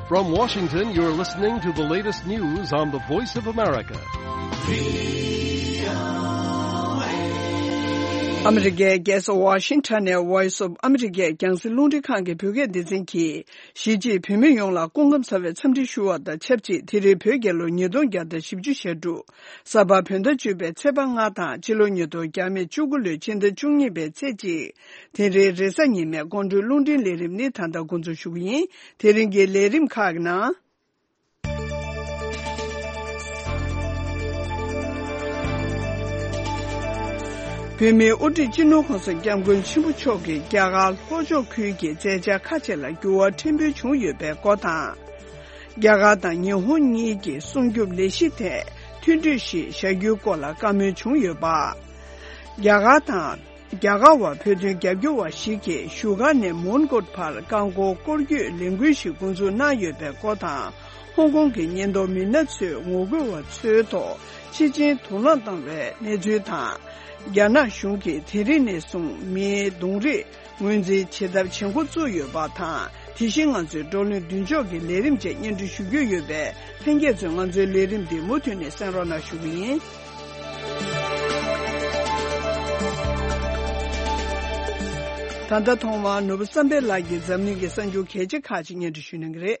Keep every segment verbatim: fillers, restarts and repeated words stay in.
From Washington, you're listening to the latest news on the Voice of America. ཨ་མི་རི་ཀའི་རྒྱལ་ས་ཝ་ཤིང་ཊོན་ནས་Voice of America རྒྱང་སྲིང་རླུང་འཕྲིན་ཁང་གི་བོད་སྐད་སྡེ་ཚན་གྱིས། གཞིས་བྱེས་བོད་མི་ཡོངས་ལ་སྐུ་ཁམས་བཟང་བའི་འཚམས་འདྲི་ཞུ་བ་དང་ཆབས་ཅིག་དེ་རིང་བོད་རྒྱལ་ལོ་ཉིས་སྟོང་བརྒྱ་དང་བཞི་བཅུ་ཞེ་དྲུག་ས་ཕག་བོད་ཟླ་བཅུ་པའི་ཚེས་པ་ལྔ་དང་ཕྱི་ལོ་ཉིས་སྟོང་བརྒྱ་མེད་བཅུ་དགུ་ལོའི་ཕྱི་ཟླ་བཅུ་གཉིས་པའི་ཚེས་གཅིག་དེ་རིང་རེས་གཟའ་ཉི་མའི་དགོང་དྲོའི་རླུང་འཕྲིན་ལས་རིམ་ནི་ད་ལྟ་འགོ་འཛུགས་ཞུ་གི་ཡིན། དེ་རིང་གི་ལས་རིམ་ཁག་གི་ནང་། བོད་མིའི་དབུ་ཁྲིད་སྤྱི་ནོར་གོང་ས་སྐྱབས་མགོན་ཆེན་པོ་མཆོག་གིས་རྒྱ་གར་ལྷོ་ཕྱོགས་ཁུལ་གྱི་མཛད་འཆར་ཁ་ཤས་ལ་འགྱུར་བ་ཕྲན་བུ་བྱུང་ཡོད་པའི་སྐོར་དང་། རྒྱ་གར་དང་ཉི་ཧོང་གཉིས་ཀྱི་སྲུང་སྐྱོབ་ལས་གཞི་ཐད་མཐུན་གྲོས་ཤིག་བཞག་རྒྱུའི་སྐོར་ལ་བཀའ་མོལ་བྱུང་ཡོད་པ། རྒྱ་གར་དང་། རྒྱ་གར་བ་བོད་དོན་རྒྱབ་སྐྱོར་བ་ཞིག་གིས་བཞུགས་སྒར་ནས་མོན་གྷོ་བར་རྐང་འཁོར་སྐོར་སྐྱོད་ལས་འགུལ་ཞིག་འགོ་འཛུགས་གནང་ཡོད་པའི་སྐོར་དང་། ཧོང་ཀོང་གི་ཉེན་རྟོག་མི་སྣ་ཚོས་ངོ་རྒོལ་བ་ཚོའི་ཐོག་ཆེད་ཆེན་དུག་རླངས་བཏང་བའི་གནས་ཚུལ་དང་། རྒྱ་ནག་གཞུང་གིས་དེ་རིང་ནས་བཟུང་མིའི་གདོང་རིས་ངོས་འཛིན་བྱེད་ཐབས་བྱེད་འགོ་བཙུགས་ཡོད་པ་དང་། དེ་བཞིན་ང་ཚོའི་བགྲོ་གླེང་མདུན་ལྕོག་གི་ལས་རིམ་བཅས་སྙན་སྒྲོན་ཞུ་རྒྱུ་ཡོད་པས། ལྷན་རྒྱས་ཚོས་ང་ཚོའི་ལས་རིམ་འདི་མུ་མཐུད་ནས་གསན་རོགས་གནང་ཞུ་གི་ཡིན། ད་ལྟ་ཐོག་མར་ནོར་བུ་བསམ་འཕེལ་ལགས་ཀྱིས་འཛམ་གླིང་གི་གསར་འགྱུར་གལ་ཆེ་ཁག་ཅིག་སྙན་སྒྲོན་ཞུ་གནང་གི་རེད།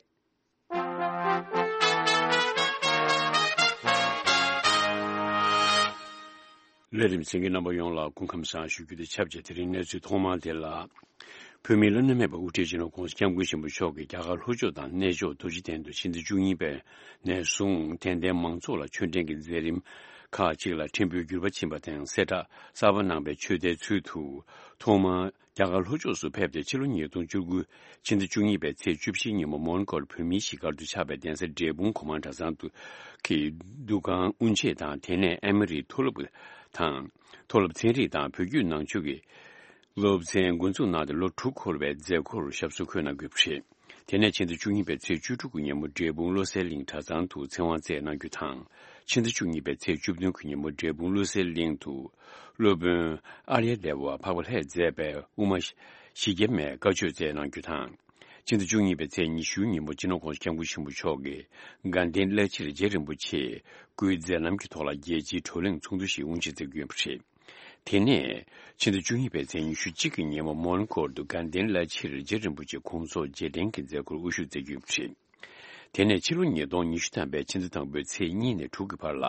ལས་རིམ་གསན་མཁན་རྣམ་པ་ཡོངས་ལ་སྐུ་ཁམས་བཟང་ཞུ་རྒྱུ་དང་ཆབས་ཅིག་དེ་རིང་གནས་ཚུལ་ཐོག་མར་དེ་ལ། བོད་མིའི་བླ་ན་མེད་པ་དབུ་ཁྲིད་སྤྱི་ནོར་༧གོང་ས་༧སྐྱབས་མགོན་ཆེན་པོ་མཆོག་གིས་རྒྱ་གར་ལྷོ་ཕྱོགས་དང་གནས་མཆོག་རྡོ་རྗེ་གདན་དུ་ཕྱི་ཟླ་བཅུ་གཉིས་པ་ནས་བཟུང་དད་ལྡན་མང་ཚོགས་ལ་ཆོས་འབྲེལ་གྱི་མཛད་རིམ་ཁག་ཅིག་ལ་ཕྲན་བུའི་འགྱུར་བ་ཕྱིན་པ་དང་། གསལ་བསྒྲགས་གསར་པ་གནང་པའི་ཆོས་སྡེའི་ཚུལ་དུ། ཐོག་མར་རྒྱ་གར་ལྷོ་ཕྱོགས་སུ་ཕེབས་ཏེ། ཕྱི་ལོ་ཉིས་སྟོང་བཅུ་དགུ་ཕྱི་ཟླ་བཅུ་གཉིས་པའི་ཚེས་བཅུ་བཞི་ཉིན་མོ་མོན་གྷོར་བོད་མིའི་གཞིས་སྒར་དུ་ཆགས་པའི་གདན་ས་འབྲས་སྤུངས་གོང་མ་གྲྭ་ཚང་དུ་གི་འདུ་ཁང་དབུ་འབྱེད་དང་། དེ་ནས་ཨ་མི་རིའི་མཐོ་སློབ་དང་། མཐོ་སློབ་ཚན་རིག་དང་བོད་བརྒྱུད་ནང་ཆོས་ཀྱི་སློབ་ཚན་འགོ་འཛུགས་གནང་སྟེ། ལོ་དྲུག་འཁོར་བའི་མཛད་སྒོར་ཞབས་སོར་འཁོད་གནང་དགོས་པ་རེད། དེ་ནས་ཕྱི་ཟླ་བཅུ་གཉིས་པའི་ཚེས་བཅུ་དྲུག་གི་ཉིན་མོ་འབྲས་སྤུངས་བློ་གསལ་གླིང་གྲྭ་ཚང་དུ་ཚེ་དབང་སྩལ་གནང་རྒྱུ་དང་། ཕྱི་ཟླ་བཅུ་གཉིས་པའི་ཚེས་བཅུ་བདུན་གྱི་ཉིན་མོ་འབྲས་སྤུངས་བློ་གསལ་གླིང་དུ་སློབ་དཔོན་ཨཱརྱ་དེ་ཝ་འཕགས་པ་ལྷས་མཛད་པའི་དབུ་མ་ཞི་རྒྱས་མའི་བཀའ་ཆོས་སྩལ་གནང་རྒྱུ་དང་། ཕྱི་ཟླ་བཅུ་གཉིས་པའི་ཚེས་ཉི་ཤུའི་ཉིན་མོ་སྤྱི་ནོར་༧གོང་ས་༧སྐྱབས་མགོན་ཆེན་པོ་མཆོག་གིས་དགའ་ལྡན་བླ་སྤྱིར་རྗེ་རིན་པོ་ཆེ་སྐུའི་མཛད་རྣམ་གྱི་ཐོག་ལ་རྒྱལ་སྤྱིའི་བགྲོ་གླེང་ཚོགས་འདུ་ཞིག་དབུ་འབྱེད་མཛད་རྒྱུ་ཡིན་པ་རེད། དེ་ནས་ཕྱི་ཟླ་བཅུ་གཉིས་པའི་ཚེས་ཉི་ཤུ་གཅིག་གི་ཉིན་མོ་མོན་གྷོར་དུ་དགའ་ལྡན་བླ་སྤྱིར་རྗེ་རིན་པོ་ཆེ་དགོངས་རྫོགས་རྗེས་དྲན་གྱི་མཛད་སྒོར་དབུ་བཞུགས་མཛད་རྒྱུ་ཡིན་པ་རེད། དེ་ནས་ཕྱི་ལོ་ཉིས་སྟོང་ཉི་ཤུ་ཐམ་པའི་ཕྱི་ཟླ་དང་པོའི་ཚེས་གཉིས་ནས་དྲུག་གི་བར་ལ།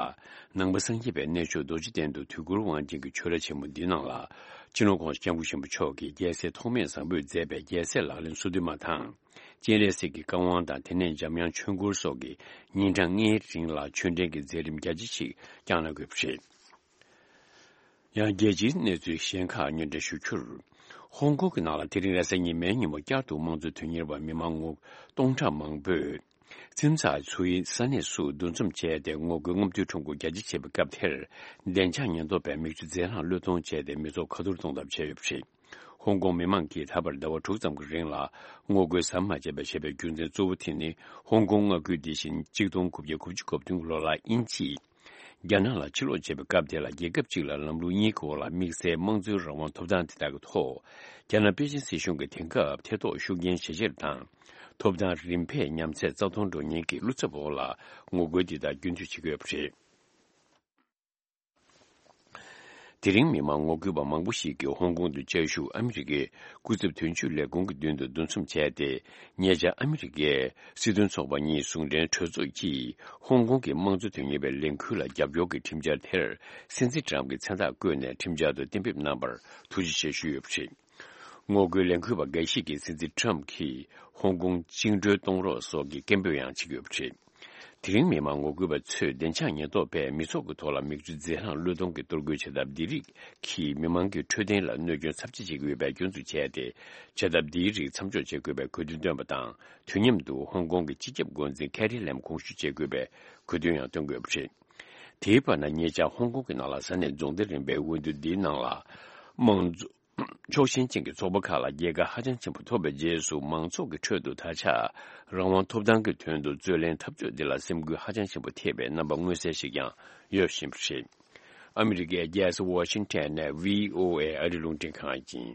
ནང་པ་སངས་རྒྱས་པའི་གནས་མཆོག་རྡོ་རྗེ་གདན་དུ་དུས་འཁོར་དབང་ཆེན་གྱི་ཆོས་ར་ཆེན་མོ་འདིའི་ནང་ལ། སྤྱི་ནོར་༧གོང་ས་༧སྐྱབས་མགོན་ཆེན་པོ་མཆོག་གིས་རྒྱལ་སྲས་ཐོགས་མེད་བཟང་པོས་མཛད་པའི་རྒྱལ་སྲས་ལག་ལེན་སོ་བདུན་མ་དང་། སྤྱན་རས་གཟིགས་ཀྱི་བཀའ་དབང་དང་། དེ་ནས་འཇམ་དབྱངས་ཆོས་འཁོར་སོགས་ཀྱི་ཉིན་གྲངས་ལྔའི་རིང་ལ་ཆོས་འབྲེལ་གྱི་མཛད་རིམ་རྒྱ་ཆེ་ཞིག་བསྐྱངས་གནང་དགོས་པ་རེད། ཡང་རྒྱལ་སྤྱིའི་གནས་ཚུལ་གཞན་ཁག་སྙན་སྒྲོན་ཞུ་རྒྱུར། ཧོང་ཀོང་གི་ནང་ལ་དེ་རིང་རེས་གཟའ་ཉི་མའི་ཉིན་མོ་བསྐྱར་དུ་དམངས་གཙོ་དོན་གཉེར་བ་མི་མང་ངོ་སྟོང་ཕྲག་མང་པོས། ཙིན་ཙ་ཚོ་ཡི་ས་གནས་སུ་འདུ་འཛོམས་བྱས་ཏེ། ངོ་རྒོལ་རྔམ་སྟོན་ཁྲོམ་སྐོར་རྒྱ་ཆེ་བྱས་པའི་སྐབས་དེར། བདེ་འཇགས་ཉེན་རྟོག་པས་མིག་ཆུ་རྫས་ལྷུང་བློས་གཏོང་བྱས་ཏེ། མི་ཚོགས་ཁ་ཐོར་གཏོང་ཐབས་བྱས་ཡོད་པ་རེད། ཧོང་ཀོང་མི་མང་གིས་ད་བར་ཟླ་བ་དྲུག་ཙམ་གྱི་རིང་ལ་ངོ་རྒོལ་ཟམ་མ་ཆད་པར་བྱས་པའི་རྒྱུ་མཚན་གཙོ་བོ་དེ་ནི། ཧོང་ཀོང་མངའ་ཁུལ་འདི་བཞིན་གཅིག་སྟོང་དགུ་བརྒྱ་དགུ་བཅུ་གོ་བདུན་ལོ་ལ་དབྱིན་ཇིས་རྒྱ་ནག་ལ་ཕྱིར་ལོག་བྱས་པའི་སྐབས་དེ་ལ། རྒྱལ་ཁབ་གཅིག་ལ་ལམ་ལུགས་གཉིས་ཀྱི་འོག་ལ་དམིགས་བསལ་དམངས་གཙོའི་རང་དབང་ཐོབ་ཐང་དེ་དག་གི་ཐོག་རྒྱ་ནག་པེ་ཅིན་སྲིད་གཞུང་གིས་དེང་སྐབས་ཐེ་གཏོགས་ཤུགས་རྐྱེན་ཇེ་ཆེར་བཏང་། ཐོབ་ཐང་རིམ་འཕེལ་ཉམས་ཚད་རྩ་སྟོང་འགྲོ་ཉེན་གྱི་བློ་འཚབ་འོག་ལ་ངོ་རྒོལ་འདི་དག་རྒྱུན་མཐུད་བྱེད་ཀྱི་ཡོད་པ་རེད། དེ་རིང་མི་མང་ངོ་རྒོལ་པ་མང་པོ་ཞིག་གིས་ཧོང་ཀོང་དུ་བཅའ་བཞུགས་ཨ་མི་རི་ཀའི་སྐུ་ཚབ་དོན་གཅོད་ལས་ཁུངས་ཀྱི་མདུན་དུ་འདུ་འཛོམས་བྱས་ཏེ། ཉེ་ཆར་ཨ་མི་རི་ཀའི་སྲིད་དོན་ཚོགས་པ་གཉིས་ཟུང་འབྲེལ་གྲོས་ཚོགས་ཀྱིས་ཧོང་ཀོང་གི་དམངས་གཙོ་དོན་གཉེར་བའི་ལས་འགུལ་ལ་རྒྱབ་སྐྱོར་གྱི་ཁྲིམས་འཆར་དེར་སྲིད་འཛིན་ཊམ་གྱིས་མཚན་རྟགས་བཀོད་ནས་ཁྲིམས་འཆར་དུ་གཏན་འབེབས་གནང་བར་ཐུགས་རྗེ་ཆེ་ཞུས་ཡོད་པ་རེད། ངོ་རྒོལ་ལས་འགུལ་བ་འགའ་ཞིག་གིས་སྲིད་འཛིན་ཊམ་གྱིས་ཧོང་ཀོང་བཅིངས་འགྲོལ་གཏོང་རོགས་སོགས་ཀྱི་སྐད་འབོད་ཡང་བྱེད་ཀྱི་ཡོད་པ་རེད། དེ་རིང་མི་མང་ངོ་རྒོལ་བ་ཚོས་བདེ་འཇགས་ཉེན་རྟོག་པས་མི་ཚོགས་ཀྱི་ཐོག་ལ་མིག་ཆུ་རྫས་ལྷུང་བློས་གཏོང་གི་གཏོར་རྒོལ་བྱེད་ཐབས་འདི་རིགས་ཀྱིས་མི་མང་གི་འཕྲོད་བསྟེན་ལ་གནོད་སྐྱོན་ཚབས་ཆེ་བྱེད་ཀྱི་ཡོད་པའི་སྐྱོན་འཛུགས་བྱས་ཏེ། བྱེད་ཐབས་འདིའི་རིགས་མཚམས་འཇོག་བྱེད་དགོས་པའི་དགོས་འདུན་བཏོན་པ་དང་། དུས་མཉམ་དུ་ཧོང་ཀོང་གི་སྤྱི་ཁྱབ་འགོ་འཛིན་ཁེ་རི་ལེམ་དགོངས་ཞུ་བྱེད་དགོས་པའི་དགོས་འདུན་ཡང་བཏོན་དགོས་པ་རེད། དེའི་བར་ན། ཉེ་ཆར་ཧོང་ཀོང་གི་ནང་ལ་ས་གནས་རྫོང་སྡེ་རིམ་པའི་འོས་བསྡུ་འདིའི་ནང་ལ། དམངས་གཙོ་ཕྱོགས་ཞེན་ཅན་གྱི་ཚོགས་པ་ཁག་ལ་རྒྱལ་ཁ་ཧ་ཅང་ཆེན་པོ་ཐོབ་པའི་རྗེས་སུ། མང་ཚོགས་ཀྱི་ཁྲོད་དུ་ད་ཆ་རང་དབང་ཐོབ་ཐང་གི་དོན་དུ་རྩོད་ལེན་འཐབ་རྩོད་འདི་ལ་སེམས་འགུལ་ཧ་ཅང་ཆེན་པོ་ཐེབས་པའི་རྣམ་པ་མངོན་གསལ་ཞིག་ཀྱང་ཡོད་བཞིན་པ་རེད། ཨ་མི་རི་ཀའི་རྒྱལ་ས་ཝ་ཤིང་ཊོན་ནས་བྷི་ཨོ་ཨེ་ཨ་རི་རླུང་འཕྲིན་ཁང་ཡིན།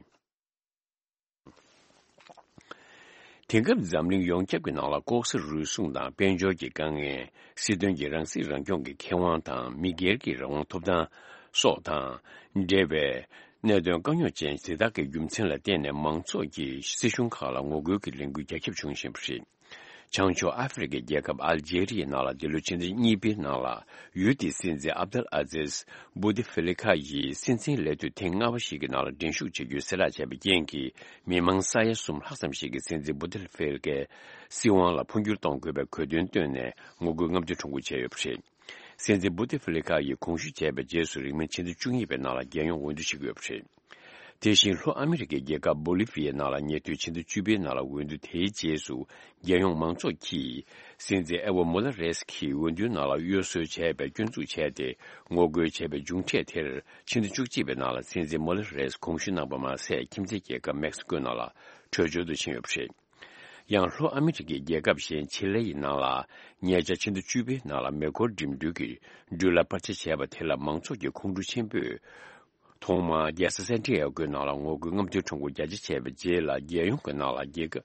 དེང་སྐབས་འཛམ་གླིང་ཡོངས་ཁྱབ་ཀྱི་ནང་ལ་ལྐོག་ཟ་རུལ་སུངས་དང་དཔལ་འབྱོར་གྱི་དཀའ་ངལ། སྲིད་དོན་གྱི་རང་སྲིད་རང་སྐྱོང་གི་ཁེ་དབང་དང་མི་སྒེར་གྱི་རང་དབང་ཐོབ་ཐང་སོགས་དང་འབྲེལ་བའི་གནད་དོན་དཀའ་རྙོག་ཅན་དེ་དག་གི་རྒྱུ་མཚན་ལ་བརྟེན་ནས་མང་ཚོགས་ཀྱིས་སྲིད་གཞུང་ཁག་ལ་ངོ་རྒོལ་གྱི་ལས་འགུལ་རྒྱ་ཁྱབ་བྱུང་བཞིན་པ་རེད། བྱང་ཕྱོགས་ཨ་ཧྥེ་རི་ཁའི་རྒྱལ་ཁབ་ཨལ་ཇེ་རི་ཡའི་ནང་ལ་འདི་ལོའི་ཕྱི་ཟླ་གཉིས་པའི་ནང་ལ་ཡུལ་དེའི་སྲིད་འཛིན་ཨབ་དལ་ཨ་ཛིز་བུ་ཏི་ཧྥི་ལི་ཁ་ཡིས་སྲིད་འཛིན་ལས་དུས་ཐེངས་ལྔ་པ་ཞིག་གི་ནང་ལ་འགྲན་ཞུགས་བྱ་རྒྱུའི་གསལ་བསྒྲགས་བྱས་པའི་རྐྱེན་གྱིས། མི་མང་ས་ཡ་གསུམ་ལྷག་ཙམ་ཞིག་གིས་སྲིད་འཛིན་བུ་ཏི་ཧྥི་ལི་ཁའི་སྲིད་དབང་ལ་འཕོ་འགྱུར་གཏོང་དགོས་པའི་གོ་དོན་བཏོན་ནས་ངོ་རྒོལ་རྔམ་སྟོན་ཁྲོམ་སྐོར་བྱས་ཡོད་པ་རེད། སྲིད་འཛིན་བུ་ཏི་ཧྥི་ལི་ཁ་ཡིས་དགོངས་ཞུ་བྱས་པའི་རྗེས་སུ་རིང་མིན་ཕྱི་ཟླ་བཅུ་གཉིས་པའི་ནང་ལ་རྒྱལ་ཡོངས་འོས་བསྡུ་བྱེད་ཀྱི་ཡོད་པ་རེད། དེ་བཞིན་ལྷོ་ཨ་མི་རི་ཀའི་རྒྱལ་ཁབ་བོ་ལི་ཝི་ཡའི་ནང་ལ་ཉེ་དུས་ཕྱི་ཟླ་བཅུ་པའི་ནང་ལ་འོས་བསྡུ་དེའི་རྗེས་སུ་རྒྱལ་ཡོངས་མང་ཚོགས་ཀྱིས་སྲིད་འཛིན་ཨེ་ཝོ་མོ་ར་རེས་ཀྱི་འོས་བསྡུའི་ནང་ལ་གཡོ་ཟོལ་བྱས་པའི་སྐྱོན་འཛུགས་བྱས་ཏེ་ངོ་རྒོལ་བྱས་པའི་མཇུག་འབྲས་དེར་ཕྱི་ཟླ་བཅུ་གཅིག་པའི་ནང་ལ་སྲིད་འཛིན་མོ་ར་རེས་དགོངས་ཞུ་གནང་པ་མ་ཟད་ཁྱིམ་མཚེས་རྒྱལ་ཁབ་མེག་སི་ཀོའི་ནང་ལ་བྲོས་བྱོལ་དུ་ཕྱིན་ཡོད་པ་རེད། ཡང་ལྷོ་ཨ་མི་རི་ཀའི་རྒྱལ་ཁབ་གཞན་ཆི་ལེ་ཡི་ནང་ལ་ཉེ་ཆར་ཕྱི་ཟླ་བཅུ་པའི་ནང་ལ་མེ་འཁོར་འགྲིམ་འགྲུལ་གྱི་འགྲུལ་ལ་པར་ཆས་བྱས་པ་དེ་ལ་མང་ཚོགས་ཀྱི་ཁོང་ཁྲོ་ཆེན་པོས། ཐོག་མར་རྒྱལ་ས་སན་ཏི་ཡ་གོའི་ནང་ལ་ངོ་རྒོལ་རྔམ་སྟོན་ཁྲོམ་སྐོར་རྒྱ་ཆེ་བྱས་པའི་རྗེས་ལ་རྒྱལ་ཡོངས་ཀྱི་ནང་ལ་རྒྱལ་ཁ་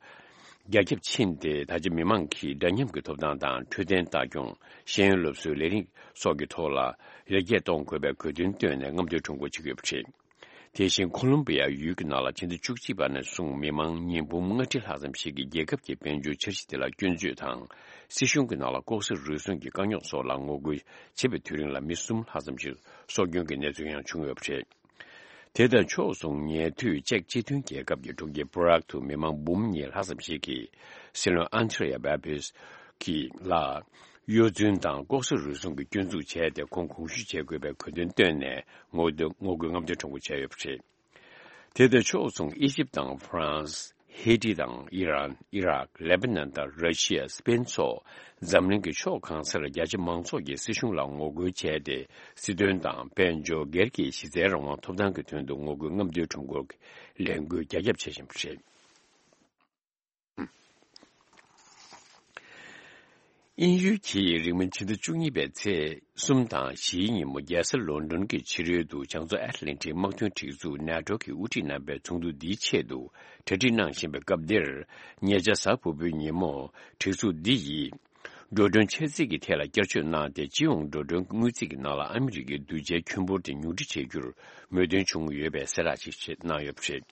རྒྱ་ཁྱབ་ཕྱིན་ཏེ། ད་ཆ་མི་མང་གིས་འདྲ་མཉམ་གྱི་ཐོབ་ཐང་དང་འཕྲོད་བསྟེན་ལྟ་སྐྱོང་། ཤེས་ཡོན་སློབ་གསོའི་ལས་རིགས་སོགས་ཀྱི་ཐོག་ལ་ཡར་རྒྱས་གཏོང་དགོས་པའི་གོ་དོན་བཏོན་ནས་རྔམ་སྟོན་ཁྲོམ་སྐོར་བྱེད་ཀྱི་ཡོད་པ་རེད། དེ་བཞིན་ཁོ་ལོམ་བི་ཡ་ཡུལ་གྱི་ནང་ལ་ཕྱི་ཟླ་བཅུ་གཅིག་པ་ནས་བཟུང་མི་མང་ཉིས་འབུམ་ལྔ་ཁྲི་ལྷག་ཙམ་ཞིག་གིས་རྒྱལ་ཁབ་ཀྱི་དཔལ་འབྱོར་འཆར་གཞི་དེ་ལ་སྐྱོན་བརྗོད་དང་། སྲིད་གཞུང་གི་ནང་ལ་ལྐོག་ཟ་རུལ་སུངས་ཀྱི་དཀའ་རྙོག་སོགས་ལ་ངོ་རྒོལ་བྱེད་པའི་དུས་རིང་ལ་མི་གསུམ་ལྷག་ཙམ་ཞིག་སྲོག་སྐྱོན་གྱི་གནས་ཚུལ་ཡང་བྱུང་ཡོད་པ་རེད། དེ་དང་ཕྱོགས་མཚུངས་ཉེ་དུས་ཅེཀ་སྤྱི་མཐུན་རྒྱལ་ཁབ་ཀྱི་གྲོང་ཁྱེར་པུ་རག་ཏུ་མི་མང་འབུམ་གཉིས་ལྷག་ཙམ་ཞིག་གིས་སྲིད་བློན་ཨན་ཏྲེ་ཡ་བྷ་བྷིས་ཀྱི་ལ་གཡོ་རྫུན་དང་ལྐོག་ཟ་རུལ་སུངས་ཀྱི་སྐྱོན་འཛུགས་བྱས་ཏེ་ཁོང་དགོངས་ཞུ་བྱེད་དགོས་པའི་གོ་དོན་བཏོན་ནས་ངོ་རྒོལ་ངོ་རྒོལ་རྔམ་སྟོན་ཁྲོམ་སྐོར་བྱས་ཡོད་པ་རེད། དེ་དང་ཕྱོགས་མཚུངས་ཨི་ཇིབ་དང་ཧྥ་རན་སི། ཧེ་ཏི་དང་ཨི་རན། ཨི་རག་ལེ་པ་ནན་དང་ར་ཤི་ཡ། སི་པེན་སོགས་འཛམ་གླིང་གི་ཕྱོགས་གང་སར་རྒྱ་ཆེ་མང་ཚོགས་ཀྱིས་སྲིད་གཞུང་ལ་ངོ་རྒོལ་བྱས་ཏེ། སྲིད་དོན་དང་དཔལ་འབྱོར་སྒེར་གྱི་གཞི་རྩའི་རང་དབང་ཐོབ་ཐང་གི་དོན་དུ་ངོ་རྒོལ་རྔམ་སྟོན་ཁྲོམ་སྐོར་གྱི་ལས་འགུལ་རྒྱ་ཁྱབ་བྱེད་བཞིན་པ་རེད། དབྱིན་ཡུལ་གྱིས་རིང་མིན་ཕྱི་ཟླ་བཅུ་གཉིས་པའི་ཚེས་གསུམ་དང་བཞིའི་ཉིན་མོ་རྒྱལ་ས་ལོན་ཌོན་གྱི་ཕྱི་རོལ་དུ་བྱང་མཚོ་ཨེཊ་ལན་ཊིག་དམག་དོན་སྒྲིག་འཛུགས་ནེ་ཊོ་གིས་དབུ་ཁྲིད་རྣམ་པའི་ཚོགས་འདུ་འདིའི་ཆེད་དུ་གྲ་སྒྲིག་གནང་བཞིན་པའི་སྐབས་འདིར། ཉེ་ཆར་གཟའ་ཕུར་བུའི་ཉིན་མོ་སྒྲིག་འཛུགས་འདི་ཡིས་འགྲོ་གྲོན་ཆད་ཚད་ཀྱི་ཐད་ལ་བསྐྱར་བཅོས་གནང་སྟེ། སྤྱི་ཡོངས་འགྲོ་གྲོན་དངུལ་རྩིས་ཀྱི་ནང་ལ་ཨ་མི་རི་ཀའི་གདུལ་བྱའི་ཁྱོན་འབོར་དེ་ཉུང་འཕྲི་བྱེད་རྒྱུར་མོས་མཐུན་བྱུང་ཡོད་པའི་གསལ་བསྒྲགས་ཤིག་གནང་ཡོད་པ་རེད།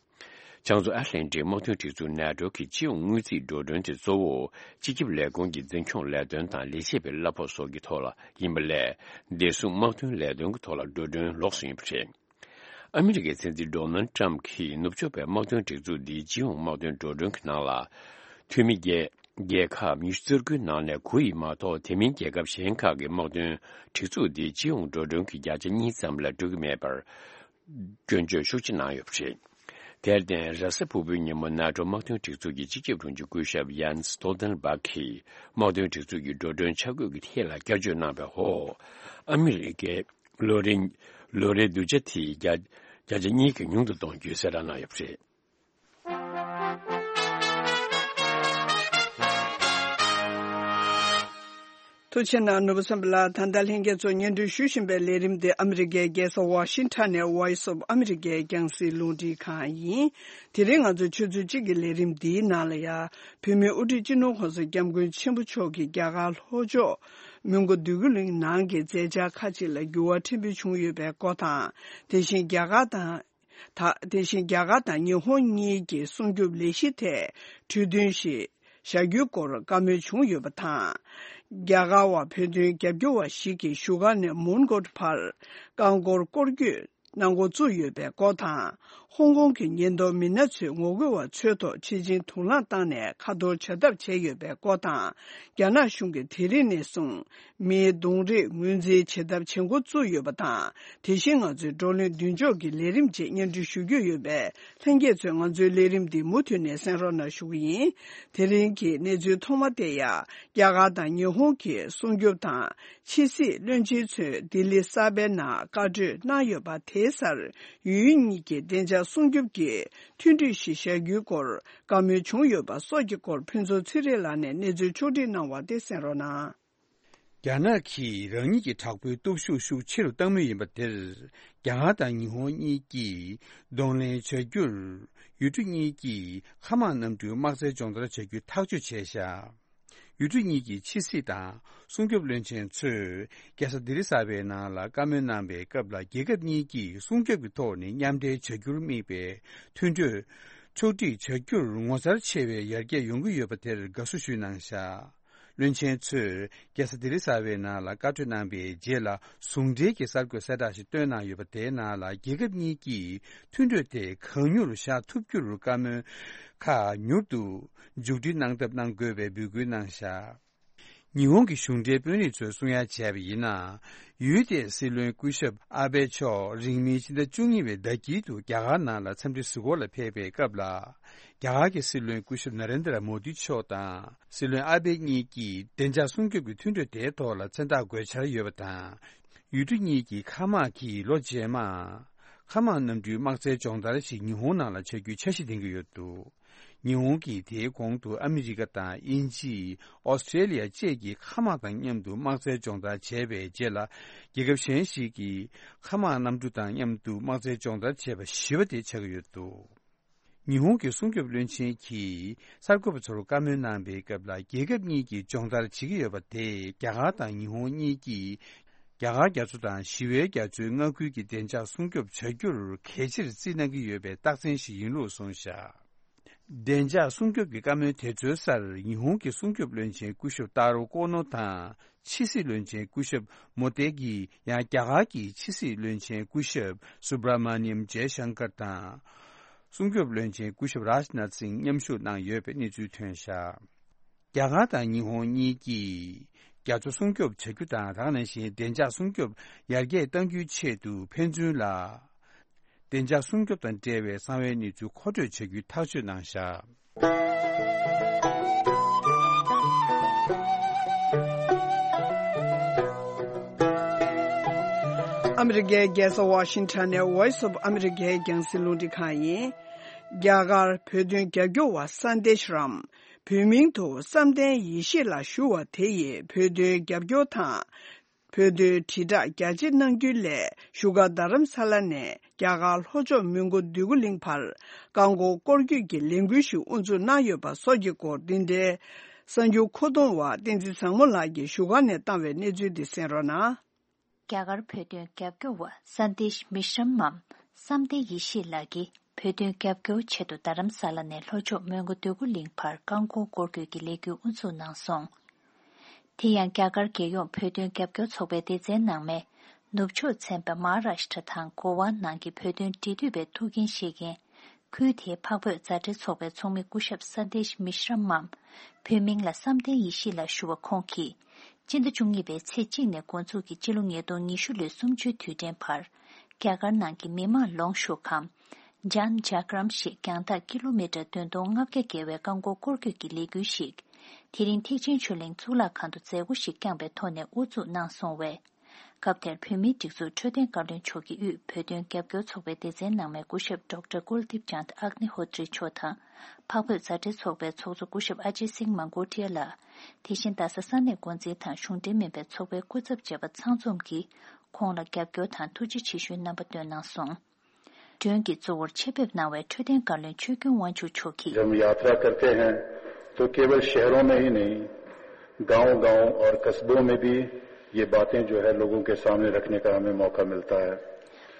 བྱང་མཚོ་ཨེཊ་ལན་ཊིག་དམག་དོན་སྒྲིག་འཛུགས་ནེ་ཊོ་གི་སྤྱི་ཡོངས་དངུལ་རྩིས་འགྲོ་གྲོན་དེ་གཙོ་བོ་སྤྱི་ཁྱབ་ལས་ཁུངས་ཀྱི་འཛིན་སྐྱོང་ལས་དོན་དང་ལས་བྱེད་པའི་གླ་ཕོགས་སོགས་ཀྱི་ཐོག་ལ་ཡིན་པ་ལས། བདེ་སྲུང་དམག་དོན་ལས་དོན་གྱི་ཐོག་ལ་འགྲོ་གྲོན་ལོགས་སུ་ཡིན་པ་རེད། ཨ་མི་རི་ཀའི་སྲིད་འཛིན་ཌོ་ནལ་ཊམ་གྱིས་ནུབ་ཕྱོགས་པའི་དམག་དོན་སྒྲིག་འཛུགས་འདིའི་སྤྱི་ཡོངས་དམག་དོན་འགྲོ་གྲོན་གྱི་ནང་ལ། འཐུས་མི་རྒྱལ་རྒྱལ་ཁབ་ཉི་ཤུ་རྩ་དགུའི་ནང་ནས་དགུ་ཡིས་མ་གཏོགས་དེ་མིན་རྒྱལ་ཁབ་གཞན་ཁག་གི་དམག་དོན་སྒྲིག་འཛུགས་འདིའི་སྤྱི་ཡོངས་འགྲོ་གྲོན་གྱི་བརྒྱ་ཆ་གཉིས་ཙམ་ལས་འགྲོ་གི་མེད་པར། སྐྱོན་བརྗོད་ཤུགས་ཆེ་གནང་ཡོད་པ་རེད། དེར་བརྟེན། རེས་གཟའ་ཕུར་བུའི་ཉིན་མོ་ནེ་ཊོ་དམག་དོན་སྒྲིག་འཛུགས་ཀྱི་སྤྱི་ཁྱབ་དྲུང་ཆེ་སྐུ་ཞབས་ཡཱན་སི་སྟོལ་ཏན་སྦག་གིས་དམག་དོན་སྒྲིག་འཛུགས་ཀྱི་འགྲོ་གྲོན་ཆ་བགོས་ཀྱི་ཐད་ལ་བསྐྱར་བཅོས་གནང་བའི་འོག་ཨ་མི་རི་ཀའི་ལོ་རེ་ལོ་རེའི་གདུལ་བྱ་དེ་བརྒྱ་བརྒྱ་ཆ་གཉིས་ཀྱིས་ཉུང་དུ་གཏོང་རྒྱུའི་གསལ་བསྒྲགས་གནང་ཡོད་པ་རེད། ཐུགས་རྗེ་གནང་། ནོར་བུ་བསམ་འཕེལ་ལགས། ད་ལྟ་ལྷན་རྒྱས་ཚོ་སྙན་སྒྲོན་ཞུ་བཞིན་པའི་ལས་རིམ་དེ་ཨ་མི་རི་ཀའི་རྒྱལ་ས་ཝ་ཤིང་ཊོན་ནས་Voice of America་རྒྱང་སྲིང་རླུང་འཕྲིན་ཁང་ཡིན། དེ་རིང་ང་ཚོ་ཆུ་ཚོད་གཅིག་གི་ལས་རིམ་འདིའི་ནང་ལ་ཡང་བོད་མིའི་དབུ་ཁྲིད་སྤྱི་ནོར་༸གོང་ས་༸སྐྱབས་མགོན་ཆེན་པོ་མཆོག་གིས་རྒྱ་གར་ལྷོ་ཕྱོགས་མོན་གྷོ་འདོད་རྒུ་གླིང་ནང་གི་མཛད་འཆར་ཁག་ཅིག་ལ་འགྱུར་བ་ཕྲན་བུ་བྱུང་ཡོད་པའི་སྐོར་དང་། དེ་བཞིན་རྒྱ་གར་དང་། ད། དེ་བཞིན་རྒྱ་གར་དང་ཉི་ཧོང་གཉིས་ཀྱི་སྲུང་སྐྱོབ་ལས་གཞི་ཐད་གྲོས་མཐུན་ཞིག་བཞག་རྒྱུའི་སྐོར་བཀའ་མོལ་བྱུང་ཡོད་པ་དང་། རྒྱ་གར་བ་བོད་དོན་རྒྱབ་སྐྱོར་བ་ཞིག་གིས་བཞུགས་སྒར་ནས་མོན་གྷོ་བར་རྐང་འཁོར་སྐོར་སྐྱོད་གནང་འགོ་བཙུགས་ཡོད་པའི་སྐོར་དང་། ཧོང་ཀོང་གི་ཉེན་རྟོག་མི་སྣ་ཚོས་ངོ་རྒོལ་བ་ཚོའི་ཐོག་ཆེད་ཕྱིན་དུག་རླངས་བཏང་ནས་ཁ་འཐོར་བྱ་ཐབས་བྱས་ཡོད་པའི་སྐོར་དང་། རྒྱ་ནག་གཞུང་གིས་དེ་རིང་ནས་བཟུང་། མིའི་གདོང་རིས་ངོས་འཛིན་བྱེད་ཐབས་བྱེད་འགོ་བཙུགས་ཡོད་པ་དང་། དེ་བཞིན་ང་ཚོའི་བགྲོ་གླེང་མདུན་ལྕོག་གི་ལས་རིམ་བཅས་སྙན་སྒྲོན་ཞུ་རྒྱུ་ཡོད་པས། ལྷན་རྒྱས་ཚོས་ང་ཚོའི་ལས་རིམ་འདི་མུ་མཐུད་ནས་གསན་རོགས་གནང་ཞུ་གི་ཡིན། དེ་རིང་གི་གནས་ཚུལ་ཐོག་མ་དེ་ཡང་། རྒྱ་གར་དང་ཉི་ཧོང་གི་སྲུང་སྐྱོབ་དང་། ཕྱི་སྲིད་བློན་ཆེན་ཚོས་ལྡི་ལི་གསར་པའི་ནང་བཀའ་གྲོས་གནང་ཡོད་པ་དེའི་སར། ཡུལ་གཉིས་ཀྱི་བདེ་འཇགས་སྲུང་སྐྱོབ་ཀྱི་མཐུན་གྲོས་ཤིག་བཞག་རྒྱུའི་སྐོར་བཀའ་མོལ་བྱུང་ཡོད་པ་སོགས་ཀྱི་སྐོར་ཕུན་ཚོགས་ཚེ་རིང་ལགས་ནས་གནས་ཚུལ་ཕྱོགས་སྒྲིག་གནང་བ་དེ་གསན་རོགས་གནང་། རྒྱ་ནག་གིས་རང་ཉིད་ཀྱི་དྲག་པོའི་སྟོབས་ཤུགས་ཤུགས་ཆེ་རུ་བཏང་མུས་ཡིན་པ་དེར། རྒྱ་གར་དང་ཉི་ཧོང་གཉིས་ཀྱིས་གདོང་ལེན་བྱ་རྒྱུར། ཡུལ་གྲུ་གཉིས་ཀྱིས་མཁའ་དམག་གནམ་གྲུའི་དམག་རྩལ་སྦྱོང་བརྡར་བྱ་རྒྱུ་ཐག་གཅོད་བྱས་བཞག་ཡུལ་གྲུ་གཉིས་ཀྱི་ཕྱི་སྲིད་དང་སྲུང་སྐྱོབ་བློན་ཆེན་ཚོས་རྒྱལ་ས་ལྡི་རི་གསར་པའི་ནང་ལ་བཀའ་མོལ་གནང་པའི་སྐབས་ལ། རྒྱལ་ཁབ་གཉིས་ཀྱིས་སྲུང་སྐྱོབ་ཀྱི་ཐོག་ནས་མཉམ་འབྲེལ་བྱ་རྒྱུར་དམིགས་པའི་མཐུན་གྲོས་ཕྱོགས་སྒྲིག་བྱ་རྒྱུར་ངོ་མཚར་ཆེ་བའི་ཡར་རྒྱས་ཡོང་གི་ཡོད་པ་དེར་དགའ་བསུ་ཞུས་གནང་བཞག་བློན་ཆེན་ཚོས་རྒྱལ་ས་ལྡི་རི་གསར་པའི་ནང་ལ་བཀའ་གྲོས་གནང་པའི་རྗེས་ལ། ཟུང་འབྲེལ་གྱི་གསར་འགོད་གསལ་བསྒྲགས་ཤིག་བཏོན་གནང་ཡོད་པ་དེའི་ནང་ལ། རྒྱལ་ཁབ་གཉིས་ཀྱིས་མཐུན་གྲོས་དེ་གང་མྱུར་བཞག་ཐུབ་རྒྱུར་བཀའ་མོལ་ཁག་མྱུར་དུ་མཇུག་སྒྲིལ་གནང་ཐབས་གནང་དགོས་པའི་འབོད་སྐུལ་གནང་བཞག་ཉི་ཧོང་གི་གཞུང་འབྲེལ་དཔོན་རིགས་ཚོས་གསུང་ཡ་བྱས་པ་ཡིན་ན། ཡུལ་དེའི་སྲིད་བློན་སྐུ་ཞབས་ཨ་བྷེ་མཆོག་རིང་མིན་ཕྱི་ཟླ་བཅུ་གཉིས་པའི་ཟླ་དཀྱིལ་དུ་རྒྱ་གར་ནང་ལ་འཚམས་འདྲི་གཟིགས་སྐོར་ལ་ཕེབས་པའི་སྐབས་ལ། རྒྱ་གར་གྱི་སྲིད་བློན་སྐུ་ཞབས་ན་རེན་དྲ་མོ་དི་མཆོག་དང་སྲིད་བློན་ཨ་བྷེ་གཉིས་ཀྱིས་བདེ་འཇགས་སྲུང་སྐྱོབ་ཀྱི་མཐུན་གྲོས་དེའི་ཐོག་ལ་མཚན་རྟགས་འགོད་འཆར་ཡོད་པ་དང་། ཡུལ་གྲུ་གཉིས་ཀྱི་མཁའ་དམག་གིས་ལོ་རྗེས་མ། མཁའ་དམག་གནམ་གྲུའི་དམག་རྩལ་སྦྱོང་བརྡར་ཞིག་ཉི་ཧོང་ནང་ལ་བྱ་རྒྱུའི་འཆར་གཞི་འདིང་གི་ཡོད་འདུག་ཉི་ཧོང་གིས་དེའི་གོང་དུ་ཨ་མི་རི་ཀ་དང་དབྱིན་ཇི། ཨོ་སི་ཀྲེ་ལི་ཡ་བཅས་ཀྱི་མཁའ་དམག་དང་མཉམ་དུ་དམག་རྩལ་སྦྱོང་བརྡར་བྱས་པའི་རྗེས་ལ། རྒྱལ་ཁབ་གཞན་ཞིག་གི་མཁའ་དམག་གནམ་གྲུ་དང་མཉམ་དུ་དམག་རྩལ་སྦྱོང་བརྡར་བྱས་པ་བཞི་པ་དེ་ཆགས་ཀྱི་ཡོད་འདུག་ཉི་ཧོང་གི་སྲུང་སྐྱོབ་བློན་ཆེན་གྱིས་གསར་འགོད་པ་ཚོར་བཀའ་མོལ་གནང་པའི་སྐབས་ལ། རྒྱལ་ཁབ་གཉིས་ཀྱིས་སྦྱོང་བརྡར་བྱེད་ཀྱི་ཡོད་པ་དེས་རྒྱ་གར་དང་ཉི་ཧོང་གཉིས་ཀྱིས་རྒྱ་གར་རྒྱ་མཚོ་དང་ཞི་བའི་རྒྱ་མཚོའི་མངའ་ཁུལ་གྱི་བདེ་འཇགས་སྲུང་སྐྱོབ་བྱ་རྒྱུར་གལ་ཆེར་བརྩི་གནང་གི་ཡོད་པའི་རྟགས་མཚན་ཞིག་ཡིན་ལུགས་གསུངས་བཞག་བདེ་འཇགས་སྲུང་སྐྱོབ་ཀྱི་བཀའ་མོལ་དེ་ཚོའི་སར། ཉི་ཧོང་གི་སྲུང་སྐྱོབ་བློན་ཆེན་སྐུ་ཞབས་ཏཱ་རོ་ཀོ་ནོ་དང་། ཕྱི་སྲིད་བློན་ཆེན་སྐུ་ཞབས་མོ་ཏེ་གི། ཡང་རྒྱ་གར་གྱི་ཕྱི་སྲིད་བློན་ཆེན་སྐུ་ཞབས་སུ་བྷ་ར་མ་ནི་ཡམ་ཇེ་ཤང་ཀར་དང་། སྲུང་སྐྱོབ་བློན་ཆེན་སྐུ་ཞབས་རཱཇ་ནཱཐ་སིང་མཉམ་ཞུགས་གནང་ཡོད་པའི་གནས་ཚུལ་ཐོན་བཞག་རྒྱ་གར་དང་ཉི་ཧོང་གཉིས་ཀྱིས་རྒྱ་མཚོ་སྲུང་སྐྱོབ་བྱ་རྒྱུ་དང་། དེ་ནང་བཞིན་བདེ་འཇགས་སྲུང་སྐྱོབ་ཡར་རྒྱས་གཏང་རྒྱུའི་ཆེད་དུ་ཕན་ཚུན་ལ། བདེ་འཇགས་སྲུང་སྐྱོབ་དང་འབྲེལ་བའི་གསང་བའི་གནས་ཚུལ་མཁོ་སྤྲོད་བྱ་རྒྱུའི་ཐག་གཅོད་གནང་བཞག་ཨ་མི་རི་ཀའི་རྒྱལ་ས་ཝ་ཤིང་ཊོན་ནས་Voice of America་རྒྱང་སྲིང་རླུང་འཕྲིན་ཁང་ཡིན། རྒྱ་གར་བོད་དོན་རྒྱབ་སྐྱོར་བ་སན་དེ་ཤི་རམ། བོད་མིང་དུ་བསམ་གཏན་ཡེ་ཤེས་ལགས་ཞུ་བ་དེ་ཡིས་བོད་དོན་རྒྱབ་སྐྱོར་དང་། བོད་དོན་དྲིལ་བསྒྲགས་རྒྱ་ཆེ་གནང་རྒྱུའི་སླད་བཞུགས་སྒར་རྡ་རམ་ས་ལ་ནས་རྒྱ་གར་ལྷོ་ཕྱོགས་མོན་གྷོ་འདོད་རྒུ་གླིང་བར་རྐང་འཁོར་སྐོར་སྐྱོད་ཀྱི་ལས་འགུལ་ཞིག་དབུ་འཛུགས་གནང་ཡོད་པ་སོགས་ཀྱི་སྐོར་འདི་འདྲའི་གསར་འགྱུར་མཁོ་གཏོང་བ་བསྟན་འཛིན་བཟང་མོ་ལགས་ཀྱིས་བཞུགས་སྒར་ནས་བཏང་བའི་གནས་ཚུལ་འདི་གསན་རོགས་གནང་། རྒྱ་གར་བོད་དོན་རྒྱབ་སྐྱོར་བ་སན་དེ་ཤི་མི་ཤི་རམ་མམ་བསམ་གཏན་ཡེ་ཤེས་ལགས་ཀྱིས་བོད་དོན་རྒྱབ་སྐྱོར་ཆེད་དུ་རྡ་རམ་ས་ལ་ནས་ལྷོ་ཕྱོགས་མོན་གྷོ་འདོད་རྒུ་གླིང་བར་རྐང་འཁོར་སྐོར་སྐྱོད་ཀྱི་ལས་འགུལ་དབུ་འཛུགས་གནང་སོང་། དེ་ཡང་རྒྱ་གར་རྒྱལ་ཡོངས་བོད་དོན་རྒྱབ་སྐྱོར་ཚོགས་པའི་སྡེ་ཚན་ནང་མའི་ནུབ་ཕྱོགས་ཚན་པ་མ་ཧཱ་རཱཤ་ཊ་དང་གོ་ཝ་ནང་གི་བོད་དོན་འབྲེལ་མཐུད་པའི་ཐུགས་འགན་བཞེས་མཁན། ཁུལ་དེའི་འཕགས་བོད་མཛའ་འབྲེལ་ཚོགས་པའི་ཚོགས་མི་སྐུ་ཞབས་སན་དེ་ཤི་མི་ཤི་རམ་མམ། བོད་མིང་ལ་བསམ་གཏན་ཡེ་ཤེས་ལགས་ཞུ་བ་ཁོང་གིས། སྤྱི་ཟླ་བཅུ་གཉིས་པའི་ཚེས་གཅིག་ནས་འགོ་འཛུགས་ཀྱིས་སྤྱི་ལོ་ཉིས་སྟོང་ཉི་ཤུ་ལོའི་གསུམ་བཅུའི་དུས་དྲན་བར། རྒྱ་གར་ནང་གི་མི་དམངས་ལོངས་ཤུགས་ཁང་། ཇཱན་ཇཱ་གྷ་རམ་ཞེས་རྒྱང་ཐག་ཀི་ལོ་མི་ཊར་བདུན་སྟོང་ལྔ་བརྒྱ་བརྒལ་བའི་རྐང་འཁོར་སྐོར་སྐྱོད་ཀྱི་ལས་འགུལ་ཞིག་དེ་རིང་ཐེག་ཆེན་ཆོས་གླིང་གཙུག་ལག་ཁང་དུ་མཛད་སྒོ་ཞིག་བསྐྱངས་པའི་ཐོག་ནས་དབུ་འཛུགས་གནང་སོང་བས། སྐབས་དེར་བོད་མིའི་སྒྲིག་འཛུགས་འཕྲོད་བསྟེན་བཀའ་བློན་མཆོག་གིས་དབུས་བོད་དོན་རྒྱབ་སྐྱོར་ཚོགས་པའི་སྡེ་ཚན་ནང་མའི་སྐུ་ཞབས་ཌོག་ཊར་ཀུལ་དིབ་ཅཱནད་ཨག་ནི་ཧོ་ཏྲི་མཆོག་དང་། འཕགས་བོད་མཛའ་འབྲེལ་ཚོགས་པའི་ཚོགས་གཙོ་སྐུ་ཞབས་ཨ་ཇེ་སིང་མང་གོ་ཊི་ཡ་ལགས། དེ་བཞིན་རྡ་ས་ས་གནས་འགོ་འཛིན་དང་གཞུང་འབྲེལ་མིན་པའི་ཚོགས་པའི་སྐུ་ཚབ་བཅས་པ་ཚང་འཛོམས་ཀྱིས་ཁོང་ལ་རྒྱབ་སྐྱོར་དང་ཐུགས་རྗེ་ཆེ་ཞུའི་རྣམ་པ་བཏོན་གནང་སོང་། མགྲོན་གྱི་གཙོ་བོར་ཆེད་ཕེབས་གནང་བའི་འཕྲོད་བསྟེན་བཀའ་བློན་ཆོས་ཀུན་དབང་ཕྱུག་མཆོག་གིས། जब हम यात्रा करते हैं तो केवल शहरों में ही नहीं, गांव-गांव और कस्बों में भी ये बातें जो है लोगों के सामने रखने का हमें मौका मिलता है।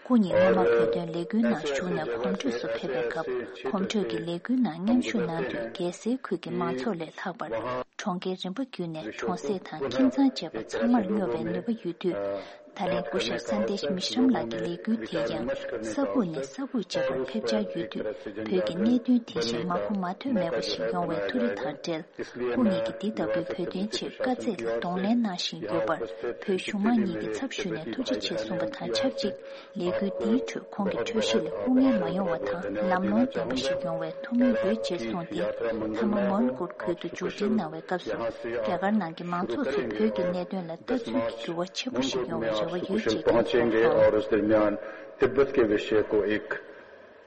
སྐུ་ཉིད་སྔོན་མ་བོད་དོན་ལས་འགུལ་ནང་ཞུགས་ནས་གོམ་བགྲོད་སུ་ཕེབས་པའི་སྐབས། གོམ་བགྲོད་ཀྱི་ལས་འགུལ་ནང་མཉམ་ཞུགས་གནང་དུས། རྒྱལ་སའི་ཁུལ་གྱི་མང་ཚོགས་ལས་ལྷག་པར། གྲོང་ཁྱེར་རིམ་པ་བརྒྱུད་ནས་གྲོང་གསེབ་དང་ཁྱིམ་ཚང་བཅས་པ་ཚང་མར་སྙོབ་པའི་ནུས་པ་ཡོད་དུས། ད་ལན་སྐུ་ཞབས་སན་དེ་ཤི་མི་ཤི་རམ་ལགས་ཀྱི་ལས་འགུལ་དེ་ཡང་ས་ཁུག་ནས་ས་ཁུག་བཅས་པར་ཕེབས་འཆར་ཡོད་དུས། བོད་ཀྱི་གནད་དོན་དེ་བཞིན་མ་གོ་མ་ཐོས་མེད་པ་ཞིག་ཡོང་བའི་ཐུགས་རེ་དང་འབྲེལ། སྐུ་ཉིད་ཀྱིས་འདི་ལྟ་བུའི་བོད་དོན་ཆེད་དཀའ་ཚེགས་ལ་གདོང་ལེན་གནང་བཞིན་ཡོད་པར། བོད་གཞུང་མང་གཉིས་ཀྱི་ཚབ་ཞུས་ནས་ཐུགས་རྗེ་ཆེ་གསུངས་པ་དང་ཆབས་ཅིག་ལས་འགུལ་འདིའི་ཁྲོད་ཁོང་གི་འཕྲོད་བཞེས་ལ་སྐུ་ངལ་མ་ཡོང་བ་དང་། ལམ་ལྷོང་ལྡན་པ་ཞིག་ཡོང་བའི་ཐུགས་སྨོན་འབུལ་ཕྱིར་གསུངས་ཏེ། མཐའ་མ་མོན་གྷོ་ཁུལ་དུ་མཇུག་སྒྲིལ་གནང་བའི་སྐབས་སུ། རྒྱ་གར་ནང་གི་མང་ཚོགས་ཚོས་བོད་ཀྱི་གནད་དོན་ལ་ལྟ་ཚུལ་གྱི་འགྱུར་བ་ཆེན་པོ་ཞིག་ཡོང་བའི་རེ་བ་ཡོད་ཅེས་བཀའ་སྩལ་སོང་། तिब्बत के विषय को एक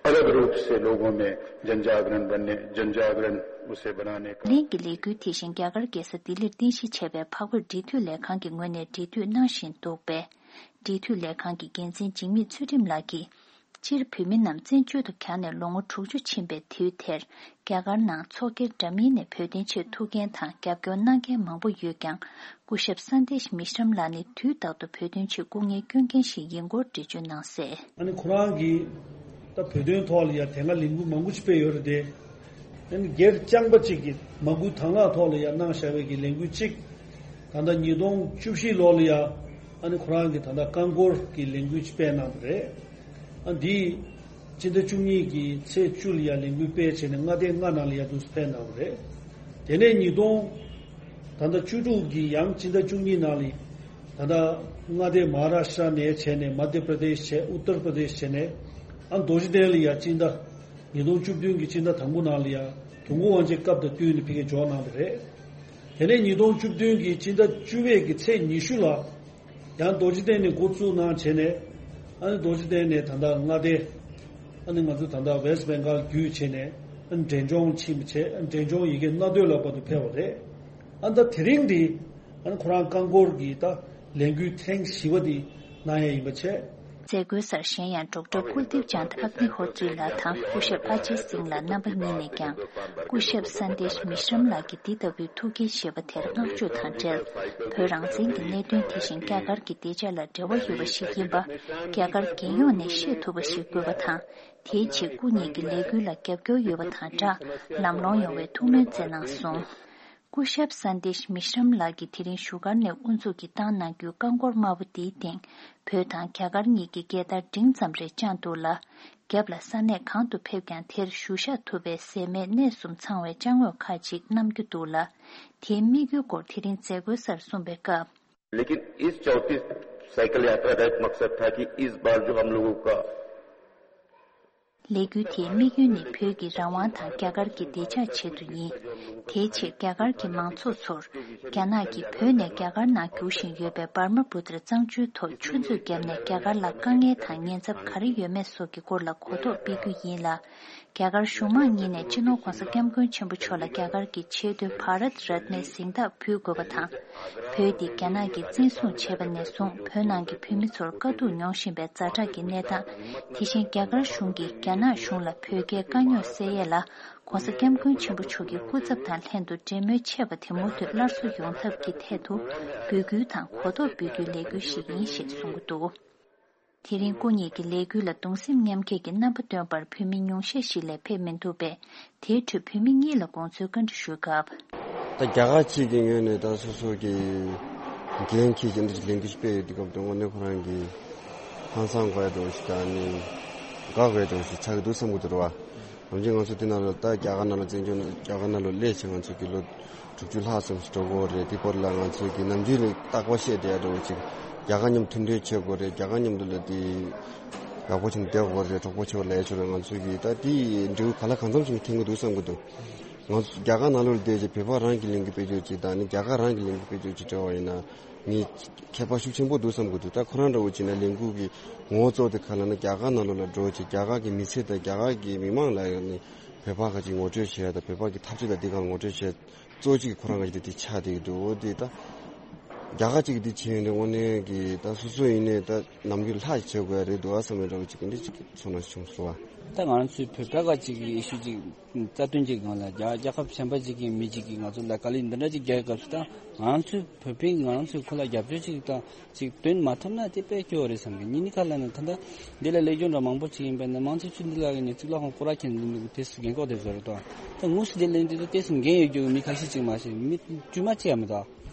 अलग रूप से लोगों में जन जागरण बनने, जन जागरण उसे बनाने का। གླིང་གི་ལས་འགུལ་དེ་བཞིན་རྒྱ་གར་རྒྱལ་ས་ལྡི་ལིར་རྟེན་གཞི་བྱས་པའི་འཕགས་བོད་འབྲེལ་མཐུད་ལས་ཁང་གི་ངོས་ནས་འབྲེལ་མཐུད་གནང་བཞིན་འདུག་པས། འབྲེལ་མཐུད་ལས་ཁང་གི་འགན་འཛིན་འཇིགས་མེད་ཚུལ་ཁྲིམས་ལགས་ཀྱིས། སྤྱིར་བོད་མི་རྣམས་བཙན་བྱོལ་དུ་གྱར་ནས་ལོ་ངོ་དྲུག་ཅུ་ཕྱིན་པའི་དུས་དེར། རྒྱ་གར་ནང་ཚོགས་སྒེར་འདྲ་མིན་ནས་བོད་དོན་ཆེད་ཐུགས་འགན་དང་རྒྱབ་སྐྱོར་གནང་མཁན་མང་པོ་ཡོད་ཀྱང་། སྐུ་ཞབས་སན་དེཤ་མི་ཤྲམ་ལགས་ནི་དུས་རྟག་ཏུ་བོད་དོན་ཆེད་སྐུ་ངལ་སྐྱོན་མཁན་ཞིག་ཡིན་སྐོར་འགྲེལ་བརྗོད་གནང་གསལ། ཨ་ནི་ཁོ་རང་གིས་ད་བོད་དོན་ཐོག་ལ་ཡང་དེ་སྔ་ལས་འགུལ་མང་པོ་ཅིག་སྤེལ་ཡོད་རེད་དེ། ཨ་ནི་སྒེར་རྐྱང་པ་ཅིག་གིས་མ་སྐུལ་དང་བླངས་ཐོག་ལ་ཡང་གནང་བཞག་པའི་གི་ལས་འགུལ་གཅིག་ད་ལྟ་ཉིས་སྟོང་བཅུ་བཞི་ལོ་ལ་ཡང་ཨ་ནི་ཁོ་རང་གིས་ད་ལྟ་རྐང་འཁོར་གྱི་ལས་འགུལ་ཅིག་སྤེལ་གནང་བ་རེད། ཨ་འདི་སྤྱི་ཟླ་བཅུ་གཉིས་ཀྱི་ཚེས་བཅུ་ལ་ཡང་ལས་འགུལ་སྤེལ་བྱས་ནས་མངའ་སྡེ་ལྔ་ནང་ལ་ཡང་འདུག་སེ་སྤེལ་གནང་བ་རེད། དེ་ནས་ཉིས་སྟོང་ད་ལྟ་བཅུ་དྲུག་གི་ཡང་སྤྱི་ཟླ་བཅུ་གཉིས་ནང་ལ་ད་ལྟ་མངའ་སྡེ་མ་ཧ་ར་ཤ་ཊ་ནས་བྱས་ནས་མ་དྷྱ་པྲ་དེཤ་བྱས་ཨུ་ཏར་པྲ་དེཤ་བྱས་ནས་ཨ་རྡོ་རྗེ་གདན་ལ་ཡང་སྤྱི་ཟླ་ཉིས་སྟོང་བཅུ་བདུན་གྱི་སྤྱི་ཟླ་དང་པོ་ནང་ལ་ཡང་དུས་འཁོར་དབང་ཆེན་སྐབས་དང་བསྟུན་ནས་ཕ་གིར་འབྱོར་གནང་བ་རེད། དེ་ནས་ཉིས་སྟོང་བཅུ་བདུན་གྱི་སྤྱི་ཟླ་བཅུ་པའི་གི་ཚེས་ཉི་ཤུ་ལ་ཡང་རྡོ་རྗེ་གདན་ནས་འགོ་བཙུགས་གནང་བྱས་ནས་ཨ་ནི་རྡོ་རྗེ་གདན་ནས་ད་ལྟ་མངའ་སྡེ་ཨ་ནི་ང་ཚོ་ད་ལྟ་ཝེ་སི་ཊི་བེང་གཱལ་བརྒྱུད་བྱས་ནས་ཨ་ནི་འབྲས་ལྗོངས་ཕྱིན་པ་བྱས་ཨ་ནི་འབྲས་ལྗོངས་ཡ་གི་མངའ་སྡོད་ལ་བར་དུ་ཕེབས་པ་རེད། ཨ་ནི་ད་དེ་རིང་འདི་ཨ་ནི་ཁོ་རང་རྐང་འཁོར་གྱི་ད་ལས་འགུལ་ཐེངས་བཞི་པ་འདི་གནང་ཡ་ཡིན་པ་བྱས། མཛད་སྒོའི་སར་གཞན་ཡང་ཌོག་ཊར་ཀུལ་དིབ་ཅཱནད་ཨག་ནི་ཧོ་ཏྲི་ལགས་དང་སྐུ་ཞབས་ཨ་ཇེ་སིང་ལགས་རྣམ་པ་གཉིས་ནས་ཀྱང་སྐུ་ཞབས་སན་དེཤ་མི་ཤྲམ་ལགས་ཀྱི་འདི་ལྟ་བུའི་ཐུགས་འགན་བཞེས་པ་དེར་བསྔགས་བརྗོད་དང་འབྲེལ། བོད་རང་བཙན་གྱི་གནད་དོན་དེ་བཞིན་རྒྱ་གར་གྱི་བདེ་འཇགས་ལ་འབྲེལ་བ་ཡོད་པ་ཞིག་ཡིན་པ་རྒྱ་གར་རྒྱལ་ཡོངས་ནས་ཤེས་ཐུབ་པ་ཞིག་དགོས་པ་དང་། དེའི་ཆེད་སྐུ་ཉིད་ཀྱི་ལས་འགུལ་ལ་རྒྱབ་སྐྱོར་ཡོད་པ་དང་སྦྲགས་ལམ་ལྷོང་ཡོང་བའི་ཐུགས་སྨོན་བསྩལ་གནང་སོང་། སྐུ་ཞབས་སན་དེཤ་མི་ཤྲམ་ལགས་ཀྱིས་དེ་རིང་བཞུགས་སྒར་ནས་དབུ་འཛུགས་ཀྱིས་བཏང་གནང་རྒྱུའི་རྐང་འཁོར་དམར་པོ་འདིའི་སྟེང་བོད་དང་རྒྱ་གར་གཉིས་ཀྱི་རྒྱལ་དར་འབྲིང་ཙམ་རེ་དཔྱངས་འདུག་ལ། རྒྱབ་ལ་ས་གནས་གང་དུ་ཕེབས་ཀྱང་དེར་བཞུགས་ཤག་ཐུབ་པའི་ཟད་མེད་གནས་གསུམ་ཚང་བའི་ཅ་དངོས་ཁག་ཅིག་བསྣམས་རྒྱུ་འདུག་ལ། དེའི་དམིགས་ཡུལ་སྐོར་དེ་རིང་མཛད་སྒོའི་སར་གསུངས་པའི་སྐབས། लेकिन इस चौंतीस साइकिल यात्रा का एक मकसद था कि इस बार जो हम लोगों का ལས་འགུལ་དེའི་དམིགས་ཡུལ་ནི་བོད་ཀྱི་རང་དབང་དང་རྒྱ་གར་གྱི་བདེ་འཇགས་ཆེད་དུ་ཡིན། དེའི་ཕྱིར་རྒྱ་གར་གྱི་མང་ཚོགས་ཚོར། རྒྱ་ནག་གིས་བོད་ནས་རྒྱ་གར་ནང་རྒྱུག་བཞིན་ཡོད་པའི་འབར་མ་བུ་ཏྲ་གཙང་ཆུའི་ཐོག་ཆུ་མཛོད་བརྒྱབ་ནས་རྒྱ་གར་ལ་དཀའ་ངལ་དང་ཉེན་ཚབས་ག་རེ་ཡོད་མེད་སོགས་ཀྱི་སྐོར་ལ་གོ་རྟོགས་སྤེལ་རྒྱུ་ཡིན་ལ། རྒྱ་གར་གཞུང་མང་གཉིས་ནས་སྤྱི་ནོར་༧གོང་ས་༧སྐྱབས་མགོན་ཆེན་པོ་མཆོག་ལ་རྒྱ་གར་གྱི་ཆེས་མཐོའི་བྷ་རཏ་རཏ་ནའི་གཟེངས་རྟགས་ཕུལ་དགོས་པ་དང་། བོད་འདི་རྒྱ་ནག་གིས་བཙན་བཟུང་བྱས་པ་ནས་བཟུང་བོད་ནང་གི་བོད་མི་ཚོར་དཀའ་སྡུག་མྱོང་བཞིན་པའི་ཛ་དྲག་གི་གནས་སྟངས། དེ་བཞིན་རྒྱ་གར་གཞུང་གིས་རྒྱ་ནག་གཞུང་ལ་བོད་རྒྱའི་དཀའ་རྙོག་སེལ་ཡས་ལ་༧གོང་ས་༧སྐྱབས་མགོན་ཆེན་པོ་མཆོག་གི་སྐུ་ཚབ་དང་ལྷན་དུ་འབྲེལ་མོལ་ཆད་པ་དེ་མུ་མཐུད་སླར་གསོ་ཡོང་ཐབས་ཀྱི་ཐད་དུ་འབོད་སྐུལ་དང་གོ་རྟོགས་འབུལ་རྒྱུའི་ལས་འགུལ་ཞིག་ཡིན་ཞེས་གསུངས་ཀྱི་འདུག་དེ་རིང་སྐུ་ཉིད་ཀྱི་ལས་འགུལ་ལ་གདུང་སེམས་མཉམ་སྐྱེད་ཀྱི་རྣམ་པ་སྟོན་པར་བོད་མི་ཉུང་ཤས་ཤིག་ལས་ཕེབས་མི་འདུག་པས། དེའི་ཁྲོད་བོད་མི་གཉིས་ལ་དགོངས་ཚུལ་བཀའ་འདྲི་ཞུས་སྐབས། ད་རྒྱ་གར་གཅིག་གི་ངོས་ནས་ད་སོ་སོ་གི་འགན་འཁྱེར་གྱི་འདི་ལས་འགུལ་སྤེལ་ཡོད་དུས་སྐབས་དུ་དངོས་གནས་ཁོ་རང་གི་ཧང་སང་དགོས་ཡ་འདྲ་བོ་ཞིག་དང་ནི་དགའ་དགོས་ཡ་འདྲ་བོ་ཞིག་ཆགས་ཀྱི་འདུག་བསམ་གྱི་འདུག་རེད་བ། ནམ་རྒྱུན་ང་ཚོ་འདི་ནང་ལ་ད་རྒྱ་གར་ནང་ལ་བཙན་བྱོལ་ནང་རྒྱ་གར་ནང་ལ་སླེབས་བྱས་ང་ཚོ་གི་ལོ་དྲུག་ཅུ་ལྷག་ཙམ་ཞིག་འགྲོ་གི་ཡོད་རེད། དེ་བར་ལ་ང་ཚོ་གི་ནམ་རྒྱུན་ལ་རྟག་པར་བཤད་བསྡད་ཡ་འདྲ་བོ་ཅིག་རྒྱ་གར་མཉམ་མཐུན་འབྲེལ་བྱེད་དགོས་རེད། རྒྱ་གར་མཉམ་དུ་ལ་དེ་ཡག་པོ་བྱས་ནས་བསྡད་དགོས་རེད། གྲོགས་པོ་བྱེད་པ་ལས་ཆོག་རེད། ང་ཚོ་གི་ད་དེ་འབྲས་བུ་ག་ལ་གང་འཚམ་ཞིག་འཐེན་གྱི་འདུག་བསམ་གྱི་འདུག་ང་ཚོ་རྒྱ་གར་ནང་ལོགས་ལ་བསྡད་རྗེས་བོད་པ་རང་གི་ལས་འགུལ་སྤེལ་རྒྱུ་ཅིག་དང་ནི་རྒྱ་གར་རང་གི་ལས་འགུལ་སྤེལ་རྒྱུ་ཅིག་འབྲེལ་བ་ཡིན་ན་ངས་ཁྱད་པར་ཤུགས་ཆེན་པོ་འདུག་བསམ་གྱི་འདུག་ད་ཁོ་རང་འདྲ་བོ་བྱས་ན་ལས་འགུལ་གྱི་ངོ་བོ་གཙོ་བོ་དེ་ག་ལ་ན་རྒྱ་གར་ནང་ལོགས་ལ་འགྲོ་ཅིག་རྒྱ་གར་གྱི་མི་ཚེ་དང་རྒྱ་གར་གྱི་མི་མང་ལ་ཡང་ནི་བོད་པ་ཁ་ཅིག་ངོ་སྤྲོད་བྱེད་ཡ་དང་བོད་པ་གི་འཐབ་རྩོད་དང་འདི་ག་ལ་ངོ་སྤྲོད་བྱེད་ཡ་གཙོ་གཅིག་གི་ཁོ་རང་ག་ཅིག་དེ་དེ་ཆགས་བསྡད་ཀྱི་འདུག་འོ་དེ་ད་རྒྱ་གར་གཅིག་གི་དེ་བྱས་ཡོང་དུས་དངོས་གནས་ཀྱི་ད་སོ་སོ་ཡིན་ནའི་ད་ནམ་རྒྱུན་ལྷག་བྱེད་དགོས་ཡ་རེད་འདུག་ཨ་བསམ་པའི་འདྲ་བོ་ཅིག་གི་འདི་ཅིག་ཚོར་སྣང་བྱུང་སོང་བ། ད་ང་རང་ཚོའི་བོད་པ་ག་ཅིག་གི་ཨི་ཤུ་ཅིག་རྩ་དོན་ཅིག་སྒང་ལ་རྒྱ་རྒྱལ་ཁབ་གཞན་པ་ཅིག་གི་མི་ཅིག་གིས་ང་ཚོ་ལ་དཀའ་ལས་འདི་འདྲ་ཅིག་རྒྱག་སྐབས་སུ་ད་ང་རང་ཚོའི་བོད་པས་ང་རང་ཚོའི་ཁོ་ལ་རྒྱབ་སྐྱོར་ཅིག་དང་ཅིག་སྟོན་མ་ཐུབ་ན་དེ་དཔེ་སྐྱོ་བོ་རེད་བསམ་གི། ཉིན་ནི་ཁ་ལ་ནི་ད་ལྟ་འདི་ལ་ལས་སྐྱོན་འདྲ་མང་པོ་ཅིག་ཡིན་པས་ན་མང་ཆེ་ཆུ་འདི་ལ་གི་ནི་ཚིག་ལ་ཁོང་སྐོར་ར་ཁྱེར་འདི་འདུག་དེ་སུ་རྒན་གོག་དེ་བཟོ་རེད་དོ། ད་དངོས་སུ་དེ་ལས་འདི་ཚོ་དེ་སུ་འགན་ཡོད་རྒྱུ་མི་ཁ་ཤས་ཅིག་མ་ཤེས་མི་དཀྱུས་མ་ཅིག་ཡང་མི་འདུག་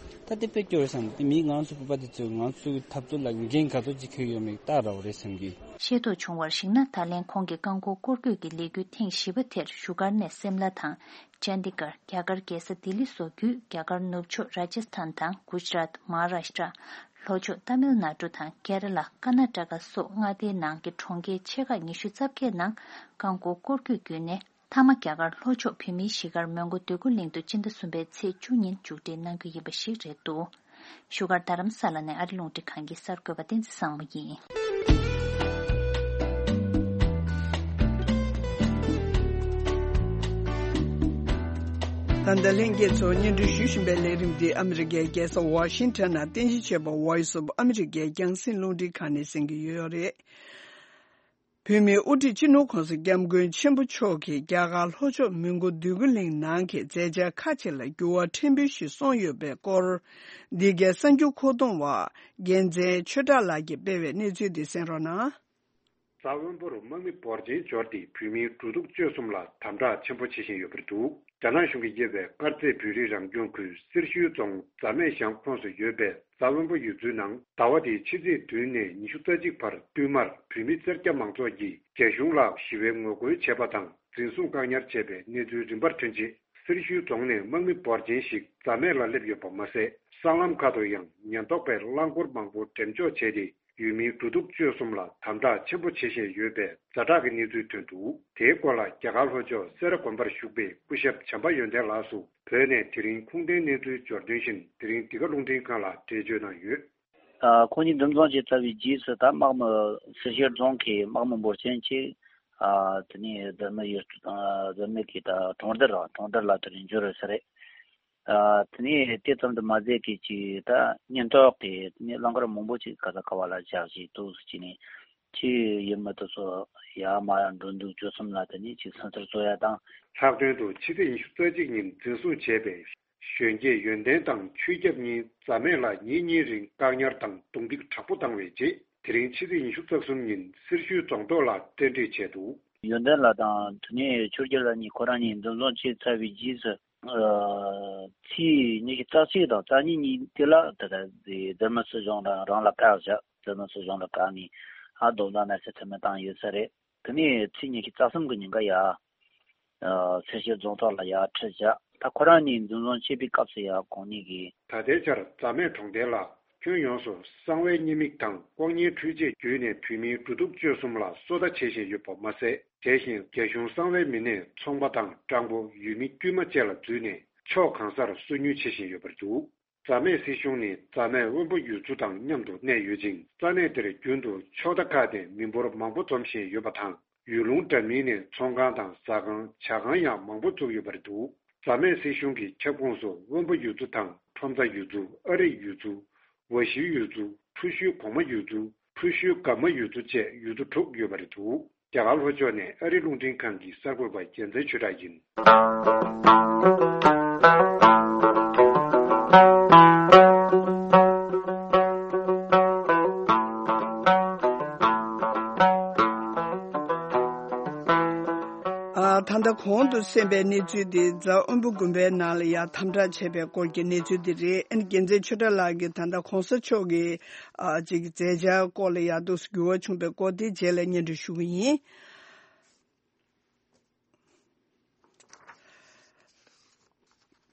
ད་དེ་དཔེ་སྐྱོ་བོ་རེད་བསམ་གི། དེ་མི་ང་རང་ཚོ་བོད་པ་དེ་ཚོས་ང་ཚོའི་འཐབ་རྩོད་ལ་འགན་ག་ཚོད་ཅིག་འཁྱེར་ཡོད་མེད་ལྟ་ར་བ་རེད་བསམ་གི། ཤེས་རྟོགས་བྱུང་བར་གཞིགས་ན་ད་ལན་ཁོང་གི་རྐང་འཁོར་སྐོར་སྐྱོད་ཀྱི་ལས་འགུལ་ཐེངས་བཞི་པ་དེར་བཞུགས་སྒར་ནས་སིམ་ལ་དང་། ཅན་དི་གར། རྒྱ་གར་རྒྱལ་ས་ལྡི་ལི་སོགས་བརྒྱུད་རྒྱ་གར་ནུབ་ཕྱོགས་ར་ཇ་སི་ཐན་དང་གུ་ཇི་རཱཏ། མ་ཧཱ་རཱ་ཤི་ཏྲ། ལྷོ་ཕྱོགས་ཏཱ་མིལ་ནཱ་ཌུ་དང་ཀེ་ར་ལ། ཀར་ན་ཊ་ཀ་སོགས་མངའ་སྡེའི་ནང་གི་གྲོང་ཁྱེར་ཆེ་ཁག་ཉི་ཤུ་རྩ་བརྒྱད་ནང་རྐང་འཁོར་སྐོར་སྐྱོད་བརྒྱུད་ནས། མཐའ་མ་རྒྱ་གར་ལྷོ་ཕྱོགས་བོད་མིའི་གཞིས་སྒར་མོན་གྷོ་འདོད་རྒུ་གླིང་དུ་སྤྱི་ཟླ་གསུམ་པའི་ཚེས་བཅུ་ཉིན་མཇུག་སྒྲིལ་གནང་རྒྱུ་ཡིན་པ་ཞིག་རེད་འདུག་བཞུགས་སྒར་རྡ་རམ་ས་ལ་ནས་ཨ་རི་རླུང་འཕྲིན་ཁང་གི་གསར་འགོད་པ་བསྟན་འཛིན་བཟང་མོ་ཡིན། ད་ལྟ་ལྷན་རྒྱས་ཚོ་སྙན་སྒྲོན་ཞུ་བཞིན་པའི་ལས་རིམ་འདི་ཨ་མི་རི་ཀའི་རྒྱལ་ས་ཝ་ཤིང་ཊོན་ནས་རྟེན་གཞི་བྱས་པ་Voice of America རྒྱང་སྲིང་རླུང་འཕྲིན་ཁང་ནས་གསན་གྱི་ཡོད་རེད། བོད་མིའི་དབུ་ཁྲིད་སྤྱི་ནོར་༸གོང་ས་༸སྐྱབས་མགོན་ཆེན་པོ་མཆོག་གིས་རྒྱ་གར་ལྷོ་ཕྱོགས་མོན་གྷོ་འདོད་རྒུ་གླིང་ནང་གི་མཛད་འཆར་ཁག་ཅིག་ལ་འགྱུར་བ་ཕྲན་བུ་ཞིག་སོང་ཡོད་པའི་སྐོར། འདི་གའི་གསར་འགྱུར་མཁོ་གཏོང་བ་རྒྱལ་མཚན་ཆོས་གྲགས་ལགས་ཀྱིས་སྤེལ་བའི་གནས་ཚུལ་འདི་གསན་རོགས་གནང་། ས་དབོན་པོར་དམག་མི་འབོར་ཆེན་འབྱོར་ཏེ་བོད་མིའི་འགྲོ་འདུག་སྤྱོད་གསུམ་ལ་དམ་དྲག་ཆེན་པོ་བྱེད་བཞིན་ཡོད་པ་རེད་འདུག་རྒྱ་ནག་གཞུང་གིས་དབྱེ་བའི་དཀར་མཛེས་བོད་རིགས་རང་སྐྱོང་ཁུལ་སེར་ཤུལ་རྫོང་རྫ་སྨད་ཤང་ཁོངས་སུ་ཡོད་པའི་ས་དབོན་པོ་ཡུལ་ཚོའི་ནང་ཟླ་བ་འདིའི་ཕྱི་ཚེས་བདུན་ནས་ཉི་ཤུ་རྩ་གཅིག་བར་བསྟུད་མར་བོད་མི་སེར་སྐྱ་མང་ཚོགས་ཀྱིས་རྒྱ་གཞུང་ལ་ཞི་བའི་ངོ་རྒོལ་བྱས་པ་དང་། འཛིན་བཟུང་བཀག་ཉར་བྱས་པའི་གནས་ཚུལ་རིམ་པར་ཐོན་རྗེས། སེར་ཤུལ་རྫོང་ནས་དམག་མི་འབོར་ཆེན་ཞིག་རྫ་སྨད་ལ་སླེབས་ཡོད་པ་མ་ཟད། སྲང་ལམ་ཁག་ཏུ་ཡང་ཉེན་རྟོག་པས་རླངས་འཁོར་མང་པོ་འགྲེམས་འཇོག་བྱས་ཏེ། ཡུལ་མིའི་འགྲོ་འདུག་སྤྱོད་གསུམ་ལ་དམ་དྲག་ཆེན་པོ་བྱེད་བཞིན་ཡོད་པའི་ཛ་དྲག་གི་གནས་ཚུལ་ཐོན་འདུག་དེའི་སྐོར་ལ་རྒྱ་གར་ལྷོ་ཕྱོགས་སེ་ར་དགོན་པར་བཞུགས་པའི་སྐུ་ཞབས་བྱམས་པ་ཡོན་ཏན་ལགས་སུ་བོད་ནས་དེ་རིང་ཁུངས་ལྡན་གནས་ཚུལ་འབྱོར་དོན་བཞིན། དེ་རིང་འདི་ག་རླུང་འཕྲིན་ཁང་ལ་འགྲེལ་བརྗོད་གནང་ཡོད། ཨ། ཁོང་གཉིས་འཛིན་བཟུང་བྱས་ཚར་བའི་རྗེས་སུ། ད་དམག་མི་སེར་ཤུལ་རྫོང་གི་དམག་མི་འབོར་ཆེན་ཅིག་ཨ། དེ་ནས་རྫ་སྨད་ཡུལ། ཨ། རྫ་སྨད་ཀྱི་ད་གྲོང་རྡལ་ར། གྲོང་རྡལ་ལ་དེ་རིང་འབྱོར་ཡོད་ས་རེད། ཨ། དེ་ནས་དེ་ཙམ་དུ་མ་ཟད་ཀྱི་ཅིག་ད་ཉེན་རྟོག་གིས་དེ་ནས་རླངས་འཁོར་མང་པོ་ཅིག་ག་ས་ག་བ་ལ་བཞག་བྱས་འདུག་ཟེར་གྱི་ནས། ཅིག་ཡུལ་མི་དེ་ཚོ་ཡར་མར་འགྲོ་འདུག་སྤྱོད་གསུམ་ལ་དེ་ནས་ཅིག་སེམས་འཚབ་བཟོ་ཡ་དང་། ལྷག་དོན་དུ་ཕྱི་ཚེས་ཉི་ཤུ་རྩ་གཅིག་ཉིན་འཛིན་བཟུང་བྱས་པའི་གཞོན་སྐྱེས་ཡོན་ཏན་དང་ཆོས་སྐྱབས་གཉིས་རྫ་སྨད་ལ་ཉིན་གཉིས་རིང་བཀག་ཉར་དང་རྡུང་རྡེག་དྲག་པོ་བཏང་བའི་རྗེས། དེ་རིང་ཕྱི་ཚེས་ཉི་ཤུ་རྩ་གསུམ་ཉིན་སེར་ཤུལ་རྫོང་ཐོག་ལ་གཏན་སྡོད་བྱས་འདུག་ཡོན་ཏན་ལགས་དང་དེ་ནས་ཆོས་སྐྱབས་ལགས་གཉིས་ཁོ་རང་གཉིས་འཛིན་བཟུང་བྱས་ཚར་བའི་རྗེས་སུ། ཨ། ཚེས་ཉི་ཤུ་རྩ་གཅིག་དང་རྩ་གཉིས་གཉིས་དེ་ལ་ད་ལྟ་རྫ་སྨད་སྲིད་གཞུང་ལ་རང་ལ་བཀག་བཞག་རྫ་སྨད་སྲིད་གཞུང་ལ་བཀག་ནས། ཨ། རྡོག་རྩ་གནས་ཚུལ་ཐོན་མེད་བཏང་ཡོད་ས་རེད། དེ་ནས་ཚེས་ཉི་ཤུ་རྩ་གསུམ་གྱི་ཉིན་ཀ་ཡ། ཨ། སེར་ཤུལ་རྫོང་ཐོག་ལ་ཡར་ཁྲིད་བཞག་ད་ཁོ་རང་གཉིས་འཛིན་བཟུང་བྱེད་པའི་སྐབས་སུ་ཡ་ཁོང་གཉིས་ཀྱིས། ད་ལྟའི་ཆར་རྫ་སྨད་གྲོང་རྡལ་ལ་ཁྱོན་ཡོངས་སུ་གསང་བའི་བརྙན་མིག་དང་ལྐོག་རྔན་འཕྲུལ་ཆས་བརྒྱུད་ནས་བོད་མིའི་འགྲོ་འདུག་སྤྱོད་གསུམ་ལ་སོ་ལྟ་བྱེད་བཞིན་ཡོད་པ་མ་ཟད། དེ་བཞིན་རྒྱ་གཞུང་གསང་བའི་མི་སྣས་ཚོང་པ་དང་སྤྲང་པོ། ཡུལ་མི་དཀྱུས་མ་བཅས་ལ་འཛུལ་ནས་ཕྱོགས་གང་སར་སོ་ཉུལ་བྱེད་བཞིན་ཡོད་པ་རེད་འདུག་རྫ་སྨད་སྲིད་གཞུང་ནི་རྫ་སྨད་དབོན་པོ་ཡུལ་ཚོ་དང་མཉམ་དུ་གནས་ཡོད་ཅིང་། ས་གནས་དེར་རྒྱུན་དུ་ཕྱོགས་མཐའ་ཁག་ནས་མི་འབོར་མང་པོ་འཛོམས་བཞིན་ཡོད་པ་དང་། ཡུལ་ལུང་འདྲ་མིན་ནས་ཚོང་ཁང་དང་ཟ་ཁང་། ཇ་ཁང་ཡང་མང་པོ་བཙུགས་ཡོད་པ་རེད་འདུག་རྫ་སྨད་སྲིད་གཞུང་གི་ཁྱབ་ཁོངས་སུ་དབོན་པོ་ཡུལ་ཚོ་དང་ཁྲོམ་རྫ་ཡུལ་ཚོ། ཨ་རི་ཡུལ་ཚོ། ཝ་ཤི་ཡུལ་ཚོ། ཁྲུ་ཤུའི་གོང་མ་ཡུལ་ཚོ། ཁྲུ་ཤུའི་སྒམ་མ་ཡུལ་ཚོ་བཅས་ཡུལ་ཚོ་དྲུག་ཡོད་པ་རེད་འདུག་རྒྱ་གར་ལྷོ་ཕྱོགས་ནས་ཨ་རི་རླུང་འཕྲིན་ཁང་གི་གསར་འགོད་པ་རྒྱལ་མཚན་ཆོས་གྲགས་ཡིན། ཨ། ད་ལྟ་གོང་དུ་གསན་པའི་གནས་ཚུལ་དེ་རྫ་དབོན་པོ་དགོན་པའི་ནང་ལ་ཡང་དམ་དྲག་བྱས་པའི་སྐོར་གྱི་གནས་ཚུལ་དེ་རེད། ཨ་ནི་རྒྱལ་མཚན་ཆོས་གྲགས་ལགས་ཀྱིས་ད་ལྟ་གོང་ས་མཆོག་གི། ཨ། ཅིག་མཛད་འཆར་སྐོར་ལ་ཡང་འདུག་སེ་འགྱུར་བ་བྱུང་པའི་སྐོར་དེ་རྗེས་ལ་སྙན་སྒྲོན་ཞུ་གི་ཡིན།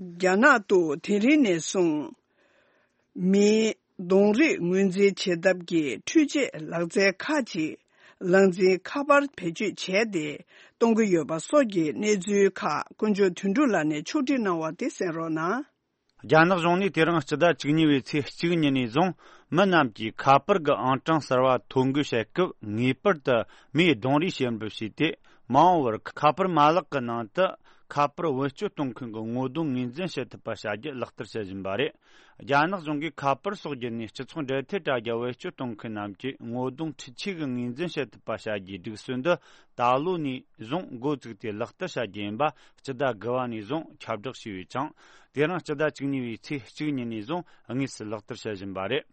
རྒྱ་ནག་ཏུ་དེ་རིང་ནས་བཟུང་མིའི་གདོང་རིས་ངོས་འཛིན་བྱེད་ཐབས་ཀྱི་འཕྲུལ་ཆས་ལག་རྩལ་ཁག་ཅིག་ལག་འཛིན་ཁ་པར་བེད་སྤྱོད་བྱས་ཏེ་གཏོང་གི་ཡོད་པ་སོགས་ཀྱི་གནས་ཚུལ་ཁག་དཀོན་མཆོག་དོན་གྲུབ་ལགས་ནས་ཕྱོགས་སྒྲིག་གནང་བ་དེ་གསན་རོགས་གནང་། རྒྱ་ནག་གཞུང་ནས་དེ་རིང་སྤྱི་ཟླ་བཅུ་གཉིས་པའི་ཚེས་གཅིག་ཉིན་ནས་བཟུང་མི་རྣམས་ཀྱིས་ཁ་པར་གྱི་ཨང་གྲངས་གསར་བ་ཐོ་འགོད་བྱེད་སྐབས་ངེས་པར་དུ་མིའི་གདོང་རིས་བཤེར་འབུལ་བྱས་ཏེ། མ་འོངས་པར་ཁ་པར་མ་ལག་གི་ནང་དུ་ཁ་པར་བེད་སྤྱོད་གཏོང་མཁན་གྱི་ངོ་གདོང་ངོས་འཛིན་བྱེད་ཐུབ་པ་བྱ་རྒྱུ་ལག་བསྟར་བྱེད་བཞིན་པ་རེད། རྒྱ་ནག་གཞུང་གིས་ཁ་པར་སོགས་བརྒྱུད་ནས་སྤྱི་ཚོགས་འབྲེལ་མཐུད་དྲ་རྒྱ་བེད་སྤྱོད་གཏོང་མཁན་རྣམས་ཀྱི་ངོ་གདོང་འཕྲུལ་ཆས་ཀྱིས་ངོས་འཛིན་བྱེད་ཐུབ་པ་བྱ་རྒྱུའི་སྒྲིག་སྲོལ་འདི་ད་ལོ་ནས་བཟུང་འགོ་བཙུགས་ཏེ་ལག་བསྟར་བྱ་རྒྱུ་ཡིན་པ་སྤྱི་ཟླ་དགུ་པ་ནས་བཟུང་ཁྱབ་བསྒྲགས་བྱས་ཡོད་ཅིང་། དེ་རིང་སྤྱི་ཟླ་བཅུ་གཉིས་པའི་ཚེས་གཅིག་ཉིན་ནས་བཟུང་དངོས་སུ་ལག་བསྟར་བྱེད་བཞིན་པ་རེད།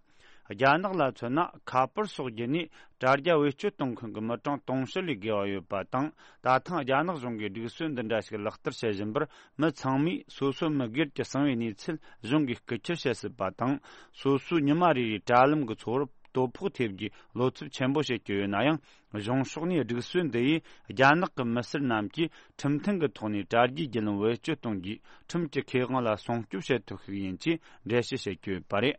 རྒྱ་ནག་ལ་མཚོན་ན། ཁ་པར་སོགས་བརྒྱུད་ནས་དྲ་རྒྱ་བེད་སྤྱོད་གཏོང་མཁན་གྱི་མི་གྲངས་དུང་ཕྱུར་ལས་བརྒལ་བ་ཡོད་པ་དང་། ད་ཐེངས་རྒྱ་ནག་གཞུང་གིས་སྒྲིག་སྲོལ་འདི་འདྲ་ཞིག་ལག་བསྟར་བྱེད་བཞིན་པར། མི་ཚང་མས་སོ་སོ་མི་སྒེར་གྱི་གསང་བའི་གནས་ཚུལ་གཞུང་གིས་རྐུ་འཁྱེར་བྱེད་སྲིད་པ་དང་། སོ་སོའི་ཉི་མ་རེ་རེའི་དྲ་ལམ་གྱི་འཚོ་བར་དོ་ཕོག་ཐེབས་རྒྱུའི་བློ་འཚབ་ཆེན་པོ་བྱེད་ཀྱི་ཡོད་ན་ཡང་། གཞུང་ཕྱོགས་ནས་སྒྲིག་སྲོལ་འདི་ཡིས་རྒྱ་ནག་གི་མི་སེར་རྣམས་ཀྱིས་ཁྲིམས་མཐུན་གྱི་ཐོག་ནས་དྲ་རྒྱའི་བརྒྱུད་ལམ་བེད་སྤྱོད་གཏོང་རྒྱུའི་ཁྲིམས་ཀྱི་ཁེ་དབང་ལ་སྲུང་སྐྱོབ་བྱེད་ཐུབ་ཤིག་ཡིན་ཅེས་འགྲེལ་བཤད་བྱེད་ཀྱི་ཡོད་པ་རེད།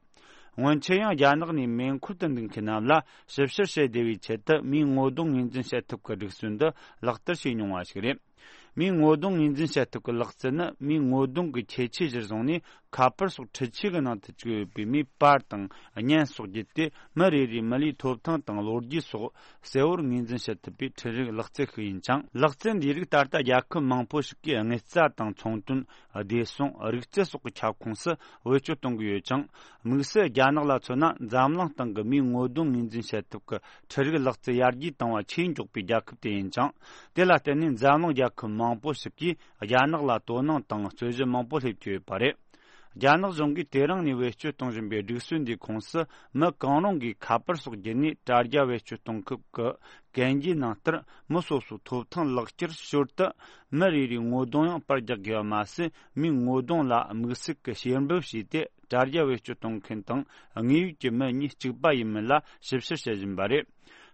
སྔོན་ཆད་ཡང་རྒྱ་ནག་ནས་མེ་འཁོར་དུ་འདུག་མཁན་རྣམས་ལ་ཞིབ་བཤེར་བྱེད་བདེ་བའི་ཆེད་དུ་མིའི་ངོ་གདོང་ངོས་འཛིན་བྱེད་ཐབས་ཀྱི་སྒྲིག་སྲོལ་འདི་ལག་བསྟར་བྱས་མྱོང་བ་ཞིག་རེད། མིའི་ངོ་གདོང་ངོས་འཛིན་བྱ་ཐབས་ཀྱི་ལག་རྩལ་ནི། མིའི་ངོ་གདོང་གི་ཁྱད་ཆོས་གཞིར་བཟུང་ནས། ཁ་པར་སོགས་འཕྲུལ་ཆས་ཀྱི་ནང་དུ་བཅུག་ཡོད་པའི་མིའི་པར་དང་བརྙན་སོགས་བརྒྱུད་དེ། མི་རེ་རེའི་མི་ལུས་ཐོབ་ཐང་དང་ལོ་རྒྱུས་སོགས་གསལ་བོར་ངོས་འཛིན་བྱེད་ཐུབ་པའི་འཕྲུལ་རིག་ལག་རྩལ་ཞིག་ཡིན་ཅིང་། ལག་རྩལ་འདིའི་རིགས་ད་ལྟ་རྒྱལ་ཁབ་མང་པོ་ཞིག་གིས་དངུལ་རྩ་དང་ཚོང་དོན། བདེ་སྲུང་། རིག་རྩལ་སོགས་ཀྱི་ཁྱབ་ཁོངས་སུ་བེད་སྤྱོད་གཏོང་གི་ཡོད་ཅིང་། དམིགས་བསལ་རྒྱ་ནག་ལ་མཚོན་ན། འཛམ་གླིང་སྟེང་གི་མིའི་ངོ་གདོང་ངོས་འཛིན་བྱེད་ཐབས་ཀྱི་འཕྲུལ་རིག་ལག་རྩལ་ཡར་རྒྱས་བཏང་བ་ཆེས་མགྱོགས་པའི་རྒྱལ་ཁབ་དེ་ཡིན་ཅིང་། དེ་ལ་བརྟེན་ནས་འཛམ་གླིང་རྒྱལ་ཁབ་མང་པོ་ཞིག་གིས་རྒྱ་ནག་ལ་དོ་སྣང་དང་རྩོད་གཞི་མང་པོ་སླེབས་ཀྱི་ཡོད་པ་རེད། རྒྱ་ནག་གཞུང་གིས་དེ་རིང་ནས་བེད་སྤྱོད་གཏོང་བཞིན་པའི་སྒྲིག་སྲོལ་འདིའི་ཁོངས་སུ། མི་གང་རུང་གིས་ཁ་པར་སོགས་བརྒྱུད་ནས་དྲ་རྒྱ་བེད་སྤྱོད་གཏོང་སྐབས་ཀྱི་གན་རྒྱའི་ནང་ལྟར། མི་སོ་སོའི་ཐོབ་ཐང་ལག་ཁྱེར་ཞོར་དུ་མི་རེ་རེའི་ངོ་གདོང་ཡང་པར་རྒྱག་དགོས་པ་མ་ཟད། མིའི་ངོ་གདོང་ལ་དམིགས་བསལ་གྱི་ཕྱེ་འབུད་བྱས་ཏེ། དྲ་རྒྱ་བེད་སྤྱོད་གཏོང་མཁན་དང་དངོས་ཡོད་ཀྱི་མི་གཉིས་གཅིག་པ་ཡིན་མིན་ལ་ཞིབ་བཤེར་བྱེད་བཞིན་པ་རེད།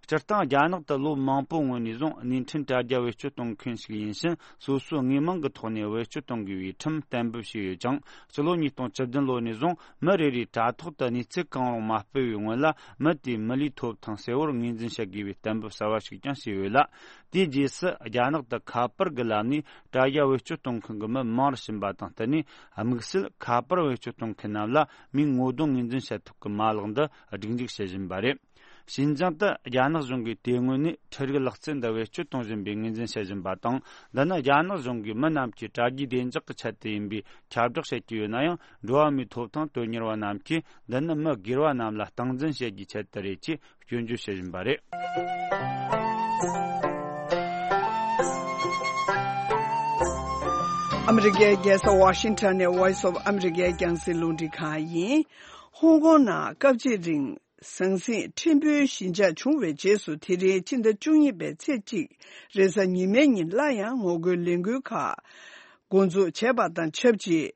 སྤྱིར་བཏང་། རྒྱ་ནག་ཏུ་ལོ་མང་པོའི་སྔོན་ནས་བཟུང་། བརྙན་འཕྲིན་དྲ་རྒྱ་བེད་སྤྱོད་གཏོང་མཁན་ཞིག་ཡིན་ཕྱིན། སོ་སོའི་དངོས་མིང་གི་ཐོག་ནས་བེད་སྤྱོད་གཏོང་དགོས་པའི་ཁྲིམས་གཏན་འབེབས་བྱས་ཡོད་ཅིང་། ཕྱི་ལོ་ཉིས་སྟོང་བཅུ་བདུན་ལོ་ནས་བཟུང་། མི་རེ་རེས་དྲ་ཐོག་ཏུ་གནས་ཚུལ་གང་རུང་མ་སྤེལ་བའི་སྔོན་ལ། མི་དེའི་མི་ལུས་ཐོབ་ཐང་གསལ་བོར་ངོས་འཛིན་བྱེད་དགོས་པའི་གཏན་འབེབས་གསར་བ་ཞིག་ཀྱང་བྱས་ཡོད་ལ། དེའི་རྗེས་སུ། རྒྱ་ནག་ཏུ་ཁ་པར་གྱི་ལམ་ནས་དྲ་རྒྱ་བེད་སྤྱོད་གཏོང་མཁན་གྱི་མི་མང་རུ་ཕྱིན་པ་དང་བསྟུན་ནས། དམིགས་བསལ་ཁ་པར་བེད་སྤྱོད་གཏོང་མཁན་རྣམས་ལ་མིའི་ངོ་གདོང་ངོས་འཛིན་བྱེད་ཐབས་ཀྱི་མ་ལག་འདི་སྒྲིག་འཇུག་བྱེད་བཞིན་པ་རེད། ཞིན་ཅང་དུ་རྒྱ་ནག་གཞུང་གིས་དེ་སྔོན་ནས་འཕྲུལ་རིག་ལག་རྩལ་འདི་བེད་སྤྱོད་གཏོང་བཞིན་པའི་ངོས་འཛིན་བྱེད་བཞིན་པ་དང་། འདི་ནི་རྒྱ་ནག་གཞུང་གིས་མི་རྣམས་ཀྱི་དྲ་རྒྱའི་བདེ་འཇགས་ཀྱི་ཆེད་དུ་ཡིན་པའི་ཁྱབ་བསྒྲགས་བྱེད་ཀྱི་ཡོད་ན་ཡང་། འགྲོ་བ་མིའི་ཐོབ་ཐང་དོན་གཉེར་བ་རྣམས་ཀྱིས། འདི་ནི་མི་སྒེར་བ་རྣམས་ལ་སྟངས་འཛིན་བྱེད་རྒྱུའི་ཆེད་དུ་རེད་ཅེས་སྐྱོན་བརྗོད་བྱེད་བཞིན་པ་རེད། ཨ་མི་རི་ཀའི་རྒྱལ་ས་ཝ་ཤིང་ཊོན་ནས་Voice of America རྒྱང་སྲིང་རླུང་འཕྲིན་ཁང་ཡིན། ཧོང་ཀོང་ནང་སྐབས་གཅིག་རིང་ཟང་ཟིང་ཕྲན་བུའི་ཞི་འཇགས་བྱུང་བའི་རྗེས་སུ། དེ་རིང་ཕྱི་ཟླ་བཅུ་གཉིས་པའི་ཚེས་གཅིག་རེས་གཟའ་ཉི་མའི་ཉིན་སླར་ཡང་ངོ་རྒོལ་ལས་འགུལ་ཁག་འགོ་འཛུགས་བྱས་པ་དང་ཆབས་ཅིག་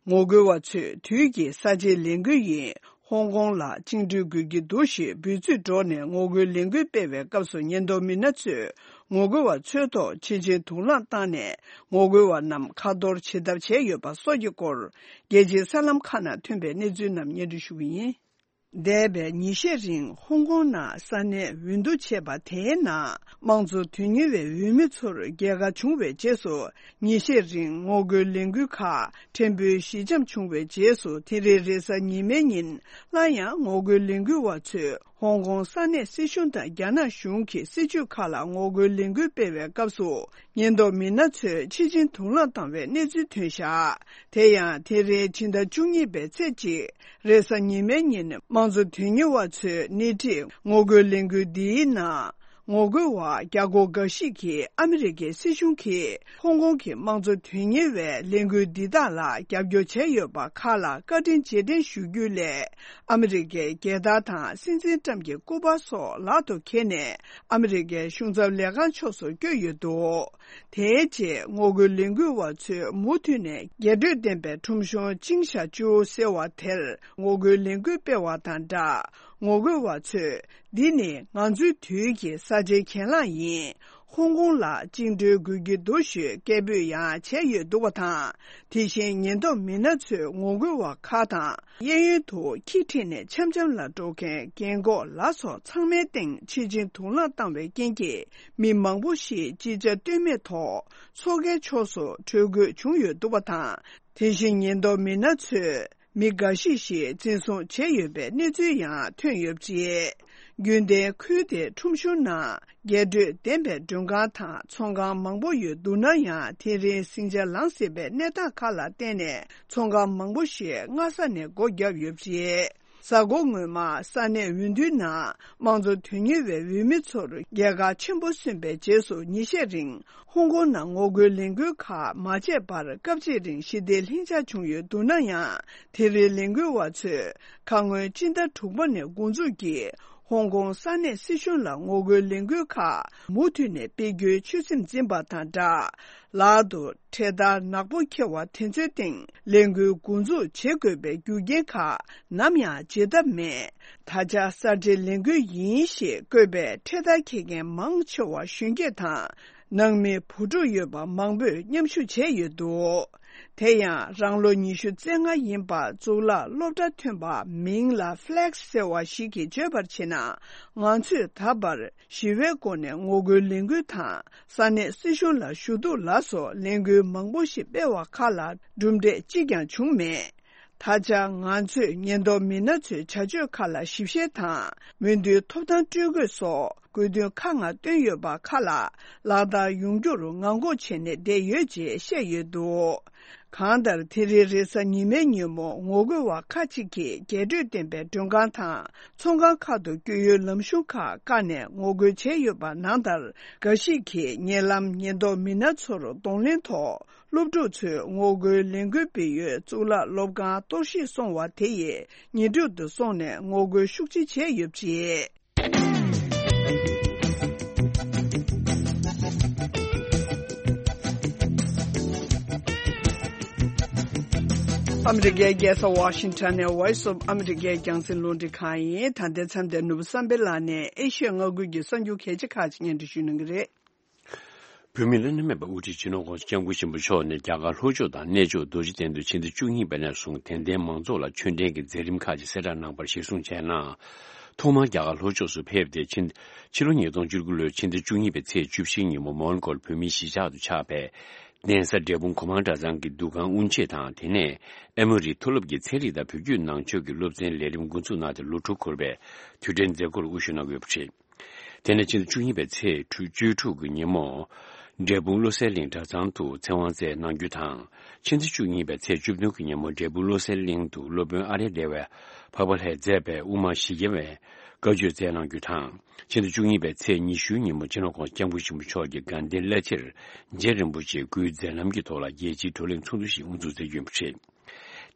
ངོ་རྒོལ་བ་ཚོས་དུས་ཀྱི་གསར་བརྗེའི་ལས་འགུལ་ཡིན། ཧོང་ཀོང་ལ་བཅིངས་འགྲོལ་དགོས་ཀྱི་འདུག་ཞེས་འབོད་ཚིག་སྒྲོག་ནས་ངོ་རྒོལ་ལས་འགུལ་སྤེལ་བའི་སྐབས་སུ། ཉེན་རྟོག་མི་སྣ་ཚོས་ངོ་རྒོལ་བ་ཚོའི་ཐོག་མཆོད་སྦྱིན་དུག་རླངས་བཏང་ནས་ངོ་རྒོལ་བ་རྣམས་ཁ་གཏོར་བྱེད་ཐབས་བྱས་ཡོད་པ་སོགས་ཀྱི་སྐོར། རྒྱལ་སྤྱིའི་གསར་ལམ་ཁག་ནང་ཐོན་པའི་གནས་ཚུལ་རྣམས་སྙན་སྒྲོན་ཞུ་གི་ཡིན། འདས་པའི་ཉིན་ཤས་རིང་ཧོང་ཀོང་ནང་ས་གནས་འོས་བསྡུ་བྱས་པ་དེའི་ནང་། དམངས་གཙོ་དོན་གཉེར་བའི་འོས་མི་ཚོར་རྒྱལ་ཁ་བྱུང་བའི་རྗེས་སུ། ཉིན་ཤས་རིང་ངོ་རྒོལ་ལས་འགུལ་ཁག་ཕྲན་བུ་ཞི་འཇམ་བྱུང་བའི་རྗེས་སུ། དེ་རིང་རེས་གཟའ་ཉི་མའི་ཉིན་སླར་ཡང་ངོ་རྒོལ་ལས་འགུལ་བ་ཚོས་ཧོང་ཀོང་ས་གནས་སྲིད་གཞུང་དང་རྒྱ་ནག་གཞུང་གི་སྲིད་ཇུས་ཁག་ལ་ངོ་རྒོལ་ལས་འགུལ་སྤེལ་བའི་སྐབས་སུ། ཉེན་རྟོག་མི་སྣ་ཚོས་མཆོད་སྦྱིན་དུག་རླངས་བཏང་བའི་གནས་ཚུལ་ཐོན་བཞག་དེ་ཡང་དེ་རིང་ཕྱི་ཟླ་བཅུ་གཉིས་པའི་ཚེས་གཅིག་རེས་གཟའ་ཉི་མའི་ཉིན། དམངས་གཙོ་དོན་གཉེར་བ་ཚོའི་སྣེ་ཁྲིད་ངོ་རྒོལ་ལས་འགུལ་འདིའི་ནང་། ངོ་རྒོལ་བ་བརྒྱ་སྐོར་འགའ་ཞིག་གིས་ཨ་མི་རི་ཀའི་སྲིད་གཞུང་གིས་ཧོང་ཀོང་གི་དམངས་གཙོ་དོན་གཉེར་བའི་ལས་འགུལ་འདི་དག་ལ་རྒྱབ་སྐྱོར་བྱས་ཡོད་པ་ཁག་ལ་བཀའ་དྲིན་རྗེས་དྲན་ཞུ་རྒྱུ་ལས། ཨ་མི་རི་ཀའི་རྒྱལ་དར་དང་སྲིད་འཛིན་ཊམ་གྱི་སྐུ་པར་སོགས་ལག་ཏུ་འཁྱེར་ནས་ཨ་མི་རི་ཀའི་གཞུང་ཚབ་ལས་ཁང་ཕྱོགས་སུ་བསྐྱོད་ཡོད་འདུག་དེའི་རྗེས་ངོ་རྒོལ་ལས་འགུལ་བ་ཚོས་མུ་མཐུད་ནས་རྒྱས་སྤྲོས་ལྡན་པའི་ཁྲོམ་གཞུང་ཅིང་ཞ་ཅུའུ་ཟེར་བ་དེར་ངོ་རྒོལ་ལས་འགུལ་སྤེལ་བ་དང་སྦྲགས། ངོ་རྒོལ་བ་ཚོས། འདི་ནི་ང་ཚོའི་དུས་ཀྱི་གསར་བརྗེའི་གྱེན་ལངས་ཡིན། ཧོང་ཀོང་ལ་བཅིངས་འགྲོལ་དགོས་ཀྱི་འདུག་ཞེས་སྐད་འབོད་ཡང་བྱས་ཡོད་འདུག་པ་དང་། དེ་བཞིན་ཉེན་རྟོག་མི་སྣ་ཚོས་ངོ་རྒོལ་བ་ཁག་དང་། གཡས་གཡོན་དུ་ཁྱི་ཁྲིད་ནས་འཆམ་འཆམ་ལ་འགྲོ་མཁན་རྒན་འཁོགས་ལ་སོགས་ཚང་མའི་སྟེང་མཆོད་སྦྱིན་དུག་རླངས་བཏང་བའི་རྐྱེན་གྱིས། མི་མང་པོ་ཞིག་ཅི་བྱ་གཏོལ་མེད་ཐོག་མཚོ་ཁའི་ཕྱོགས་སུ་བྲོས་དགོས་བྱུང་ཡོད་འདུག་པ་དང་། དེ་བཞིན་ཉེན་རྟོག་མི་སྣ་ཚོས། མི་འགའ་ཤས་ཤིག་འཛིན་བཟུང་བྱས་ཡོད་པའི་གནས་ཚུལ་ཡང་ཐོན་ཡོད་པ་རེད། རྒྱུན་ལྡན་ཁུལ་དེའི་ཁྲོམ་གཞུང་ནང་རྒྱས་སྤྲོས་ལྡན་པའི་མགྲོན་ཁང་དང་ཚོང་ཁང་མང་པོ་ཡོད་འདུག་ན་ཡང་། དེ་རིང་ཟིང་ཆ་ལངས་སྲིད་པའི་གནས་སྟངས་ཁག་ལ་བརྟེན་ནས་ཚོང་ཁང་མང་པོ་ཞིག་སྔ་ས་ནས་སྒོ་བརྒྱབ་ཡོད་པ་རེད། གཟའ་འཁོར་སྔོན་མ་ས་གནས་འོས་བསྡུའི་ནང་དམངས་གཙོ་དོན་གཉེར་བའི་འོས་མི་ཚོར་རྒྱལ་ཁ་ཆེན་པོ་སོན་པའི་རྗེས་སུ། ཉིན་ཤས་རིང་ཧོང་ཀོང་ནང་ངོ་རྒོལ་ལས་འགུལ་ཁག་མ་བྱས་པར་སྐབས་གཅིག་རིང་ཞི་བདེ་ལྷིང་འཇགས་བྱུང་ཡོད་འདུག་ན་ཡང་། དེ་རིང་ལས་འགུལ་བ་ཚོས་ཁ་སྔོན་སྤྱི་ཟླ་དྲུག་པ་ནས་འགོ་འཛུགས་ཀྱིས་ཧོང་ཀོང་ས་གནས་སྲིད་གཞུང་ལ་ངོ་རྒོལ་ལས་འགུལ་ཁག་མུ་མཐུད་ནས་སྤེལ་རྒྱུའི་ཆོད་སེམས་འཛིན་པ་དང་སྦྲགས། ལག་ཏུ་འཕྲེད་དར་ནག་པོ་འཁྱེར་བ་དེ་ཚོའི་སྟེང་ལས་འགུལ་འགོ་འཛུགས་བྱེད་དགོས་པའི་རྒྱུ་རྐྱེན་ཁག་ནམ་ཡང་བརྗེད་ཐབས་མེད། ད་ཆ་གསར་བརྗེའི་ལས་འགུལ་ཡིན་ཞེས་བཀོད་པའི་འཕྲེད་དར་འཁྱེར་མཁན་མང་ཆེ་བ་གཞོན་སྐྱེས་དང་ ནང་མི་བུ་ཕྲུག་ཡོད་པ་མང་པོས་མཉམ་ཞུགས་བྱས་ཡོད་འདུག་དེ་ཡང་རང་ལོ་ཉི་ཤུ་རྩ་ལྔ་ཡིན་པ་གཙུག་ལག་སློབ་གྲྭ་ཐོན་པ་མིང་ལ་ཕླེག་ཟེར་བ་ཞིག་གིས་བརྗོད་པར་བྱས་ན། ང་ཚོས་ད་བར་ཞི་བའི་སྒོ་ནས་ངོ་རྒོལ་ལས་འགུལ་དང་ས་གནས་སྲིད་གཞུང་ལ་ཞུ་གཏུག་ལ་སོགས་ལས་འགུལ་མང་པོ་ཞིག་སྤེལ་བ་ཁག་ལ་གྲུབ་འབྲས་གཅིག་ཀྱང་བྱུང་མེད། ད་ཆ་ང་ཚོས་ཉེན་རྟོག་མི་སྣ་ཚོའི་བྱ་སྤྱོད་ཁག་ལ་ཞིབ་བཤེར་དང་མི་འདུན་ཐོབ་ཐང་སྤྲོད་དགོས་སོགས་དགོས་འདུན་ཁག་ལྔ་བཏོན་ཡོད་པ་ཁག་ལ་ལག་བསྟར་ཡོང་རྒྱུར་ངང་སྒུག་བྱས་ནས་བསྡད་ཡོད་ཅེས་བཤད་ཡོད་འདུག་གང་ལྟར་དེ་རིང་རེས་གཟའ་ཉི་མའི་ཉིན་མོ་ངོ་རྒོལ་བ་ཁག་ཅིག་གིས་རྒྱས་སྤྲོས་ལྡན་པའི་མགྲོན་ཁང་དང་ཚོང་ཁང་ཁག་ཏུ་བསྐྱོད་ཡུལ་ལམ་གཞུང་ཁག་བཀག་ནས་ངོ་རྒོལ་བྱས་ཡོད་པ་ནང་ལྟར། འགའ་ཞིག་གིས་ཉེ་ལམ་ཉེན་རྟོག་མི་སྣ་ཚོར་གདོང་ལེན་ཐོག་སློབ་ཕྲུག་ཚོས་ངོ་རྒོལ་ལས་འགུལ་སྤེལ་ཡུལ་གཙུག་ལག་སློབ་ཁང་གཏོར་བཤིག་སོང་བ་དེ་ཡི་ཉེ་འགྲམ་དུ་སོང་ནས་ངོ་རྒོལ་ཤུགས་ཆེ་བྱས་ཡོད་པ་རེད། ཨ་མི་རི་ཀའི་རྒྱལ་ས་ཝ་ཤིང་ཊོན་ནས་Voice of America རྒྱང་སྲིང་རླུང་འཕྲིན་ཁང་ཡིན། ད་ལྟའི་མཚམས་དེར་ནོར་བུ་བསམ་འཕེལ་ལགས་ནས་ཨེ་ཤི་ཡ་མངའ་ཁུལ་གྱི་གསར་འགྱུར་གལ་ཆེ་ཁག་ཅིག་སྙན་སྒྲོན་ཞུ་གནང་གི་རེད། བོད་མིའི་བླ་ན་མེད་པ་དབུ་ཁྲིད་སྤྱི་ནོར་༸གོང་ས་༸སྐྱབས་མགོན་ཆེན་པོ་མཆོག་ནས་རྒྱ་གར་ལྷོ་ཕྱོགས་དང་གནས་མཆོག་རྡོ་རྗེ་གདན་དུ་ཕྱི་ཟླ་བཅུ་གཉིས་པ་ནས་བཟུང་དད་ལྡན་མང་ཚོགས་ལ་ཆོས་འབྲེལ་གྱི་མཛད་རིམ་ཁག་ཅིག་གསལ་བསྒྲགས་གནང་པར་གཞིར་བཟུང་བྱས་ན། ཐོག་མར་རྒྱ་གར་ལྷོ་ཕྱོགས་སུ་ཕེབས་ཏེ་ཕྱི་ཕྱི་ལོ་ཉིས་སྟོང་བཅུ་དགུ་ལོའི་ཕྱི་ཟླ་བཅུ་གཉིས་པའི་ཚེས་བཅུ་བཞི་ཉིན་མོ་མོན་གྷོལ་བོད་མིའི་གཞིས་ཆགས་སུ་ཆགས་པའི་གདན་ས་འབྲས་སྤུངས་གོ་མང་གྲྭ་ཚང་གི་འདུ་ཁང་དབུ་འབྱེད་དང་། དེ་ནས་ཨེ་མོ་རི་མཐོ་སློབ་ཀྱི་ཚན་རིག་དང་བོད་བརྒྱུད་ནང་ཆོས་ཀྱི་སློབ་ཚན་ལས་རིམ་འགོ་འཛུགས་གནང་སྟེ་ལོ་དྲུག་འཁོར་བའི་དུས་དྲན་མཛད་སྒོར་དབུ་བཞུགས་གནང་ཡོད་པ་རེད། དེ་ནས་ཕྱི་ཟླ་བཅུ་གཉིས་པའི་ཚེས་བཅུ་དྲུག་གི་ཉིན་མོ། འབྲས་སྤུངས་བློ་གསལ་གླིང་གྲྭ་ཚང་དུ་ཚེ་དབང་སྩལ་གནང་རྒྱུ་དང་། ཕྱི་ཟླ་བཅུ་གཉིས་པའི་ཚེས་བཅུ་བདུན་གྱི་ཉིན་མོ་འབྲས་སྤུངས་བློ་གསལ་གླིང་དུ་སློབ་དཔོན་ཨ་རེ་རེ་བས་འཕགས་པ་ལྷས་མཛད་པའི་དབུ་མ་བཞི་བརྒྱ་བའི་བཀའ་ཆོས་སྩལ་གནང་རྒྱུ་དང་། ཕྱི་ཟླ་བཅུ་གཉིས་པའི་ཚེས་ཉི་ཤུའི་ཉིན་མོ་སྤྱི་ནོར་༸གོང་ས་༸སྐྱབས་མགོན་ཆེན་པོ་མཆོག་གིས་དགའ་ལྡན་བླ་ཕྱིར་རྗེ་རིན་པོ་ཆེའི་སྐུའི་མཛད་རྣམ་གྱི་ཐོག་ལ་རྒྱལ་སྤྱིའི་བགྲོ་གླེང་ཚོགས་འདུ་ཞིག་དབུ་འཛུགས་མཛད་རྒྱུ་ཡིན་པ་རེད།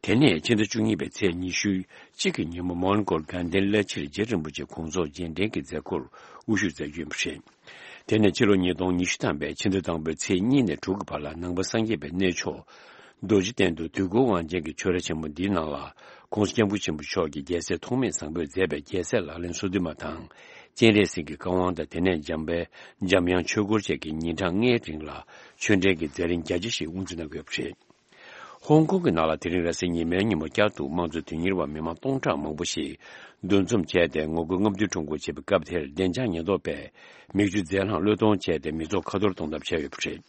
དེ་ནས་ཕྱི་ཟླ་བཅུ་གཉིས་པའི་ཚེས་ཉི་ཤུ་གཅིག་གི་ཉིན་མོ་མོན་གྷོར་དགའ་ལྡན་བླ་ཕྱིར་རྗེ་རིན་པོ་ཆེ་དགོངས་རྫོགས་རྗེས་དྲན་གྱི་མཛད་སྒོར་དབུ་བཞུགས་མཛད་རྒྱུ་ཡིན་པ་རེད། དེ་ནས་ཕྱི་ལོ་ཉིས་སྟོང་ཉི་ཤུ་ཐམ་པའི་ཕྱི་ཟླ་དང་པོའི་ཚེས་གཉིས་ནས་དྲུག་གི་བར་ལ་ནང་པ་སངས་རྒྱས་པའི་གནས་མཆོག་རྡོ་རྗེ་གདན་དུ་དུས་འཁོར་དབང་ཆེན་གྱི་ཆོས་ར་ཆེན་མོ་འདིའི་ནང་ལ་༸གོང་ས་༸སྐྱབས་མགོན་ཆེན་པོ་མཆོག་གིས་རྒྱལ་སྲས་ཐོགས་མེད་བཟང་པོས་མཛད་པའི་རྒྱལ་སྲས་ལག་ལེན་སོ་བདུན་མ་དང་། སྤྱན་རས་གཟིགས་ཀྱི་བཀའ་དབང་དང་། དེ་ནས་འཇམ་དཔལ་འཇམ་དབྱངས་ཆོས་འཁོར་བཅས་ཀྱི་ཉིན་གྲངས་ལྔའི་རིང་ལ་ཆོས་འབྲེལ་གྱི་མཛད་རིམ་རྒྱ་ཆེ་ཞིག་དབུ་འཛུགས་གནང་གི་ཡོད་པ་རེད། ཧོང་ཀོང་གི་ནང་ལ་དེ་རིང་རེས་གཟའ་ཉི་མའི་ཉིན་མོ་བསྐྱར་དུ་དམངས་གཙོ་དོན་གཉེར་བ་མི་མང་སྟོང་ཕྲག་མང་པོ་ཞིག་འདུ་འཛོམས་བྱས་ཏེ་ངོ་རྒོལ་རྔམ་སྟོན་ཁྲོམ་སྐོར་བྱེད་པའི་སྐབས་དེར་བདེ་འཇགས་ཉེན་རྟོག་པས་མིག་ཆུ་རྫས་ལྷག་བློས་གཏོང་བྱས་ཏེ་མི་ཚོགས་ཁ་འཐོར་གཏོང་ཐབས་བྱས་ཡོད་པ་རེད།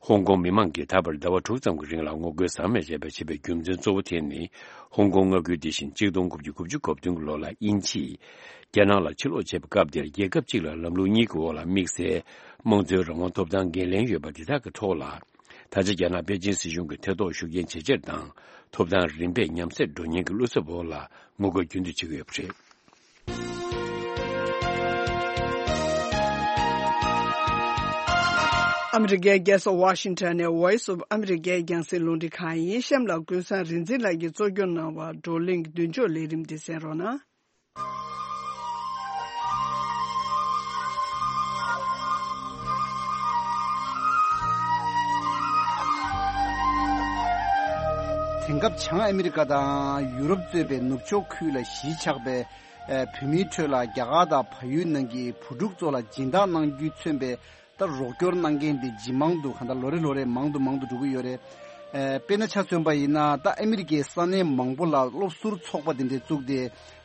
ཧོང་ཀོང་མི་མང་གིས་ད་བར་ཟླ་བ་དྲུག་ཙམ་གྱི་རིང་ལ་ངོ་རྒོལ་ཟག་མེད་རེ་བ་བྱེད་པའི་རྒྱུ་མཚན་གཙོ་བོ་དེ་ནི། ཧོང་ཀོང་མངའ་ཁུལ་འདི་བཞིན་གཅིག་སྟོང་དགུ་བརྒྱ་དགུ་བཅུ་གོ་བདུན་གྱི་ལོ་ལ་དབྱིན་ཇིས་རྒྱ་ནག་ལ་ཕྱིར་ལོག་བྱས་པའི་སྐབས་དེར་རྒྱལ་ཁབ་གཅིག་ལ་ལམ་ལུགས་གཉིས་ཀྱི་འོག་ལ་དམིགས་བསལ་དམངས་གཙོའི་རང་དབང་ཐོབ་ཐང་འགན་ལེན་ཡོད་པ་འདི་དག་གི་ཐོག་ལ། ད་ཆ་རྒྱ་ནག་པེ་ཅིན་སྲིད་གཞུང་གིས་ཐེ་གཏོགས་ཤུགས་རྐྱེན་ཇེ་ཆེར་དང་ཐོབ་ཐང་རིམ་པས་ཉམས་སད་འགྲོ་ཉེན་གྱི་བློ་འཚབ་འོག་ལ་ངོ་རྒོལ་རྒྱུན་དུ་བྱེད་ཀྱི་ཡོད་པ་རེད། ཨ་མི་རི་ཀའི་རྒྱལ་ས་ཝ་ཤིང་ཊོན་ནས་Voice of America རྒྱང་སྲིང་རླུང་འཕྲིན་ཁང་ཡིན། གཤམ་ལ་ཀུན་བཟང་རིག་འཛིན་ལགས་ཀྱིས་གཙོ་སྐྱོང་གནང་བ་བགྲོ་གླེང་མདུན་ལྕོག་ལས་རིམ་འདི་གསན་རོགས་གནང་། དེང་སྐབས་བྱང་ཨ་མི་རི་ཀ་དང་ཡུ་རོབ་གཙོས་པའི་ནུབ་ཕྱོགས་ཁུལ་ལ་གཞིས་ཆགས་པའི་ཨ་བོད་མིའི་ཁྲོད་ལ་རྒྱ་གར་དང་བལ་ཡུལ་ནང་གི་བུ་ཕྲུག་ཚོ་ལ་སྦྱིན་བདག་གནང་རྒྱུས་མཚོན་པའི་ད་རོགས་སྐྱོར་གནང་མཁན་དེ་ཇི་མང་དུ་གང་ལྟར་ལོ་རེ་ལོ་རེ་མང་དུ་མང་དུ་འགྲོ་གི་ཡོད་རེད། ཨ་དཔེར་ན་ཆ་མཚོན་པ་ཡིན་ན་ད་ཨ་མི་རི་ཀའི་ས་གནས་མང་པོ་ལ་སློབ་ཟུར་ཚོགས་པ་དེ་འདྲས་བཙུགས་ཏེ་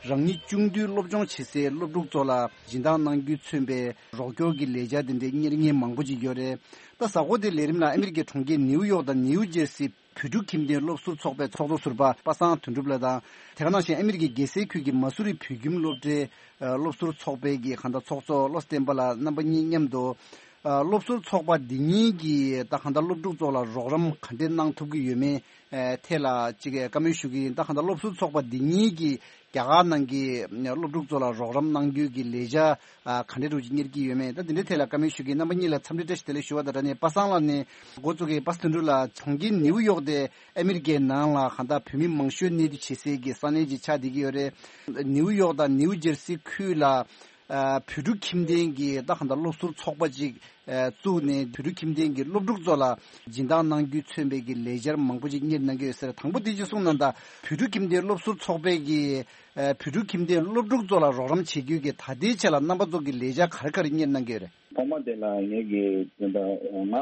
རང་ཉིད་ཆུང་དུས་སློབ་སྦྱོང་བྱེད་སའི་སློབ་ཕྲུག་ཚོ་ལ་སྦྱིན་བདག་གནང་རྒྱུས་མཚོན་པའི་རོགས་སྐྱོར་གྱི་ལས་འཆར་དེ་འདྲས་གཉེར་མཁན་མང་པོ་ཅིག་ཡོད་རེད། ད་གཟའ་འཁོར་འདིའི་ལས་རིམ་ལ་ཨ་མི་རི་ཀའི་གྲོང་ཁྱེར་ནིའུ་ཡོག་དང་ནིའུ་ཇེར་སི་བོད་ཕྲུག་ཁྱིམ་སྡེའི་སློབ་ཟུར་ཚོགས་པའི་ཚོགས་གཙོ་ཟུར་པ་པ་སངས་དོན་གྲུབ་ལགས་དང་། དེ་ག་ནང་བཞིན་ཨ་མི་རི་ཀའི་རྒྱལ་སའི་ཁུལ་གྱི་མ་སུ་རི་བོད་ཁྱིམ་སློབ་གྲྭའི་སློབ་ཟུར་ཚོགས་པའི་གི་གང་ལྟར་ཚོགས་གཙོ་བློ་བསྟན་པ་ལགས་རྣམ་པ་གཉིས་མཉམ་དུ། སློབ་ཟུར་ཚོགས་པ་འདི་གཉིས་ཀྱིས་ད་གང་ལྟར་སློབ་ཕྲུག་ཚོ་ལ་རོགས་རམ་ག་འདྲས་གནང་ཐུབ་ཀྱི་ཡོད་མེད་ཐད་ལ་ཅིག་བཀའ་མོལ་ཞུ་གི་ཡིན། ད་གང་ལྟར་སློབ་ཟུར་ཚོགས་པ་འདི་གཉིས་ཀྱིས་རྒྱ་གར་ནང་གི་སློབ་ཕྲུག་ཚོ་ལ་རོགས་རམ་གནང་རྒྱུའི་གི་ལས་འཆར་ག་འདྲས་རུ་ཅིག་གཉེར་གྱི་ཡོད་མེད། ད་འདི་འདྲའི་ཐད་ལ་བཀའ་མོལ་ཞུ་གི་ཡིན། རྣམ་པ་གཉིས་ལ་འཚམས་འདྲི་བཀྲ་ཤིས་བདེ་ལེགས་ཞུ་བ་དང་སྦྲགས་ནས་པ་སངས་ལགས་ནས་འགོ་བཙུགས་ཀྱི་པ་སངས་དོན་གྲུབ་ལགས་གྲོང་ཁྱེར་ནིའུ་ཡོག་དེ་ཨ་མི་རི་ཀའི་ནང་ལ་གང་ལྟར་བོད་མི་མང་ཤོས་གནས་སྡོད་བྱེད་སའི་གི་ས་གནས་ཅིག་ཆགས་བསྡད་ཀྱི་ཡོད་རེད། ནིའུ་ཡོག་དང་ནིའུ་ཇེར་སི་ཁུལ་ལ་ཨ་བོད་ཕྲུག་ཁྱིམ་སྡེ་གི་ད་གང་ལྟར་སློབ་ཟུར་ཚོགས་པ་ཅིག་ཨ་བཙུགས་ནས་བོད་ཕྲུག་ཁྱིམ་སྡེ་གི་སློབ་ཕྲུག་ཚོ་ལ་སྦྱིན་བདག་གནང་རྒྱུས་མཚོན་པའི་གི་ལས་འཆར་མང་པོ་ཅིག་གཉེར་གནང་གི་ཡོད་ཟེར། དང་པོ་དེ་ཅིག་གསུངས་གནང་དང་། བོད་ཕྲུག་ཁྱིམ་སྡེའི་སློབ་ཟུར་ཚོགས་པའི་གི་ཨ་བོད་ཕྲུག་ཁྱིམ་སྡེའི་སློབ་ཕྲུག་ཚོ་ལ་རོགས་རམ་བྱེད་རྒྱུའི་གི་ད་ལྟའི་ཆ་ལ་རྣམ་པ་ཚོ་གི་ལས་འཆར་ག་རེ་ག་རེ་གཉེར་གནང་གི་ཡོད་རེད། ཐོག་མ་དེ་ལ་ངེད་ཀྱི་དེ་འདྲ་ང་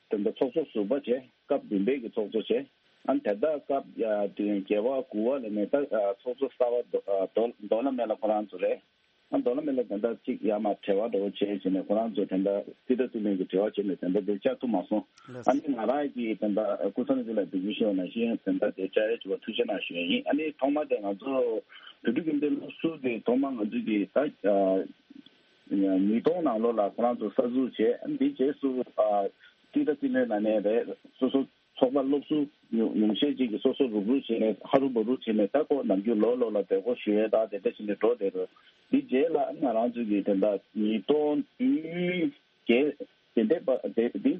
དེ་འདྲ་ཚོགས་གཙོ་ཟུར་པ་བྱས། སྐབས་བདུན་པའི་གི་ཚོགས་གཙོ་བྱས། ཨ་ནི་དེ་ལྟར་སྐབས་ཨ་དེ་བརྒྱད་པ་དགུ་པ་ལ་ནས་ད་ཨ་ཚོགས་གཙོ་གསར་པ་རྡོ་ཨ་རྡོ་རྡོ་ལ་མེ་ལ་ཁོ་རང་ཚོ་རེད། ཨ་རྡོ་ལ་མེ་ལ་དེ་འདྲ་གཅིག་ཡར་མར་བྲེལ་བ་འདྲ་བོ་བྱས་བྱས་ནས་ཁོ་རང་ཚོ་དེ་འདྲ་རྩིས་ཁྲ་བཏོན་ནས་ཀྱི་བྲེལ་བ་བྱས་ནས་དེ་འདྲ་དེ་བཅར་ཐུབ་མ་སོང་། ལགས་སོ། ཨ་ནི་ང་རང་གིས་དེ་འདྲ་སྐུ་ཚབ་ནས་ཚུར་ལ་འབུལ་རྒྱུ་ཞུ་བ་ནང་བཞིན་དེ་འདྲ་དེ་བཅར་ཡས་བྱུང་བ་ཐུགས་རྗེ་གནང་ཞུ་ཡས་ཡིན། ཨ་ནི་ཐོག་མ་དེ་ང་ཚོ་བོད་ཕྲུག་ཁྱིམ་སྡེ་སློབ་ཟུར་དེ་ཐོག་མ་ང་ཚོ་གི་ད་ཨ་ཉིས་སྟོང་ནང་ལོགས་ལ་ཁོ་རང་ཚོ་གསར་འཛུགས་བྱས། ཨ་ནི་དེའི་རྗེས་སུ་ཨ་རྩིས་ཁྲ་རྩིས་ལེན་ལ་ནས་རེད། སོ་སོ་ཚོགས་པ་སློབ་ཟུར་ཉུང་ཉུང་ཤས་ཅིག་གིས་སོ་སོ་རུག་རུག་བྱས་ནས་ཧ་རུ་བ་རུ་བྱས་ནས་ད་ཁོ་ནམ་རྒྱུན་ལོ་ལོ་ལ་བསྡད་སྒོ་ཞུ་ཡས་དང་དེ་འདྲ་བྱས་ནས་འགྲོ་བསྡད་རེད། དེ་རྗེས་ལ་ང་རང་ཚོ་གིས་དེ་འདྲ་ཉིས་སྟོང་བདུན་བརྒྱད་དེ་འདྲའི་བར་དེ་དེའི་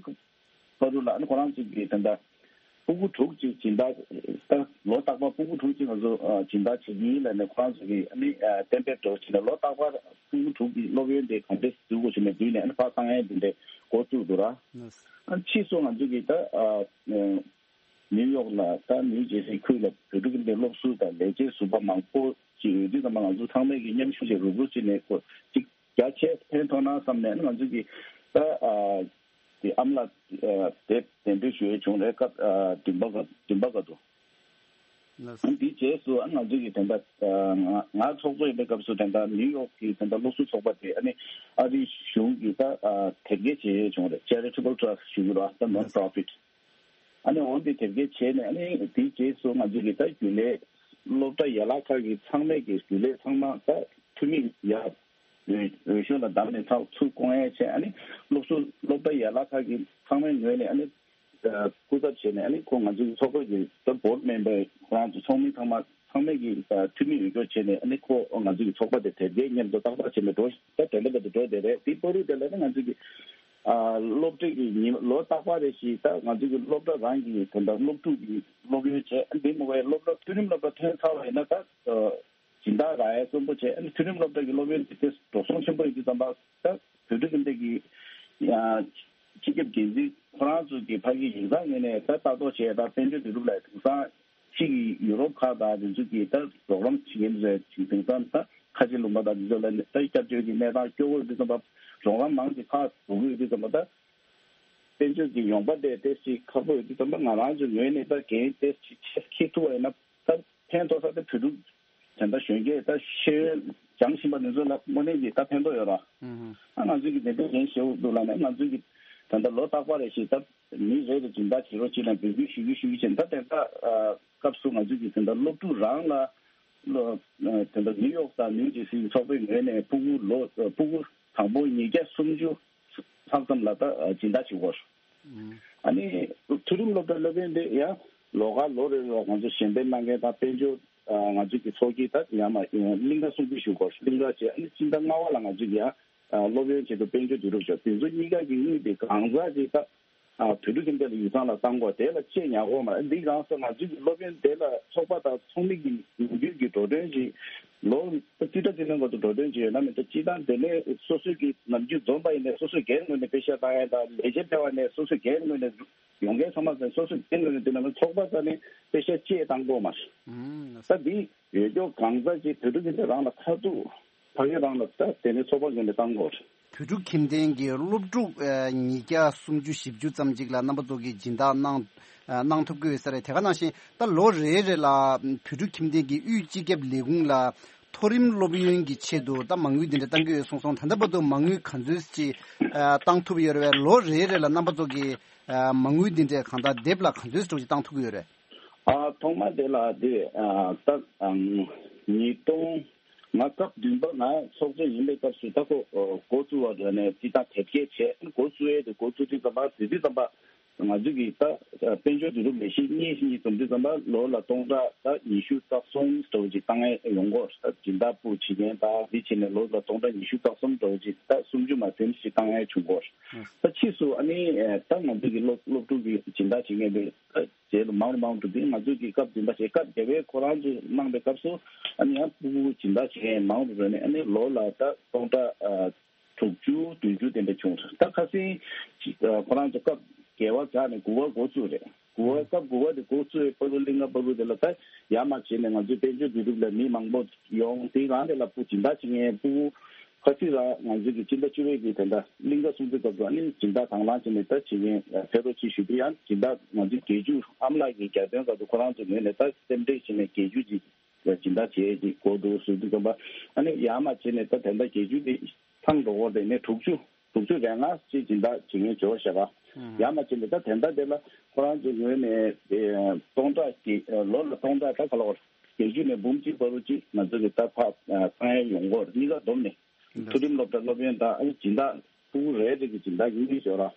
བར་དུ་ལ་ཨ་ནི་ཁོ་རང་ཚོ་གིས་དེ་འདྲ་ཕྲུ་གུ་དྲུག་ཅིག་སྦྱིན་བདག་ད་ལོ་རྟག་པར་ཕྲུ་གུ་དྲུག་ཅིག་ང་ཚོ་ཨ་སྦྱིན་བདག་བྱེད་ཀྱི་ཡིན་ལབ་ནས་ཁོ་རང་ཚོ་གིས་ཨ་ནི་ཨ་གཏན་འབེབས་འདྲ་བོ་བྱས་ནས་ལོ་རྟག་པར་ཕྲུ་གུ་དྲུག་གི་སློབ་ཡོན་དེ་ག་འདྲས་འཛུགས་དགོས་བྱས་ནས་བསྡུས་ནས་ཨ་ནི་ཕར་བཏང་ཡས་དེ་འདྲས་འགོ་བཙུགས་འདུག་ར། ཨ་ཕྱིས་སུ་ང་ཚོ་གིས་ད་ཨ་ནིའུ་ཡོག་ལ་ད་ནིའུ་ཇེ་སི་ཁུལ་ལ་བོད་ཕྲུག་གི་སློབ་ཟུར་དང་ལས་བྱེད་ཟུར་པ་མང་པོ་ཅིག་ཡོད་དུས་ཙམ་པ་ང་ཚོ་ཚང་མས་ཀྱི་མཉམ་ཞུགས་བྱས་རུབ་རུབ་བྱས་ནས་ཁོ་གཅིག་རྒྱ་ཆེ་ཕན་ཐོགས་ན་བསམ་ནས་ང་ཚོ་གིས་ད་ཨ་དེ་ཨ་མ་ལགས་ཨ་དེབ་གདན་འདྲེན་ཞུ་ཡས་བྱུང་རེད། སྐབས་ཨ་བདུན་པ་ག་བདུན་པ་ག་དུ། ལགས་སོ། ཨ་འདིའི་རྗེས་སུ་ཨ་ང་ཚོ་གིས་དེ་འདྲ་ཨ་ང་ང་ཚོགས་གཙོ་ཡིན་པའི་སྐབས་སུ་དེ་འདྲ་ནིའུ་ཡོག་གི་དེ་འདྲ་སློབ་ཟུར་ཚོགས་པ་དེ་ཨ་ནི་ཨ་རིའི་གཞུང་གི་ད་ཨ་དེབ་སྐྱེལ་བྱེད་ཡས་བྱུང་རེད། Charitable Trust ཞུ་གི་རེད། ད་Non Profit། ཨ་ནི་འོ་འདི་དེབ་སྐྱེལ་བྱས་ནས་ཨ་ནི་དེའི་རྗེས་སུ་ང་ཚོ་གིས་ད་རྒྱུན་ལས་སློབ་གྲྭ་ཡན་ལག་ཁག་གི་ཚང་མས་ཀྱི་རྒྱུན་ལས་ཚང་མ་ད་འཐུས་མི་ཡར་འོས་འོས་ཤོག་ལ་བདམས་ནས་ཚགས་ཚུར་བསྐོང་ཡས་བྱས། ཨ་ནི་སློབ་གསོ་སློབ་གྲྭ་ཡན་ལག་ཁག་གི་ཚང་མའི་ངོས་ནས་ཨ་ནི་སྐུ་ཚབ་བྱས་ནས་ཨ་ནི་ཁོ་ང་ཚོའི་ཚོགས་པ་གི་ད་board member ཁོ་རང་ཚོ་ཚོགས་མི་ཚང་མ་ཚང་མས་ཀྱི་འཐུས་མི་འོས་སྐྱོར་བྱས་ནས་ཨ་ནི་ཁོ་ང་ཚོའི་ཚོགས་པ་དེ་དེབ་སྐྱེལ་མཉམ་དུ་ཏག་ཏག་བྱས་ནས་འགྲོ་ད་དེ་འདྲ་བར་དུ་འགྲོ་བསྡད་རེད། དེའི་བར་དུ་དེ་ལ་ནི་ང་ཚོ་གི་ཨ་སློབ་ཁྲིད་ཀྱི་ཉིན་ལོ་རྟག་པར་རེ་བཞིན་ད་ང་ཚོ་གི་སློབ་གྲྭ་རང་གི་དེ་འདྲ་སློབ་ཕྲུག་གི་སློབ་ཡོན་བྱས། འདི་མ་བའི་སློབ་གྲྭ་མཐོ་རིམ་སློབ་གྲྭ་ཐོན་ཚར་བ་ཡིན་ན་ད་སྦྱིན་བདག་རག་ཡས་བརྩོན་པོ་བྱས། ཨ་ནི་མཐོ་རིམ་སློབ་གྲྭ་གི་སློབ་ཡོན་དེ་འགྲོ་སོང་ཆེན་པོ་ཡིན་དུས་ཙམ་པ་ད་བོད་ཕྲུག་གི་འདི་གི་ཡང་སྤྱི་ཁྱབ་འགན་འཛིན་ཁོ་རང་ཚོ་གི་ཕ་གི་ཡིག་ཚང་ངོས་ནས་ད་ལྟ་རྟོག་བྱས་ད་དཔལ་འབྱོར་དུས་རབས་ལ་དེང་སང་ཕྱི་གི་ཡུ་རོབ་ཁག་དང་དེ་ཚོ་གི་ད་རོགས་རམ་བྱེད་མཁན་རེད། དེང་སང་ད་ཁ་ཆེ་ལུང་པ་དང་དེ་ཚོ་ལ་ད་སྐྱབས་བཅོལ་གྱི་གནས་སྟངས་སྐྱོ་བོ་ཡོད་དུས་ཙམ་པ་རོགས་རམ་མང་ཆེ་ཁག་འགྲོ་གི་ཡོད་དུས་ཙམ་པ་ད། དཔལ་འབྱོར་གྱི་ཡོང་འབབ་དེ་ཏོག་ཙམ་ཁག་པོ་ཡོད་དུས་ཙམ་པ་ང་རང་ཚོའི་ངོས་ནས་ད་འགན་ཏོག་ཙམ་ཆེ་འཁྱེར་ཐུབ་པ་ཡིན་ན་ད་ཕན་ཐོགས་ས་དེ་བོད་ཕྲུག་དེ་འདྲ་གཞོན་སྐྱེས་ད་ཤེས་ཡོན་སྦྱང་བཞིན་པ་དེ་ཚོ་ལ་དངོས་གནས་ཀྱི་ད་ཕན་ཐོགས་ཡོད་ར། ཨ་ང་ཚོས་ཀྱི་དེ་འདྲའི་འགན་བཞེས་འདུག་ལབ་ནས་ང་ཚོས་ཀྱི་ད་ལྟ་ལོ་རྟག་པར་རེ་བཞིན་ད་མི་རེ་རེ་སྦྱིན་བདག་བྱེད་རོགས་གྱིས་ལབ་འབོད་སྐུལ་ཞུ་གི་ཞུ་གི་བྱས་ད་དེ་ད་སྐབས་སུ་ང་ཚོས་ཀྱི་དེ་འདྲ་སློབ་ཕྲུག་རང་ལ། ལོ་དེ་འདྲ་ནིའུ་ཡོག་དང་ནིའུ་ཇེ་སིའི་ཚོགས་པའི་ངོས་ནས་ཕྲུ་གུ་ལོ་ཕྲུ་གུ་དང་པོ་ཉིས་བརྒྱ་སུམ་ཅུ་ལྷག་ཙམ་ལ་ད་སྦྱིན་བདག་བྱེད་དགོས། ཨ་ནི་མཐོ་རིམ་སློབ་གྲྭ་སློབ་ཡོན་དེ་ཡང་ལོ་ག་ལོ་རེ་ལ་ང་ཚོ་གཞན་ཕན་གནང་མཁན་དང་དཔལ་འབྱོར་ང་ཚོ་གི་ཚོགས་ཀྱི་ད་ཡང་མ་གླིང་ག་སྲུང་སྐྱོབ་ཞུ་དགོས། གླིང་ག་བྱས། ཨ་ནི་སྤྱི་ཟླ་ལྔ་པ་ལ་ང་ཚོ་གི་ཡང་སློབ་ཡོན་ཆེད་དུ་དཔལ་འབྱོར་བསྡུ་རུབ་བྱས། དེ་ཚོ་གཉིས་ཀ་གི་དངུལ་དེ་གང་ཟག་ཅིག་ད། ཨ་བོད་ཕྲུག་ཁྱིམ་སྡེ་ལ་ཡིག་ཚང་ལ་བཏང་དགོས། དེ་ལ་ཆེད་ཉར་དགོས་མ་རེད། འདི་གང་ཟེར་ང་ཚོའི་གི་སློབ་ཡོན་དེ་ལ་ཚོགས་པ་དང་ཚོགས་མི་གི་ནམ་རྒྱུན་གྱི་འགྲོ་གྲོན་ཅིག་ལོ་རྩིས་ཁྲ་རྩིས་ལེན་སྐབས་སུ་འགྲོ་གྲོན་ཅིག་ཡོད་ན་མེད་ན་སྤྱིར་བཏང་དེ་ནས་སོ་སོའི་གི་ནམ་རྒྱུན་འཛོམས་པ་ཡིན་ནའི་སོ་སོའི་སྒེར་ངོས་ནས་པེ་ཤག་བཏང་ཡ་དང་ལས་བྱེད་ཕལ་བ་ནས་སོ་སོའི་སྒེར་ངོས་ནས་ཡོང་མཁན་ཚང་མ་ཚང་སོ་སོའི་སྒེར་ངོས་ནས་དེ་ནང་ཚོགས་པ་ཚང་ནས་པེ་ཤག་གཅིག་བཏང་དགོས་མ་རེད། ད་འདི་ཡོད་ཀྱོག་གང་ཟག་ཅིག་བོད་ཕྲུག་ཁྱིམ་སྡེ་རང་ལ་ཁ་ཐུག་ཕ་གི་རང་ལ་ད་དེ་ནས་ཚོགས་པ་ངོས་ནས་བཏང་དགོས་རེད། བོད་ཕྲུག་ཁྱིམ་སྡེ་གི་སློབ་ཕྲུག་ཉིས་བརྒྱ་སུམ་ཅུ་བཞི་བཅུ་ཙམ་ཅིག་ལ་རྣམ་པ་ཚོ་གིས་སྦྱིན་བདག་གནང་གནང་ཐུབ་ཀྱི་ཡོད་ས་རེད། དེ་ག་ནང་བཞིན་ད་ལོ་རེ་རེ་ལ་བོད་ཕྲུག་ཁྱིམ་སྡེ་གི་དབུས་སྤྱི་ཁྱབ་ལས་ཁུངས་ལ་མཐོ་རིམ་སློབ་ཡོན་གྱི་ཆེད་དུ་ད་མ་དངུལ་འདི་འདྲ་བཏང་གི་ཡོད་གསུངས་སོང་། ད་ལྟ་བར་དུ་མ་དངུལ་ག་ཚོད་ཅིག་བཏང་ཐུབ་ཡོད་རེད་པས། ལོ་རེ་རེ་ལ་རྣམ་པ་ཚོ་གིས་མ་དངུལ་འདི་འདྲ་གང་ལྟར་དེབ་ལ་ག་ཚོད་ཅིག་བཏང་ཐུབ་ཀྱི་ཡོད་རེད། ཨ་ཐོག་མ་དེ་ལ་དེ་ཨ་ད་ཨམ་ཉིས་སྟོང་ང་སྐབས་བདུན་པ་ང་ཚོགས་གཙོ་ཡིན་པའི་སྐབས་སུ་ད་ཁོ་འགོ་བཙུགས་པ་རེད་ནས་དེ་དང་དེབ་སྐྱེལ་བྱས། འགོ་བཙུགས་ཡས་དེ་འགོ་བཙུགས་དུས་ཙམ་པ་དེ་དུས་ཙམ་པ་ང་ཚོ་གི་ད་དཔལ་འབྱོར་བསྡུ་རུབ་ལས་གཞི་གཉིས་ཤིག་གཉིས་འཛོམས་དུས་ཙམ་པ་ལོ་ལ་སྟོང་ཕྲག་ད་ཉི་ཤུ་རྩ་གསུམ་འདྲ་བོ་ཅིག་བཏང་ཡས་ཡོང་གི་ཡོད་རེད། ད་སྦྱིན་བདག་པུའུ་བྱེད་མཁན་ད་འདི་བྱས་ནས་ལོ་ལ་སྟོང་ཕྲག་ཉི་ཤུ་རྩ་གསུམ་འདྲ་བོ་ཅིག་ད་སུམ་ཅུ་མ་ཟིན་ཞིག་བཏང་ཡས་བྱུང་གི་ཡོད་རེད། ད་ཕྱིས་སུ་ཨ་ནི་ད་ང་ཚོ་གི་སློབ་སློབ་ཕྲུག་གི་སྦྱིན་བདག་བྱེད་མཁན་དེ། རྗེས་ལ་མང་རུ་མང་རུ་འགྲོ་དུས་ང་ཚོས་ཀྱི་སྐབས་བདུན་པ་བྱས། སྐབས་བརྒྱད་པའི་ཁོ་རང་ཚོས་གནང་པའི་སྐབས་སུ་ཨ་ནི་ཡང་ཕྲུ་གུ་སྦྱིན་བདག་བྱེད་མཁན་མང་རུ་འགྲོ་ནས་ཨ་ནི་ལོ་ལ་ད་སྟོང་ཕྲག་ཨ་དྲུག་ཅུ་བདུན་ཅུ་དེ་འདྲ་བྱུང་། ད་ཁ་སང་ཅིག་ཨ་ཁོ་རང་ཚོ་སྐབས་བརྒྱད་པ་བཞག་ནས་དགུ་པ་འགོ་བཙུགས་རེད། དགུ་པ་སྐབས་དགུ་པ་དེ་འགོ་བཙུགས་པའི་བར་དུ་གླིང་ག་བར་དུ་དེ་ལ་ད་ཡར་མར་བྱས་ནས་ང་ཚོའི་དཔལ་འབྱོར་བསྡུ་རུབ་ལ་མི་མང་པོ་ཡོང་། དེ་རང་དེ་ལ་ཕྲུ་གུ་སྦྱིན་བདག་བྱེད་མཁན་ཕྲུ་གུ་ ཁ་སང་རང་ང་ཚོའི་གི་སྤྱི་ཟླ་བཅུ་པའི་གི་དེ་འདྲ་གླིང་ག་སྲུང་བརྩི་སྐབས་སུ་ཨ་ནི་སྦྱིན་བདག་དང་བླངས་བྱས་ནས་ད་བྱེད་མཁན་ཕེབས་རོགས་གྱིས་ཞུ་རྒྱུ་ཡང་སྦྱིན་བདག་ང་ཚོའི་རྒྱལ་བརྒྱུད་ཨ་མ་ལགས་ཀྱི་རྒྱལ་དོན་སྐབས་སུ་ཁོ་རང་ཚོའི་ངོས་ནས་ད་སེམས་ཁྲལ་བྱས་ནས་རྒྱལ་བརྒྱུད་ཀྱི་སྦྱིན་བདག་བྱེད་ཀྱི་གོ་འདུག་ཟེར་དུས་ཙམ་པ་ཨ་ནི་ཡར་མར་བྱས་ནས་ད་དེ་འདྲ་རྒྱལ་བརྒྱུད་དེ་ཚང་འགྲོ་གོ་དེ་ནས་དྲུག་ཅུ་དྲུག་ཅུ་རེ་ལྔ་ཅིག་སྦྱིན་བདག་བྱེད་མཁན་བྱོས་ཤག་ག། ཡར་མར་བྱས་ནས་ད་དེ་འདྲ་དེ་ལ་ཁོ་རང་ཚོའི་ངོས་ནས་སྟོང་ཕྲག་གི་ལོ་ལ་སྟོང་ཕྲག་ད་ག་ལ་བར་རྒྱལ་བརྒྱུད་ནས་འབུམ་གཅིག་བར་དུ་ཅིག་ང་ཚོ་གི་ད་ཕར་ཚང་ཡ་ཡོང་གོ་གཉིས་ཀ་བསྡོམས་ནས་མཐོ་རིམ་སློབ་གྲྭ་སློབ་ཡོན་ད་ཨ་ནི་སྦྱིན་བདག་ཕྲུ་གུ་རེ་རེ་གི་སྦྱིན་བདག་གཉིས་ཤོག་ར།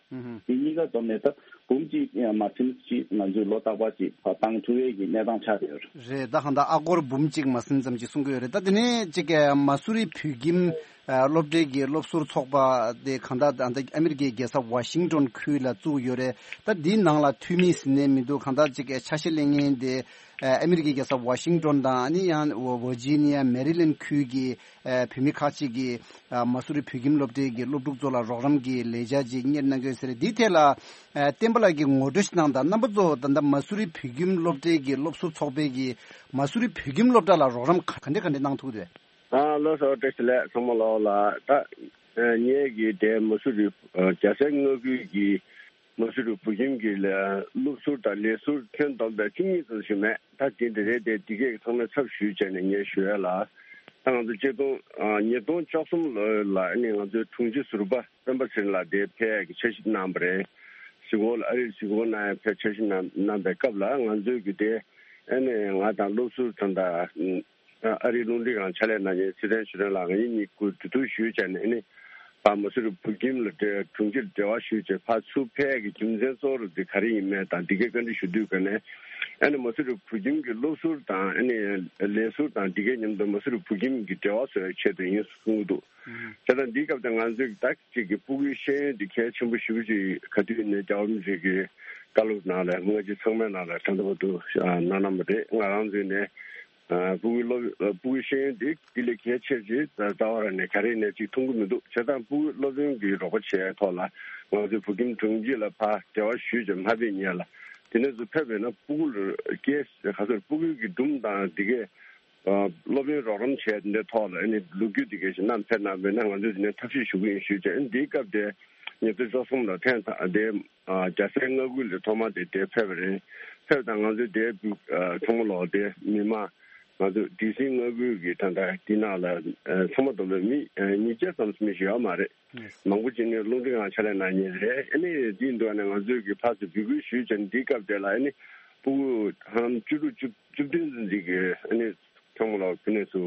དེ་གཉིས་ཀ་བསྡོམས་ནས་ད་འབུམ་གཅིག་མ་ཟིན་ཅིག་ང་ཚོའི་ལོ་རྟག་པར་ཅིག་ཕར་བཏང་ཐུབ་ཡས་ཀྱི་གནས་སྟངས་ཆགས་བསྡད་ཡོད་རེད། རེད། ད་གང་ལྟར་ཨ་སྒོར་འབུམ་གཅིག་མ་ཟིན་ཙམ་ཅིག་གསུང་གི་ཡོད་རེད། ད་དེ་ནས་ཅིག་ག་མ་སུ་རི་བོད་ཁྱིམ་སློབ་གྲྭའི་གི་སློབ་ཟུར་ཚོགས་པ་དེ་གང་ལྟར་ད་ལྟ་ཨ་མི་རི་ཀའི་རྒྱལ་ས་ཝ་ཤིང་ཏོན་ཁུལ་ལ་བཙུགས་ཡོད་རེད། ད་འདིའི་ནང་ལ་འཐུས་མི་ཟིན་ནས་མི་འདུག་གང་ལྟར་ཅིག་ག་ཆ་ཤས་ལེན་མཁན་དེ་ཨ་མི་རི་ཀའི་རྒྱལ་ས་ཝ་ཤིང་ཏོན་དང་ཨ་ནི་ཡང་ཝར་ཇི་ནི་ཡ་མེ་རི་ལེན་ཁུལ་གྱི་ཨ་བོད་མི་ཁག་ཅིག་གིས་ཨ་མ་སུ་རི་བོད་ཁྱིམ་སློབ་གྲྭའི་གི་སློབ་ཕྲུག་ཚོ་ལ་རོགས་རམ་གྱི་ལས་འཆར་ཅིག་གཉེར་གནང་གི་ཡོད་ཟེར། འདིའི་ཐད་ལ་ཨ་བསྟན་པ་ལགས་ཀྱིས་ངོ་སྤྲོད་ཞིག་གནང་དང་། རྣམ་པ་ཚོ་ད་ལྟ་མ་སུ་རི་བོད་ཁྱིམ་སློབ་གྲྭའི་གི་སློབ་ཟུར་ཚོགས་པས་ཀྱི་མ་སུ་རི་བོད་ཁྱིམ་སློབ་གྲྭ་ལ་རོགས་རམ་ག་ག་འདྲ་ག་འདྲ་གནང་ཐུབ་ཀྱི་འདུག་ཨ་ལགས་སོ། བཀྲ་ཤིས་བདེ་ལེགས་ཚང་མ་ལོག་ལ། ད་ངས་ཀྱི་དེ་མ་སུ་རི་རྒྱལ་སའི་མངའ་ཁུལ་གྱི་མ་སུ་རི་བོད་ཁྱིམ་གྱི་ལས་སློབ་ཟུར་དང་ལས་ཟུར་ཁྱོན་བསྡོམས་པའི་བཅུ་གཉིས་ཙམ་ཞིག་མེད། ད་དེ་འདི་རེད་དེ་འདི་གས་ཚང་མས་ཚབ་ཞུས་བྱས་ནས་ངས་ཞུ་ཡ་ལ། ད་ང་ཚོ་ཆིག་སྟོང་ཉིས་སྟོང་བཅུ་གསུམ་ལོ་ལ་ཨ་ནི་ང་ཚོའི་དྲུང་ཆེ་ཟུར་པ་སྤེན་པ་ཚེ་རིང་ལགས་དེ་ཕེབས་ཀྱི་འཆར་གཞི་གནང་བ་རེད། གཟིགས་སྐོར་ལ་ཨ་རིར་གཟིགས་སྐོར་གནང་ཡ་ཕེབས་འཆར་གཞི་གནང་གནང་པའི་སྐབས་ལ་ང་ཚོས་ཀྱི་དེ་ཨ་ནི་ང་དང་སློབ་ཟུར་དང་ད། ཨ་རིའི་རླུང་འཕྲིན་ཁང་ཕྱག་ལས་གནང་མཁན་ཚེ་བརྟན་ཆོས་སྒྲོན་ལགས་ང་གཉིས་གཉིས་ཀྱིས་གྲོས་བསྡུར་ཞུས་བྱས་ནས་ཨ་ནི་ཕར་མ་སུ་རི་བོད་ཁྱིམ་ལ་འབྲེལ་དྲུང་ཆེར་འབྲེལ་བ་ཞུས་བྱས་ཕར་ཚུར་ཕེབས་ཀྱི་རྒྱུ་མཚན་གཙོ་བོ་རུ་དེ་ག་རེ་ཡིན་མིན་དང་འདི་གའི་བཀའ་འདྲི་ཞུ་དུས་ཀ་ནས་ཨ་ནི་མ་སུ་རི་བོད་ཁྱིམ་གྱི་སློབ་ཟུར་དང་ཨ་ནི་ལས་ཟུར་དང་འདི་གའི་མཉམ་དུ་མ་སུ་རི་བོད་ཁྱིམ་གྱི་འབྲེལ་བ་བཟོ་བའི་ཆེད་དུ་ཡིན་གསུང་གི་འདུག་བྱས་ཙང་འདིའི་སྐབས་དེ་ང་ཚོས་ད་ཅིག་གི་ཕྲུ་གུའི་ཤེས་ཡོན་འདི་གལ་ཆེན་པོ་ཞེ་པོ་ཅིག་ག་དུས་ནས་རྒྱལ་བ་རིན་པོ་ཆེ་གི་བཀའ་སློབ་ནང་ལ་སྔ་ཕྱི་ཚང་མའི་ནང་ལ་ད་ལྟ་བར་དུ་གནང་གནང་བ་རེད། ང་རང་ཚོས་ནས་ཕྲུ་གུའི་སློབ་ཕྲུ་གུའི་ཤེས་ཡོན་འདི་འདི་ལས་གལ་ཆེ་ཆེ་རྩ་བ་རང་ནས་ག་རེ་ནས་ཅིག་མཐོང་གི་མི་འདུག་བྱས་ཙང་ཕྲུ་གུའི་སློབ་ཡོན་གྱི་རོགས་པ་བྱས་ཐོག་ལ་ང་ཚོའི་བོད་ཁྱིམ་དྲུང་ཆེ་ལ་ཕར་འབྲེལ་བ་ཞུས་ཀྱང་མ་ཕེབས་ཉེ་ལ་དེ་ནས་ཚུར་ཕེབས་པས་ན་ཕྲུ་གུ་ལ་སྐྱེས་ག་ཚོད་ཕྲུ་གུའི་གི་སྒྲུང་དང་འདི་གས། སློབ་ཡོན་རོགས་རམ་བྱས་འདི་ཐོག་ལ་ཨ་ནི་ལོ་རྒྱུས་འདི་གས་ཤིག་བསྣམས་ཕེབས་གནང་བས་ན་ང་ཚོས་འདི་ནས་ཐབས་ཤེས་ཞུ་གི་ཡིན་ཞུས་བྱས། ཨ་ནི་འདིའི་སྐབས་དེ་ཉིས་སྟོང་བཅུ་གསུམ་ལ་ཐེངས་དང་དེ་རྒྱལ་སའི་མངའ་ཁུལ་ལ་ཐོག་མ་དེ་དེ་ཕེབས་པ་རེད། ཕེབས་དང་ང་ཚོས་དེ་ཚང་མ་ལོག་དེ་མི་མང་ང་ཚོ་ཌི་སི་མངའ་ཁུལ་གྱི་ད་ལྟ་འདི་ནང་ལ་ཚང་མ་བསྡོམས་ལ་མི་ཉིས་བརྒྱ་ཙམ་མི་ཞིག་ཡོད་མ་རེད། མང་པོ་ཅིག་ནི་རླུང་འཕྲིན་ཁང་ཕྱག་ལས་གནང་མཁན་རེད། ཨ་ནི་འདི་འདུག་ནས་ང་ཚོས་ཀྱི་ཕར་ཚུར་འབོད་སྐུལ་ཞུས་བྱས་འདིའི་སྐབས་དེ་ལ་ཨ་ནི་ཕྲུ་གུ་ཧམ་བཅུ་དྲུག་བཅུ་བཅུ་བདུན་ཙམ་ཅིག་གིས་ཨ་ནི་ཚང་མ་ལ་ཕུ་ནས་སུ་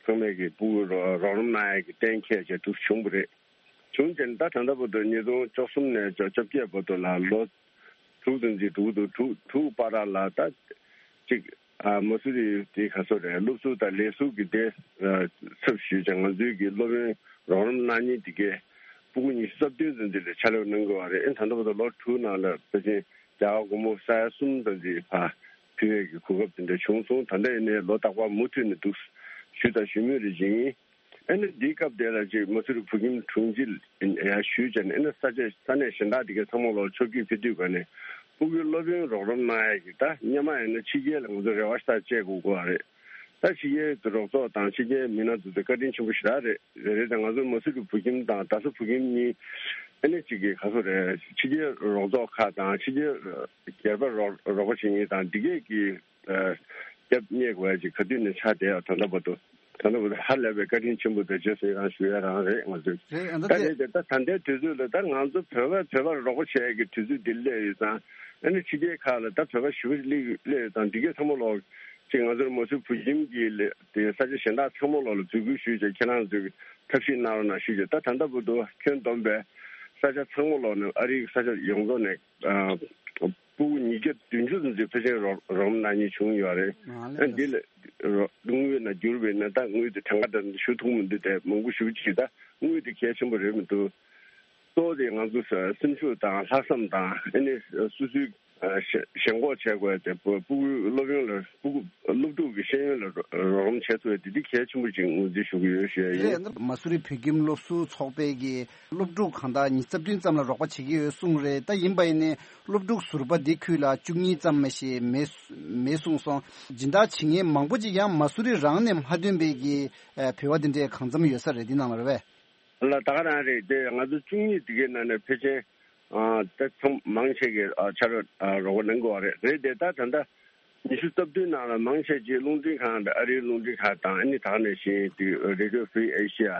ཚང་མས་ཀྱི་ཕྲུ་གུ་རོགས་རོགས་རམ་གནང་ཡས་ཀྱི་གཏན་འཁེལ་བྱས་འདུག་བྱུང་བ་རེད། བྱུང་བྱས་ད་ད་ལྟ་བར་དུ་ཉིས་སྟོང་བཅུ་གསུམ་ནས་བཅོ་བརྒྱད་བར་དུ་ལ་ལོ་དྲུག་ཙམ་ཅིག་འགྲོ་གི་འདུག་དྲུག་དྲུག་བར་ལ་ད་ཅིག་ཨ་མ་སུ་རི་དེ་ག་ཚོད་རེད། སློབ་ཟུར་དང་ལས་ཟུར་གྱི་དེ་ཚབ་ཞུས་ཀྱང་ང་ཚོའི་གི་སློབ་ཡོན་རོགས་རམ་གནང་མཁན་དེ་གས་ཕྲུ་གུ་ཉི་ཤུ་རྩ་བདུན་ཙམ་དེ་ལ་ཕྱག་ལས་གནང་དགོས་པ་རེད། ཨེ་ད་ལྟ་བར་དུ་ལོ་དྲུག་ནང་ལ་ཕལ་ཆེར་རྒྱ་གར་སྒོར་མོ་ས་ཡ་གསུམ་ཙམ་ཅིག་ཕར་ཕུལ་ཡས་ཀྱི་གོ་སྐབས་དེ་འདྲ་བྱུང་སོང་། ད་ལྟ་ཡིན་ནའི་ལོ་རྟག་པར་མུ་མཐུད་ནས་འདུག་ཞུས་དང་ཞུ་མུས་རེ་བཞིན། ཨ་ནི་འདིའི་སྐབས་དེ་ལ་ཅིག་མ་སུ་རི་བོད་ཁྱིམ་དྲུང་ཆེ་ཡར་ཞུས་བྱས་ནས་ཨ་ནི་ས་ཆ་ས་གནས་གཞན་དག་དེ་གའི་ཚང་མ་ལོག་ཕྱོགས་བསྐྱོད་ཕེབས་དུས་ག་ནས་ཕྲུ་གུའི་སློབ་ཡོན་རོགས་རམ་གནང་ཡས་ཀྱི་ད་སྔོན་མ་ཡིན་ན་ཕྱི་རྒྱལ་ལ་ང་ཚོ་རེ་བ་ཞེ་དྲག་བཅད་དགོས་ཀྱི་ཡོད་རེད། ད་ཕྱི་རྒྱལ་རོགས་ཚོགས་དང་ཕྱི་རྒྱལ་མི་སྣ་ཚོ་དེ་བཀའ་དྲིན་ཆེན་པོ་ཞེ་དྲག་རེད། རེད་རེད། ད་ང་ཚོ་མ་སུ་རི་བོད་ཁྱིམ་དང་རྡ་ས་བོད་ཁྱིམ་གཉིས་ཨ་ནི་ཅིག་གི་ག་ཚོད་རེད། ཕྱི་རྒྱལ་རོགས་ཚོགས་ཁག་དང་ཕྱི་རྒྱལ་སྒེར་པ་རོགས་རོགས་པ་བྱེད་མཁན་དང་འདི་གས་ཀྱི་རྒྱབ་གཉེར་དགོས་ཡ་ཅིག་ག་དུས་ནས་ཆགས་བསྡད་ཡོད། ད་ལྟ་བར་དུ་ད་ལྟ་བར་དུ་ཧ་ལས་པའི་བཀའ་དྲིན་ཆེན་པོ་དང་རྗེས་སུ་ཡི་རང་ཞུ་ཡ་རང་རེད། ང་ཚོས་རེད། ཨ་ད་ད་དེ་རེད་དེ་ད་ད་ལྟའི་དུས་ཚོད་ལ་ད་ང་ཚོ་བོད་པ་བོད་པར་རོགས་པ་བྱེད་ཡ་གི་དུས་ཚོད་འདི་སླེབས་ཡོད་ཙང་ཨ་ནི་ཕྱི་རྒྱལ་ཁག་ལ་ད་བོད་པ་ཞེ་པོ་ཅིག་སླེབས་ཡོད་ཙང་འདི་གས་ཚང་མ་ལོག་ཅིག་ང་ཚོར་མ་སུ་བོད་ཁྱིམ་གྱི་ལས་དེ་ས་ཆ་གཞན་དག་ཚང་མ་ལོག་ལ་འབོད་སྐུལ་ཞུས་བྱས་ཁྱེད་རང་ཚོས་ཐབས་ཤེས་གནང་རོགས་གནང་ཞུས་བྱས། ད་ད་ལྟ་བར་དུ་ཁྱོན་བསྡོམས་པའི་ས་ཆ་ཚང་མ་ལོག་ནས་ཨ་རིའི་ས་ཆ་ཡོངས་རྫོགས་ནས་ཨ་ཕྲུ་གུ་ཉིས་བརྒྱ་བདུན་ཅུ་ཙམ་ཅིག་ཕལ་ཆེར་རོགས་རོགས་རམ་གནང་མཁན་བྱུང་ཡོད་རེད། ཨ་འདི་ལ་དངུལ་ནང་བསྒྱུར་བས་ན་ད་དངུལ་དེ་གྲངས་ཀ་འདྲ་ཞུ་ཐུབ་མི་འདུག་དེ་མང་པོ་ཞེ་པོ་ཅིག་ད་དངུལ་དེ་གལ་ཆེན་པོ་རེད་མི་འདུག་གཙོ་བོ་དེ་ང་ཚོ་སེམས་ཤུགས་དང་ལྷག་བསམ་དང་ཨ་ནི་སོ་སོའི་ ཞེན་ཞེན་ཁོག་བྱེད་དགོས་ཏེ། སྤུ་སྤུ་གུའི་སློབ་ཡོན་ལ་སྤུ་གུ་སློབ་ཕྲུག་གི་ཤེས་ཡོན་ལ་རོགས་རམ་བྱེད་ཐུབ་ཡ་དེ་འདི་གལ་ཆེན་པོ་ཅིག་ངོས་འཛིན་ཞུ་གི་ཡོད་ཞུ་ཡ་ཡིན། རེད། མ་སུ་རི་བོད་ཁྱིམ་སློབ་ཟུར་ཚོགས་པའི་གི་སློབ་ཕྲུག་གང་ལྟར་ཉིས་རྩ་བདུན་ཙམ་ལ་རོགས་པ་བྱེད་ཀྱི་ཡོད་གསུངས་རེད། ད་ཡིན་པ་ཡིན་ནའི་སློབ་ཕྲུག་ཟུར་པ་འདི་ཁུལ་ལ་བཅུ་གཉིས་ཙམ་མ་ཞིག་མེད་མེད་གསུངས་སོང་། སྦྱིན་བདག་བྱེད་མཁན་མང་པོ་ཅིག་ཡང་མ་སུ་རི་རང་ནས་མ་ཐོན་པའི་གི་ཨ་བོད་པ་འདི་འདྲའི་གང་འཚམ་ཡོད་ས་རེད། འདི་ནང་ལ་རེད་པས། ལ་ད་ག་རང་རེད་དེ། ང་ཚོ་བཅུ་གཉིས་དེ་གའི་ནང་ནས་ཕལ་ཆེར་ཨ་ད་ཚང་མང་ཆེ་གི་ཨ་ཕྱག་རོགས་ཨ་རོགས་པ་གནང་གི་ཡོད་རེད། རེད་དེ། ད་ད་ལྟ་ཉི་ཤུ་རྩ་བདུན་ནང་ལ་མང་ཆེ་ཅིག་རླུང་འཕྲིན་ཁང་དང་ཨ་རིའི་རླུང་འཕྲིན་ཁང་དང་། ཨ་ནི་ད་ག་ནང་བཞིན་དེ་Radio Free Asia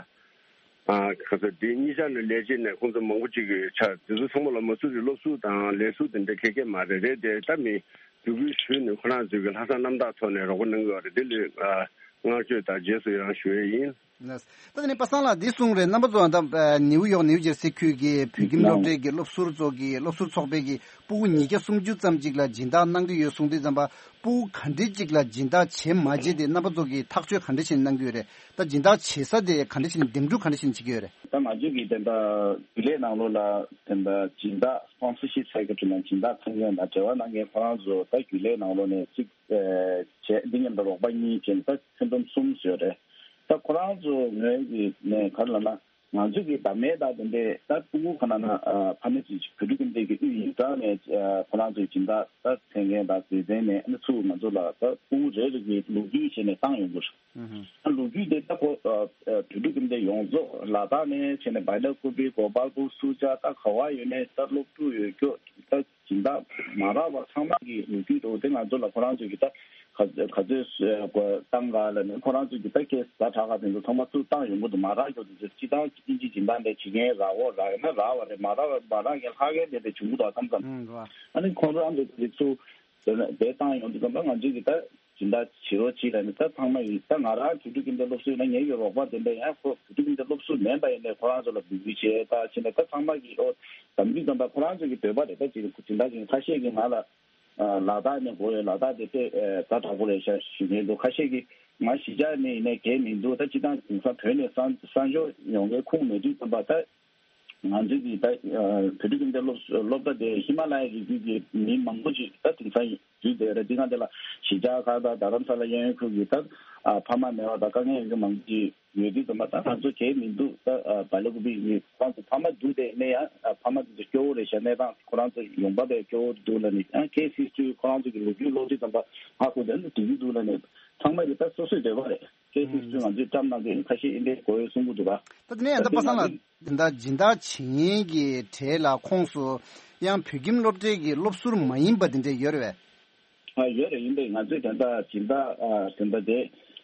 ཨ་ག་ཚོད་དེ་གཉིས་ཆ་ནས་ལས་བྱེད་ནས་ཁོང་ཚོ་མང་པོ་ཅིག་གི་ཆ་དེ་ཚོ་ཚང་མ་ལ་མ་སུ་རི་སློབ་ཟུར་དང་ལས་ཟུར་དེ་འདྲ་ཁེ་ཁེ་མ་རེད། རེད་དེ། ད་མི་འབོད་སྐུལ་ཞུས་ནས་ཁོ་རང་ཚོས་གི་ལྷག་བསམ་རྣམ་དག་ཐོག་ནས་རོགས་པ་གནང་གི་ཡོད་རེད། དེ་ལ་ཨ་བསྔགས་བརྗོད་དང་རྗེས་སུ་ཡི་རང་ཞུ་ཡས་ཡིན། ད་དེ་ནས་པ་སངས་ལགས་འདི་གསུངས་རེད། རྣམ་པ་ཚོ་ད་ནིའུ་ཡོག་ནིའུ་ཇར་སི་ཁུལ་གྱི་བོད་ཁྱིམ་སློབ་གྲྭའི་གི་སློབ་ཟུར་ཚོ་གི་སློབ་ཟུར་ཚོགས་པའི་གི་སྤུ་གུ་ཉིས་བརྒྱ་སུམ་ཅུ་ཙམ་ཅིག་ལ་སྦྱིན་བདག་གནང་གི་ཡོད་གསུངས་དུས་ཙམ་པ། སྤུ་གུ་ག་འདྲ་ཅིག་ལ་སྦྱིན་བདག་བྱེད་མ་བྱེད་དེ་རྣམ་པ་ཚོ་གིས་ཐག་གཅོད་ག་འདྲ་བྱས་ནས་གནང་གི་ཡོད་རེད། ད་སྦྱིན་བདག་བྱེད་ས་དེ་ག་འདྲ་བྱས་ནས་འདེམས་སྒྲུག་ག་འདྲ་བྱས་ནས་བྱེད་ཀྱི་ཡོད་རེད། ད་ང་ཚོས་ཀྱི་དེ་འདྲ་རྒྱུན་ལས་ནང་ལོགས་ལ་དེ་འདྲ་སྦྱིན་བདག་སི་པོན་སར་ཤིབ་ཟེར་གྱི་དྲི་ན་སྦྱིན་བདག་ཁང་ཡོད་ན་འབྲེལ་བ་གནང་མཁན་ཁོ་རང་ཚོ་ད་རྒྱུན་ལས་ནང་ལོགས་ནས་གཅིག་བྱས། འདི་མཉམ་དུ་རོགས་པ་གཉིས་བྱས་ནས་ད་ཁྱོན་བསྡོམས་གསུམ་ཡོད་རེད། ད་ཁོ་རང་ཚོ་ངོས་ཀྱི་ནས་ག་རེ་ལབ་ན། ང་ཚོ་གི་བདག་མེད་དང་དེ་འདྲས་ད་སྤུ་གུ་ག་ན་ན་ཕ་མ་ཚོས་བོད་ཕྲུག་ཁྱིམ་སྡེ་གི་དབུས་ཡིག་ཚང་ནས་ཁོ་རང་ཚོའི་སྦྱིན་བདག་ད་འཐེན་མཁན་དང་སྡེ་ཚན་ནས་ཨ་ནི་ཚུར་ང་ཚོ་ལ་ད་སྤུ་གུ་རེ་རེ་གི་ལོ་རྒྱུས་བྱས་ནས་བཏང་ཡོང་གི་རེད། ཨ་ལོ་རྒྱུས་དེ་ད་ཁོ་བོད་ཕྲུག་ཁྱིམ་སྡེ་ཡོངས་རྫོགས་ལ་དྭགས་ནས་བྱས་ནས་བལ་ཡུལ་ཁུལ་པའི་གོ་པལ་པུར་སུ་ཇཱ་ད་ག་བ་ཡོད་ནས་ད་སློབ་ཕྲུག་ཡོད་སྐྱོ་ད། སྦྱིན་བདག་མ་རག་པ་ཚང་མ་གི་ལོ་རྒྱུས་འདུག་དེ་ང་ཚོ་ལ་ཁོ་རང་ཚོས་ཀྱི་ད་ག་ག་ཚོད་བཏང་ག་ལ་ནི་ཁོ་རང་ཚོས་ཀྱི་ད་ཁེ་ཟ་དྲག་ག་དེ་ཚོ་ཚང་མ་ཚུར་བཏང་ཡོང་གི་འདུག་མ་རག་རྒྱུ་དེ་ཚོ་སྤྱི་བཏང་ཨིན་ཇི་སྦྱིན་བདག་འདྲ་བྱེད་མཁན་རག་འོ་རག་ཡིན་ན་རག་པ་རེད། མ་རག་པ་མ་རག་མཁན་ལྷག་མཁན་དེ་འདྲ་བྱུང་གི་འདུག་མཚམས་མཚམས། ཨ་ནི་ཁོང་ཚོ་རང་ཚོ་དེ་ཚུར་དེ་བཏང་ཡོང་དུས་ཙམ་པ་ང་ཚོས་ཀྱི་ད། སྦྱིན་བདག་བྱེད་རོགས་གྱིས་ལབ་ནས་ད་ཚང་མ་ཡིན། ད་ང་རང་བོད་ཕྲུག་ཁྱིམ་སྡེ་སློབ་ཟུར་ཡིན་ན་ངེད་ཀྱི་རོགས་པ་དེ་འདྲ་ཡང་ཁོ་བོད་ཕྲུག་ཁྱིམ་སྡེ་སློབ་ཟུར་མིན་པ་ཡིན་ནའི་ཁོ་རང་ཚོ་ལ་འབོད་སྐུལ་བྱས་ད་ཕྱིན་ན་ད་ཚང་མ་གིས་ཨོ་དམ་ཚིག་དམ་པ་ཁོ་རང་ཚོ་གི་འདོད་པ་རེད། ད་ཅིག་སྦྱིན་བདག་ཅིག་ཁ་ཤས་ཀྱིས་ང་ལ་ལ་དྭགས་ནས་དགོས་ཡོད། ལ་དྭགས་དེ་དཔེ་ཛ་དྲག་པོ་རེད་ཤག་ཞུ་མཁན་འདུག་ཁ་ཤས་ཀྱིས་ང་གཞིས་ཆགས་ནས་ཡིན་ནའི་གལ་མི་འདུག་ད་སྤྱིར་བཏང་དེང་སང་བོད་ནས་གསར་གསར་འབྱོར་ཡོང་མཁན་ཁུངས་མེད་དུས་ཙམ་པ་ད། ང་ཚོའི་གི་ད་བོད་ཕྲུག་ཁྱིམ་སྡེ་སློབ་སློབ་གྲྭ་དེ་ཧི་མ་ལ་ཡའི་རི་རྒྱུད་ཀྱི་མི་མང་པོ་ཅིག་ད་དེང་སང་འཛུལ་བསྡད་རེད། དེ་ག་འདི་ལ་གཞིས་ཆགས་ཁག་དང་རྡ་རམ་ས་ལ་གཡས་གཡོན་ཁུལ་གྱི་ད་ཕ་མ་མེད་པ་དང་དཀའ་ངལ་ཡོད་མཁན་མང་པོ་ཅིག་ཡོད་དུས་ཙམ་པ་ད་ང་ཚོ་གལ་མི་འདུག་ད་བལ་ཡུལ་ཁུལ་པའི་མི་ཁོ་རང་ཚོ་ཕ་མ་འདུག་དེ་ནས་ཡང་ཕ་མ་དེ་ཚོ་སྐྱོ་བོ་རེད་ཤག་གནས་སྟངས་ཁོ་རང་ཚོ་ཡོང་འབབ་དཔེ་སྐྱོ་བོ་འདུག་ལབ་ནས་ཡང་གལ་སྲིད་དུས་ཁོ་རང་ཚོ་གི་ལོ་རྒྱུས་ཀློག་དུས་ཙམ་པ་ཧ་གོ་དེ་འདི་འདུག་ལབ་ནས་ཚང་མ་གི་ད་སོ་སོའི་འདོད་པ་རེད། ཁྱེད་ཚོས་ཚོས་ང་ཚོས་བཀྲམ་གནང་གི་ཁ་ཤས་ཨིན་པའི་གོ་ཡོད་གསུང་གི་འདུག་ག་ད་དེ་ནས་ཡང་ད་པ་སངས་ལགས་འདི་འདྲ་སྦྱིན་བདག་བྱེད་མཁན་གྱི་གྲས་ལ་ཁོངས་སུ་ཡང་བོད་ཁྱིམ་སློབ་གྲྭའི་གི་སློབ་ཟུར་མ་ཡིན་པ་དེ་འདྲ་ཡོད་རེད་པས། ཨ་ཡོད་རེད། ཡིན་པས་ང་ཚོས་དེ་འདྲ་སྦྱིན་བདག་ཨ་དེ་འདྲ་དེ་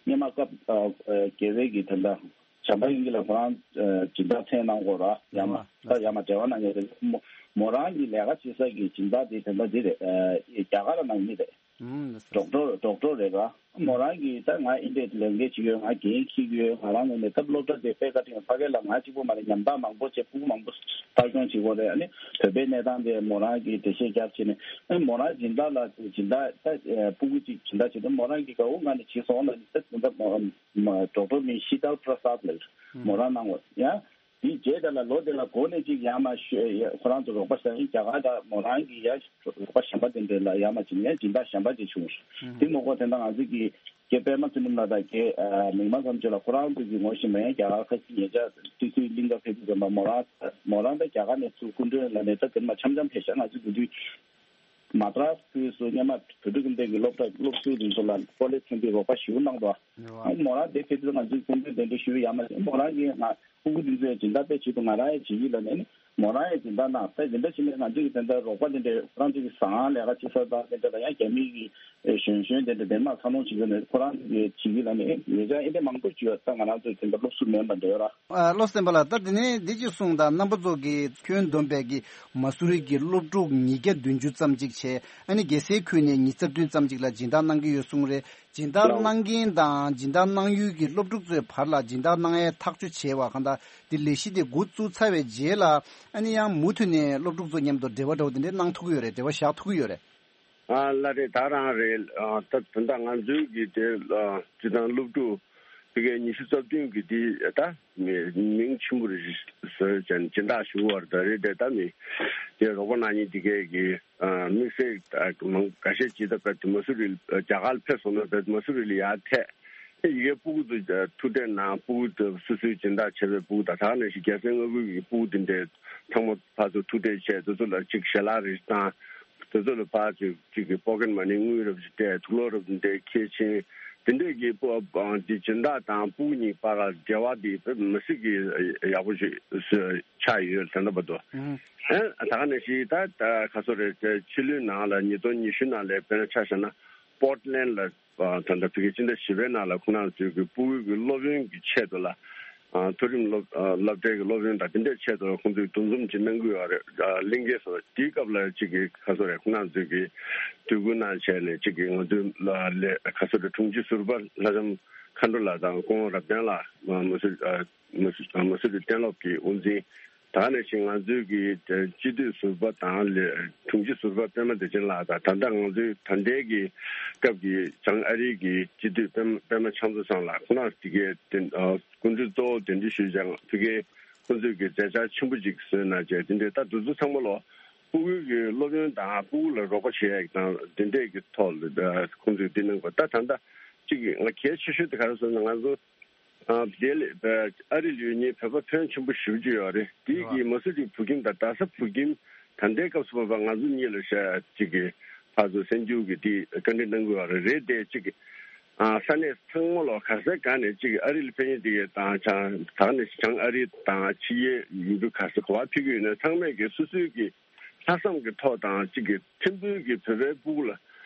སྔོན་མ་སྐབས་ཨ་ཨ་རྒྱལ་བའི་གི་དེ་འདྲ་བྱམས་པ་དབྱིངས་སྐྱིད་ལགས་ཁོ་རང་ཨ་སྦྱིན་བདག་མཚན་གནང་དགོས་ར་ཡ་མ་ད་ཡ་མ་འབྲེལ་བ་གནང་ཡོད་རེད། མོ་མོ་རང་གི་ལས་ཀ་བྱེད་ས་གི་སྦྱིན་བདག་དེ་དེ་འདྲ་དེ་རེད། ཨ་རྒྱ་གར་ལ་གནང་མི་རེད། ཨུམ། ཌོག་ཊར་ཌོག་ཊར་རེད་ར། མོ་རང་གིས་ད་ང་འདི་འདྲའི་ལས་འགན་ཅིག་ཡོད། ང་འགན་འཁྱེར་གྱི་ཡོད། ང་རང་ངོས་ནས་སྟབས་སློབ་གྲྭ་དེ་དཔེ་བཀའ་དྲིན་ཕ་གི་ལ་ང་གཅིག་པོ་མ་རེད། ཉམ་ཐག་མང་པོ་བྱས་ཕྲུ་གུ་མང་པོ་ལྟ་སྐྱོང་བྱེད་དགོས་རེད། ཨ་ནི་བོད་པའི་གནས་སྟངས་དེ་མོ་རང་གིས་འགྲེལ་བཤད་རྒྱབ་བྱས་ནས་ཨ་ནི་མོ་རང་སྦྱིན་བདག་ལ་སྦྱིན་བདག་ད་ཕྲུ་གུ་གཅིག་སྦྱིན་བདག་བྱེད་དུས་མོ་རང་གིས་དགའ་བོ་ངང་ནས་བྱས་སོང་ལབ་ནས་ད་སྦྱིན་བདག་མོ་ཌོག་ཊར་མིང་ཤི་ཏལ་པྲ་སཱད་ལབ་མོ་རང་གནང་བ་ཡང་། དེའི་རྗེས་དེ་ལ་ལོ་དེ་ལ་འགོ་ནས་ཅིག་ཡར་མར་ཤོད་ཡ་ཁོ་རང་ཚོ་རོགས་པ་བྱས་ཡིན། རྒྱ་གར་དང་མོ་རང་གི་ཡ་རོགས་པ་གཞན་པ་དེ་འདྲ་ལ་ཡར་མར་ཅིག་ཡ་སྦྱིན་བདག་གཞན་པ་ཅིག་བྱུང་། དེ་མ་གཏོགས་དེ་འདྲ་ང་ཚོ་གི་རྒན་པད་མ་ཚུལ་ཁྲིམས་ལགས་དང་རྒན་མིག་དམར་དམ་ཆོས་ལགས་ཁོ་རང་ཚོ་གི་ངོ་ཤེས་མ་ཡིན། རྒྱ་གར་ཁ་ཤས་ཉེ་ཆར་ཏི་སུའི་གླིང་ག་ཕེབས་དུས་ཙམ་པ་མོ་རང་མོ་རང་ད་རྒྱ་གར་ནས་ཚུར་སྐུ་མགྲོན་ལ་ནས་ད་དེ་མ་འཆམ་འཆམ་ཕེབས་ཤག་ང་ཚོ་དེ་དུས། མ་ཏྲ་སི་ཁུལ་སུ་སྔོན་མ་བོད་ཕྲུག་ཁྱིམ་སྡེ་གི་སློབ་གྲྭ་སློབ་ཟུར་དེ་ཚོ་ལ་ཀོ་ལེ་ཇ་ཚན་པའི་རོགས་པ་ཞེ་པོ་གནང་འདུག་ཨ་མོ་རང་དེ་ཕེབས་དུས་ང་ཚོས་སྐུ་མགྲོན་གདན་འདྲེན་ཞུས་ཡ་མ་བྱས། མོ་རང་གིས་ང་ཕྲུ་གུ་དེ་ཚོའི་སྦྱིན་བདག་དཔེ་བྱེད་དུ་ང་རང་ཡང་བྱེད་ཀྱི་ལབ་ནས་ནི་མོ་རང་ཡང་སྦྱིན་བདག་གནང་། ད་དེ་འདྲ་བྱས་ནས་ང་ཚོས་ཀྱི་དེ་འདྲ་རོགས་པ་དེ་འདྲའི་ཁོ་རང་ཚོ་གི་ཟ་ཁང་ལས་ཀ་བྱེད་ས་དང་དེ་འདྲ་ལ་ཡང་རྒྱ་མི་གི་གཞོན་གཞོན་དེ་འདྲ་དེ་མ་འཚར་ལོངས་བྱེད་ཀྱི་ནས་ཁོ་རང་ཚོ་གི་བྱེད་ཀྱི་ལབ་ནས་ཉེ་ཆར་ཨེ་འདྲ་མང་པོ་བྱུང་ཡོད། ད་ང་རང་ཚོ་དེ་འདྲ་སློབ་ཟུར་མིན་པ་འདྲ་ཡོད་ར། ཨ་བློ་བསྟན་པ་ལགས། ད་དེ་ནས་འདི་ཅིག་གསུངས་དང་། རྣམ་པ་ཚོ་གིས་ཁྱོན་བསྡོམས་པའི་གི་མ་སུ་རི་གི་སློབ་ཕྲུག་ཉིས་བརྒྱ་བདུན་ཅུ་ཙམ་ཅིག་བྱས། ཨ་ནི་རྒྱལ་སའི་ཁུལ་ནས་ཉིས་རྩ་བདུན་ཙམ་ཅིག་ལ་སྦྱིན་བདག་གནང་གི་ཡོད་གསུངས་རེད། སྦྱིན་བདག་གནང་མཁན་དང་སྦྱིན་བདག་གནང་ཡུལ་གྱི་སློབ་ཕྲུག་ཚོའི་བར་ལ་སྦྱིན་བདག་གནང་ཡའི་ཐག་གཅོད་བྱས་པ་གང་ལྟར་འདི་ལས་གཞི་དེ་འགོ་བཙུགས་ཚར་བའི་རྗེས་ལ་ཨ་ནི་ཡང་མུ་མཐུད་ནས་སློབ་ཕྲུག་ཚོ་མཉམ་དུ་འབྲེལ་བ་འདྲ་བོ་དེ་འདྲས་གནང་ཐུབ་ཀྱི་ཡོད་རེད། འབྲེལ་བ་བཞག་ཐུབ་ཀྱི་ཡོད་རེད། ཨ་ལགས་རེད། ད་རང་རེད། ཨ་ད་ད་ལྟ་ང་ཚོའི་གི་དེ་ཨ་སྤྱིར་བཏང་སློབ་ཕྲུག་ ཕ་གིའི་ཉི་ཤུ་རྩ་བདུན་གྱི་དེ་ད་མི་མིང་ཆེན་པོ་རེ་བཟོས་ཀྱང་སྦྱིན་བདག་ཞུ་བར་ད་རེད་དེ། ད་མི་དེ་རོགས་པ་གནང་མཁན་དེ་གས་ཀྱི་དམིགས་བསལ་མང་འགའ་ཤས་ཅིག་ད་བད་མ་སུ་རི་རྒྱ་གར་ཕེབས་སོང་ན་བད་མ་སུ་རི་ལ་ཡར་ཐད། ཡི་གེ་སྤུ་གུ་དེ་ཐུག་འཕྲད་ནང་སྤུ་གུ་དེ་སོ་སོའི་སྦྱིན་བདག་བྱས་པའི་སྤུ་གུ་དང་། ད་ག་ནང་བཞིན་རྒྱལ་སའི་མངའ་ཁུལ་གྱི་སྤུ་གུ་དེ་འདྲས་ཚང་མ་ཕར་ཚུར་ཐུག་འཕྲད་བྱས། དེ་ཚོ་ལ་ཅིག་ཞལ་ལག་རེ་བཏང་། དེ་ཚོ་ལ་ཕར་ཚུར་ཅིག་གི་པོ་ཀེ་ཊི་མ་ནི་དངུལ་རབ་ཅིག་སྤྲད། དུག་ལོག་རབ་འདྲས་ཁྱེར་ཕྱིན། དེ་འདྲས་ཀྱི་སྤུ་གུ་དེ་སྦྱིན་བདག་དང་སྤུ་གུ་གཉིས་བར་ལ་འབྲེལ་བ་དེ་དཔེ་མི་སྲིད་ཀྱི་ཡག་པོ་ཞིག་ཆགས་ཡོད་ད་ལྟ་བར་དུ། ཨ་ད་ག་ནང་བཞིན་ད་ད་ག་ཚོད་རེད། ཕྱི་ལོའི་ནང་ལ་ཉིས་སྟོང་ཉི་ཤུ་ནང་ལ་དཔེར་ན་ཆ་བཞག་ན་པོར་ཊི་ལེན་ཌི་ལ། ད་ལྟ་བོད་ཀྱི་སྤྱི་ཟླ་བཞི་པའི་ནང་ལ་ཁོང་རྣམ་ཚོའི་གི་སྤུ་གུའི་གི་སློབ་ཡོན་གྱི་ཆེད་དུ་ལ། མཐོ་རིམ་སློབ་སློབ་གྲྭའི་གི་སློབ་ཡོན་དང་དེ་འདྲའི་ཆེད་དུ་ཁོང་ཚོས་འདུ་འཛོམས་ཅིག་གནང་གི་ཡོད་རེད། གླིང་གེ་སོགས་དེའི་སྐབས་ལ་གཅིག་གི་ག་ཚོད་རེད། ཁོང་རྣམ་ཚོས་གི་དུས་འགོ་གནང་བྱས་ནས་གཅིག་གི་ང་ཚོའི་ལ་ལས་ག་ཚོད་རེད། དྲུང་ཆེ་ཟུར་པ་ལྷ་ལྕམ་མཁའ་འགྲོ་ལགས་དང་སྐུ་ངོ་རབ་བརྟན་ལགས། མ་སུ་མ་སུ་མ་སུ་རི་གཏན་སློབ་ཀྱི་དབུ་འཛིན། ད་ནས་ཤིང་ང་ཚོའི་གི་སྤྱི་འཐུས་ཟུར་པ་དང་ལས་དྲུང་ཆེ་ཟུར་པ་པད་མ་བདེ་ཆེན་ལགས་དང་། ད་ལྟ་ང་ཚོའི་ད་ལྟའི་གི་སྐབས་ཀྱི་བྱང་ཨ་རིའི་གི་སྤྱི་འཐུས་པད་པད་མ་ཕྱག་མཛོད་ཚང་ལགས། ཁོང་རྣམ་དེ་གའི་དེ་སྐུ་མགྲོན་གཙོ་བོ་གདན་འདྲེན་ཞུས་ཀྱང་ཕ་གིའི་ཁོང་ཚོས་གི་མཛད་འཆར་ཆེན་པོ་ཅིག་བཟོས་གནང་བྱས། དེ་འདྲའི་ད་དུས་ཚོད་ཚང་མ་ལོ་སྤུ་གུའི་གི་སློབ་ཡོན་དང་སྤུ་གུ་ལ་རོགས་པ་བྱེད་ཡག་དང་དེ་འདྲའི་གི་ཐོག་ལ་ཁོང་ཚོས་འདི་གནང་དགོས། ད་ད་ལྟ་གཅིག་གི་ང་གལ་ཆེ་ཤོས་དེ་ག་རེ་ཟེར་ན། ང་ཚོ་ཨ་དེ་ལས་ཨ་རི་ལ་ཡོད་མཁན་བོད་པ་ཕོན་ཆེན་པོ་ཞེ་པོ་ཅིག་ཡོད་རེད། དེ་གི་མ་སུ་རི་བོད་ཁྱིམ་དང་རྡ་ས་བོད་ཁྱིམ་ད་ལྟའི་སྐབས་སུ་བབ་པ་ང་ཚོ་གཉིས་ལ་ཤ་གཅིག་གི་ཕར་ཚུར་གསར་འགྱུར་གྱི་དེ་བཀའ་འདྲི་གནང་དགོས་པ་རེད་དེ། གཅིག་གི་ཨ་ས་གནས་ཚང་མ་ལོ་ག་ས་ག་ནས་གཅིག་གི་ཨ་རི་ལ་ཕེབས་མཁན་དེ་གའི་དང་བྱང་ད་ནས་བྱང་ཨ་རི་དང་ཕྱི་རྒྱལ་ཡུལ་གྲུ་ག་ས་ག་བ་ཕེབས་ཀྱི་ཡོད་ན་ཚང་མས་གི་སོ་སོའི་གི་ལྷག་བསམ་གྱི་ཐོག་དང་གཅིག་གི་ཐིམ་ཕུག་གི་བོད་པའི་སྤུ་གུ་ལ་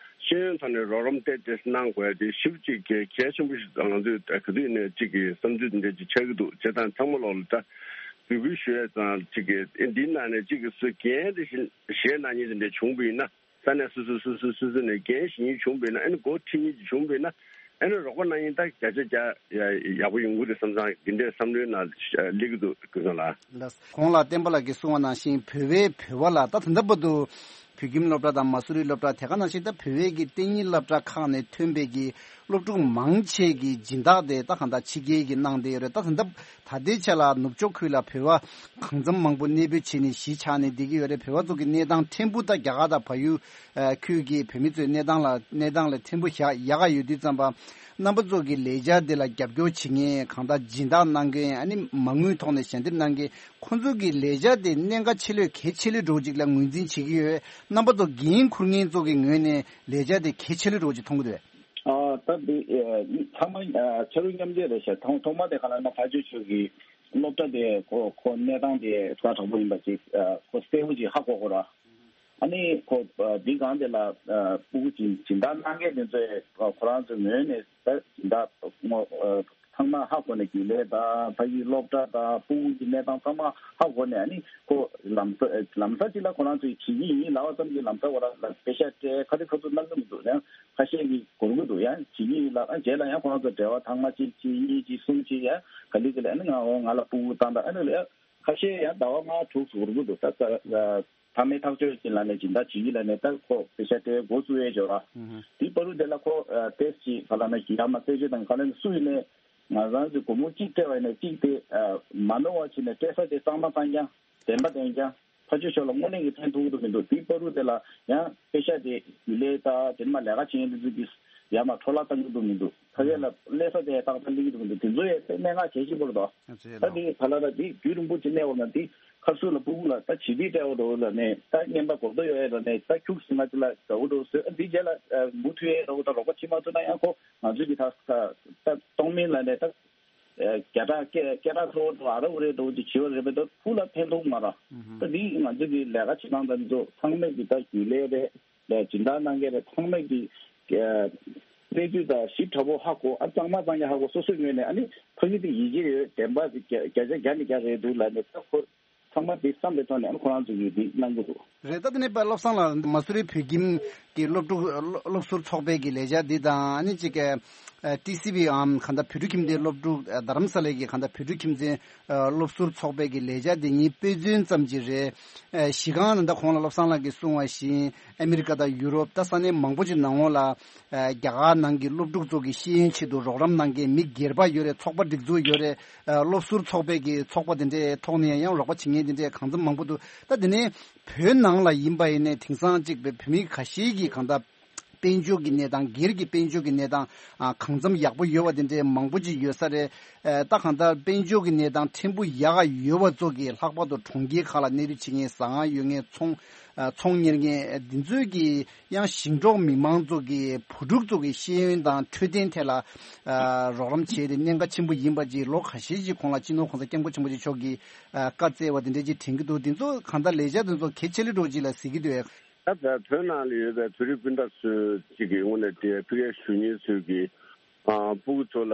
ཤེས་ཡོན་ཐོག་ནས་རོགས་རམ་ཏོག་ཙམ་གནང་དགོས་ཡ་དེ་ཞེ་པོ་ཅིག་གལ་གལ་ཆེན་པོ་ཞིག་ང་ཚོས་ག་དུས་ནས་གཅིག་གི་བསམ་ཚུལ་དེ་འདྲ་ཅིག་ཆགས་ཀྱི་འདུག་བྱས་ཙང་ཚང་མ་ལོག་ལ་ད་འབོད་སྐུལ་ཞུ་ཡ་ཙང་། གཅིག་གི་འདིའི་ནང་ནས་གཅིག་གི་སུ་འགན་དེ་བཞེས་གནང་མཁན་དེ་འདྲ་བྱུང་བ་ཡིན་ན། ས་གནས་སོ་སོ་སོ་སོ་སོ་སོ་ནས་འགན་བཞེས་མཁན་བྱུང་བ་ཡིན་ན། ཨ་ནི་འགོ་ཁྲིད་མཁན་ཅིག་བྱུང་བ་ཡིན་ན། ཨ་ནི་རོགས་པ་གནང་མཁན་ད་བརྒྱ་ཆ་བརྒྱ་ཡག་པོ་ཡོང་གི་རེད་བསམ་ཙང་། འདི་འདྲའི་བསམ་བློའི་ནང་སླེབས་ཀྱི་འདུག་ཀུན་བཟང་ལགས། ལགས། གོང་ལ་བསྟན་པ་ལགས་ཀྱིས་གསུངས་པ་ནང་བཞིན་བོད་པའི་བོད་པ་ལ་ད་ད་ལྟ་བར་དུ་བོད་ཁྱིམ་སློབ་གྲྭ་དང་མ་སུ་རི་སློབ་གྲྭ། དེ་ག་ནང་བཞིན་ད་བོད་པའི་གི་གཏན་ཉིན་སློབ་གྲྭ་ཁག་ནས་ཐོན་པའི་གི་སློབ་ཕྲུག་མང་ཆེ་གི་སྦྱིན་བདག་དེ་ད་གང་ལྟར་ཕྱི་རྒྱལ་གྱིས་གནང་བསྡད་ཡོད་རེད། ད་ད་ལྟ་ད་ལྟའི་ཆ་ལ་ནུབ་ཕྱོགས་ཁུལ་ལ་བོད་པ་གང་འཚམ་མང་པོ་གནས་སྤོས་བྱས་ནས་གཞིས་ཆགས་ནས་བསྡད་ཀྱི་ཡོད་རེད། བོད་པ་ཚོ་གི་གནས་སྟངས་ཕྲན་བུ་ད་རྒྱ་གར་དང་བལ་ཡུལ་ཨ་ཁུལ་གྱི་བོད་མི་ཚོའི་གནས་སྟངས་ལ་གནས་སྟངས་ལ་ཕྲན་བུ་ཡག་ཡག་ག་ཡོད་དུས་ཙམ་པ། རྣམ་པ་ཚོ་གི་ལས་འཆར་འདི་ལ་རྒྱབ་སྐྱོར་བྱེད་མཁན། གང་ལྟར་སྦྱིན་བདག་གནང་མཁན། ཨ་ནི་མ་དངུལ་ཐོག་ནས་ཞལ་འདེབས་གནང་མཁན། ཁོང་ཚོ་གི་ལས་འཆར་དེ་གནད་འགག་ཆེ་ལོས་གལ་ཆེ་ལོས་འགྲོ་ཅིག་ལ་ངོས་འཛིན་བྱེད་ཀྱི་ཡོད། རྣམ་པ་ཚོ་འགན་འཁུར་མཁན་ཚོ་གི་ངོས་ནས་ལས་འཆར་དེ་གལ་ཆེ་ལོས་འགྲོ་ཅིག་མཐོང་གི་འདུག་ཨ་ད་འདི་ཨ་ཚང་མ་ཨ་ཕྱི་རུ་མཉམ་འབྲེལ་རེད་ཤག་ཐོག་ཐོག་མ་དེ་ག་ལ་ན་ཕ་ཆོས་ཆོས་ཀྱི་སློབ་གྲྭ་དེ་ཁོ་ཁོ་གནས་སྟངས་དེ་ཁ་དྲག་པོ་ཡིན་པ་ཅིག་ཨ་ཁོ་གསལ་པོ་ཅིག་ཧ་གོ་གོ་ར། ཨ་ནི་ཁོ་ཨ་འདི་སྒང་དེ་ལ་ཨ་སྤུ་གུ་སྦྱིན་སྦྱིན་བདག་གནང་མཁན་དེ་ཚོས་ཨ་ཁོ་རང་ཚོའི་ངོས་ནས་ད་སྦྱིན་བདག་ངོ་ཨ་ཚང་མ་ཧ་གོ་ནས་རྒྱུན་ལས་དང་ཕ་གིའི་སློབ་གྲྭ་དང་སྤུ་གུ་གི་གནས་སྟངས་ཚང་མ་ཧ་གོ་ནས། ཨ་ནི་ཁོ་ལམ་ས་ལམ་ས་ཅིག་ལ་ཁོ་རང་ཚོས་བྱེད་ཀྱི་ཡིན་ལབ་པ་ཙམ་གྱིས་ལམ་ས་ཁོ་རང་ལ་པེ་ཤ་སྤྲད། ཁ་ཐུག་ཁ་ཐུག་གནང་གི་མི་འདུག་ཡང་ཁ་ཤས་ཀྱིས་འགོར་གི་འདུག་ཡང་བྱེད་ཀྱི་ཡིན་ལབ། ཨ་རྗེས་ལ་ཡང་ཁོ་རང་ཚོ་འབྲེལ་བ་ཐེངས་མ་གཅིག་གཅིག་གཉིས་གཅིག་གསུམ་གཅིག་ཡང་ག་ལེ་ག་ལེ། ཨ་ནི་ང་འོ་ང་ལ་སྤུ་གུ་བཏང་དང་། ཨ་ནི་ལ་ཡང་ཁ་ཤས་ཡང་ཟླ་བ་ལྔ་དྲུག་འགོར་གི་འདུག་ད་ད་ཕ་མའི་ཐག་གཅོད་ཀྱི་ལ་ནས་སྦྱིན་བདག་བྱེད་ཀྱི་ལ་ནས་ད་ཁོ་པེ་ཤ་སྤྲད་འགོ་བཙུགས་ཡས་འབྱོར་བ། དེའི་བར་དུ་དེ་ལ་ཁོ་ཏེས་ཀྱི་ག་ལ་ན་ཡ་མ་རྩད་གཅོད་དང་ག་ལ་ན་སུ་ཡིན་ནས་ང་རང་ཚོའི་སྒོར་མོ་གཅིག་སྤྲད་པ་ཡིན་ན་གཅིག་དེ་མ་ནོར་བ་བྱས་ནས་སྤྲད་ས་དེ་གཙང་མ་གཙང་རྐྱང་བདེན་པ་བདེན་རྐྱང་ཕ་ཆོས་ཤོར་ལ་དངོས་གནས་ཀྱི་ཕན་ཐོགས་ཀྱི་འདུག་མི་འདུག་དེའི་བར་དུ་དེ་ལ་ཡང་པེ་ཤ་དེ་ཡུལ་ལས་ད་དེ་མ་ལས་ཀ་བྱེད་མཁན་དེ་ཚོ་གིས་ཡ་མ་འཕྲོ་བརླག་བཏང་གི་འདུག་མི་འདུག་ཕ་གི་ལ་ལས་ས་དེ་ཏག་ཏག་སླེབས་ཀྱི་འདུག་མི་འདུག་དེ་ཚོ་ཡང་དཔེ་གནད་འགག་གལ་ཆེན་པོ་རེད་དོ། ད་དེ་ག་ལ་ད་དེ་རྒྱུན་རིང་པོ་ཅིག་གནས་འོག་ན་དེ་ཁར་སུ་ལ་སྤུ་གུ་ལ་ད་བྱིས་དུས་སྤྲད་འོག་འགྲོ་ལ་ནས་ད་རྔན་པ་གོ་ད་ཡོད་ཡ་ལ་ནས་ད་ཁྱུག་སི་མ་ཅི་ལ་དགའ་བོ་འགྲོ་སོ་འདི་རྗེས་ལ་མུ་མཐུད་ཡས་འགྲོ་ད་རོགས་པ་བྱེད་མ་ཐུབ་ན་ཡང་ཁོ་ང་ཚོས་ཀྱི་ད་ད་གཏོང་མིན་ལ་ནས་ད་སྐད་གྲགས་སྐད་སྐད་གྲགས་ཚོ་འགྲོ་ཨ་ར་འུ་རེ་འགྲོ་ཅིག་བྱེད་པ་རེད་པས། ད་ཕུགས་ལ་ཕན་ཐོགས་མ་ར། ད་འདི་ང་ཚོས་ཀྱི་ལས་ཀ་བྱེད་སྟངས་ད་འདི་ཚོ་ཚང་མས་ཀྱི་ད་རྒྱུན་ལས་རེད། ལས་སྦྱིན་བདག་གནང་མཁན་རེད། ཚང་མས་ཀྱི་གནས་ཚུལ་དང་ཞིབ་ཕྲ་པོ་ཧ་གོ། ཨ་གཙང་མ་གཙང་རྐྱང་ཧ་གོ། སོ་སོའི་ངོས་ནས་ཨ་ནི་ཕ་གི་དེ་ཡིད་ཆེས་ཡོད། བདེན་པ་དེ་བརྒྱ་བརྒྱ་ཆ་བརྒྱ་ནས་བརྒྱ་རེད་འདུག་ལབ་ནས་ད་ཁོ་ཚང་མ་དེ་བསམ་པའི་ཐོག་ནས་ཨ་ནི་ཁོ་རང་ཚོ་གིས་དེ་གནང་གི་འདུག་རེད། ད་དེ་ནས་དཔལ་བློ་བཟང་ལགས་མ་སུ་རི་བོད་ཁྱིམ་གྱི་སློབ་ཕྲུག་སློབ་ཟུར་ཚོགས་པའི་གི་ལས་འཆར་འདི་དང་ཨ་ནི་གཅིག་གི་ ཨ་ཊི་སི་བི་འམ་གང་ལྟར་བོད་ཕྲུག་ཁྱིམ་སྡེའི་སློབ་ཕྲུག་ཨ་རྡ་རམ་ས་ལའི་གི་གང་ལྟར་བོད་ཕྲུག་ཁྱིམ་མཚེས་ཨ་སློབ་ཟུར་ཚོགས་པའི་གི་ལས་འཆར་འདི་ཉིད་དཔེ་མཚོན་ཙམ་ཅིག་རེད། ཨ་གཞི་གང་ལ་ད་གོང་ལ་བློ་བཟང་ལགས་ཀྱིས་གསུངས་པ་བཞིན་ཨ་མི་རི་ཀ་དང་ཡུ་རོབ་ད་ས་གནས་མང་པོ་ཅིག་ནང་ལོགས་ལ་ཨ་རྒྱ་གར་ནང་གི་སློབ་ཕྲུག་ཚོ་གི་ཤེས་ཡོན་ཆེད་དུ་རོགས་རམ་གནང་མཁན་མི་སྒེར་པ་ཡོད་རེད། ཚོགས་པ་སྒྲིག་འཛུགས་ཡོད་རེད། ཨ་སློབ་ཟུར་ཚོགས་པའི་གི་ཚོགས་པ་དེ་འདྲའི་ཐོག་ནས་ཡང་རོགས་པ་བྱེད་མཁན་དེ་འདྲའི་གང་འཚམ་མང་པོ་འདུག་ད་དེ་ནས་བོད་ནང་ལ་ཡིན་པ་ཡིན་ནའི་དེང་སང་གཅིག་པའི་བོད་མི་ཁ་ཤས་ཀྱིས་གང་ལྟར་དཔལ་འབྱོར་གྱི་གནས་སྟངས་སྒེར་གྱི་དཔལ་འབྱོར་གྱི་གནས་སྟངས་ཨ་གང་འཚམ་ཡག་པོ་ཡོད་པ་དེ་འདྲའི་མང་པོ་ཅིག་ཡོད་ས་རེད། ཨ་ད་གང་ལྟར་དཔལ་འབྱོར་གྱི་གནས་སྟངས་ཕྲན་བུ་ཡག་ག་ཡོད་པ་ཚོ་གིས་ལྷག་པར་དུ་གྲོང་ཁྱེར་ཁག་ལ་གནས་སྡོད་བྱེད་མཁན་ཟ་ཁང་ཡོད་མཁན་ཚོང་ཨ་ཚོང་གཉེར་མཁན་འདི་ཚོས་ཀྱིས་ཡང་ཞིང་འབྲོག་མི་མང་ཚོ་གི་བུ་ཕྲུག་ཚོ་གི་ཤེས་ཡོན་དང་འཕྲོད་བསྟེན་ཐད་ལ་ཨ་རོགས་རམ་བྱས་ཏེ་གནད་འགག་ཆེན་པོ་ཡིན་པ་ཅིག་ལོ་ཁ་ཤས་ཤིག་གོང་ལ་སྤྱི་ནོར་༸གོང་ས་༸སྐྱབས་མགོན་ཆེན་པོ་མཆོག་གིས་ཨ་བཀའ་སྩལ་བ་དེ་འདྲ་ཅིག་དྲན་གྱི་འདུག་དེ་ཚོ་གང་ལྟར་ལས་འཆར་དེ་ཚོ་གལ་ཆེ་ལེ་འགྲོ་ཅིག་ལ་གཟིགས་ཀྱི་འདུག་ད་བོད་ནང་ལ་ཡོད་པའི་བོད་རིགས་སྤུན་ཟླ་ཚོས་གཅིག་གི་ངོས་ནས་དེ་ཕ་གིའི་གཞོན་སྐྱེས་ཚོས་ཀྱི་ཨ་སྤུ་གུ་ཚོ་ལ་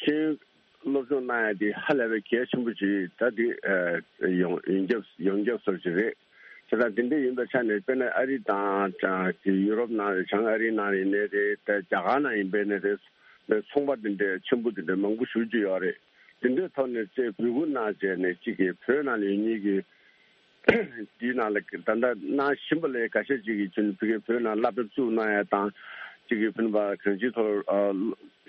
ཤེས་ཡོན་སློབ་སྦྱོང་གནང་ཡ་དེ་ཧ་ལས་པའི་གལ་ཆེན་པོ་ཅིག་ད་དེ་ཨ་ཡོང་ཡོངས་ཁྱབ་ཡོངས་ཁྱབ་སོགས་ཅིག་རེད། བྱས་ཙང་དེ་འདྲ་ཡིན་པའི་ཆ་ནས་དཔེར་ན་ཨ་རི་དང་ཡུ་རོབ་ནང་རེད། བྱང་ཨ་རིའི་ནང་ཡིན་ནའི་རེད། ད་རྒྱ་གར་ནང་ཡིན་པའི་ནའི་རེད། ཚོང་པ་དེ་འདྲའི་ཆེན་པོ་དེ་འདྲ་མང་པོ་ཞེ་ཅིག་ཡོད་རེད། དེ་འདྲའི་ཐོག་ནས་ཚེ་འབོད་སྐུལ་གནང་བྱས་ནས་གཅིག་གི་བོད་ནང་ལ་ཡོད་མཁན་གྱི་དེའི་ནང་ལ་ད་ལྟ་གནང་བཞིན་པ་ལས་འགའ་ཤས་ཅིག་གིས་ཕ་གིའི་བོད་ནང་སློབ་གྲྭ་བཙུགས་གནང་ཡ་དང་། གཅིག་གིས་ཕ་གི་གང་ཅིའི་ཐོག་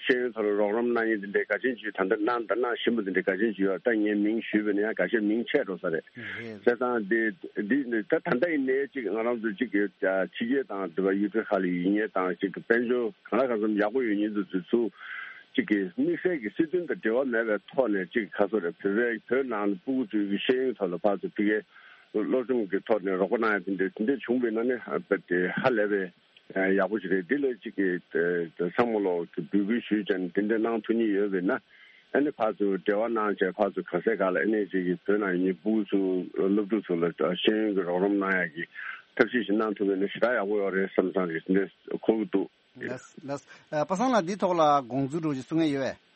ཤེས་ཡོན་ཐོག་ལ་རོགས་རམ་གནང་མཁན་དེ་འདྲའི་འགའ་ཅན་ཅིག་ད་ལྟ་གནང་དང་གནང་བཞིན་པ་དེ་འདྲའི་འགའ་ཅན་ཅིག་ཡོད། ད་ངས་མིང་ཞུས་པ་ཡིན་ན་ཡང་འགའ་ཤས་མིང་ཆད་འགྲོ་ས་རེད། རེད། བྱས་ཙང་དེ་འདི་ད་ད་ལྟ་ཡིན་ནའི་གཅིག་ང་རང་ཚོ་གཅིག་གི་ཕྱི་རྒྱལ་དང་དེ་བ་ཡུལ་གྲུ་ཁག་ལ་ཡོད་མཁན་དང་གཅིག་གི་དཔལ་འབྱོར་གང་ལ་གང་འཚམ་ཡག་པོ་ཡོད་མཁན་དེ་ཚོ་ཚུར་གཅིག་གི་དམིགས་བསལ་གྱི་སྲིད་དོན་དང་འབྲེལ་བ་མེད་པའི་ཐོག་ནས་གཅིག་ག་ཚོད་རེད། བོད་པའི་བོད་ནང་ལ་སྤུ་གུ་ཚོའི་ཤེས་ཡོན་ཐོག་ལ་ཕར་ཚུར་ཕ་གིའི་སློབ་སྦྱོང་གི་ཐོག་ནས་རོགས་པ་གནང་ཡ་དེ་འདྲ་དེ་འདྲ་བྱུང་བའི་ནང་ནས་ཨ་དཔེ་དེ་ཧ་ལས་པའི་ཡག་པོ་ཞིག་རེད། འདི་ལ་གཅིག་གི་ཚང་མ་ལོག་གི་འབོད་སྐུལ་ཞུས་བྱས་ནས་དེ་འདྲ་གནང་ཐུབ་མཁན་ཡོད་པས་ན། ཨ་ནི་ཕར་ཚུར་འབྲེལ་བ་གནང་བྱས་ཕར་ཚུར་ག་ས་ག་ལ་ཨ་ནི་གཅིག་གི་བོད་ནང་ཡོད་མཁན་སྤུ་གུ་ཚོ་སློབ་ཕྲུག་ཚོ་ལ་ཤེས་ཡོན་གྱི་རོགས་རམ་གནང་ཡ་གི་ཐབས་ཤེས་ཤིག་གནང་ཐུབ་པས་ན་ཞེ་དྲག་ཡག་པོ་ཡོད་རེད་བསམ་བསམ་རེད། འདི་འདྲ་གོ་གི་འདུག་ལགས་ལགས། ཨ་པ་སངས་ལགས་འདི་ཐོག་ལ་དགོངས་ཚུལ་འདྲ་བོ་ཞིག་གསུང་མཁན་ཡོད་པས།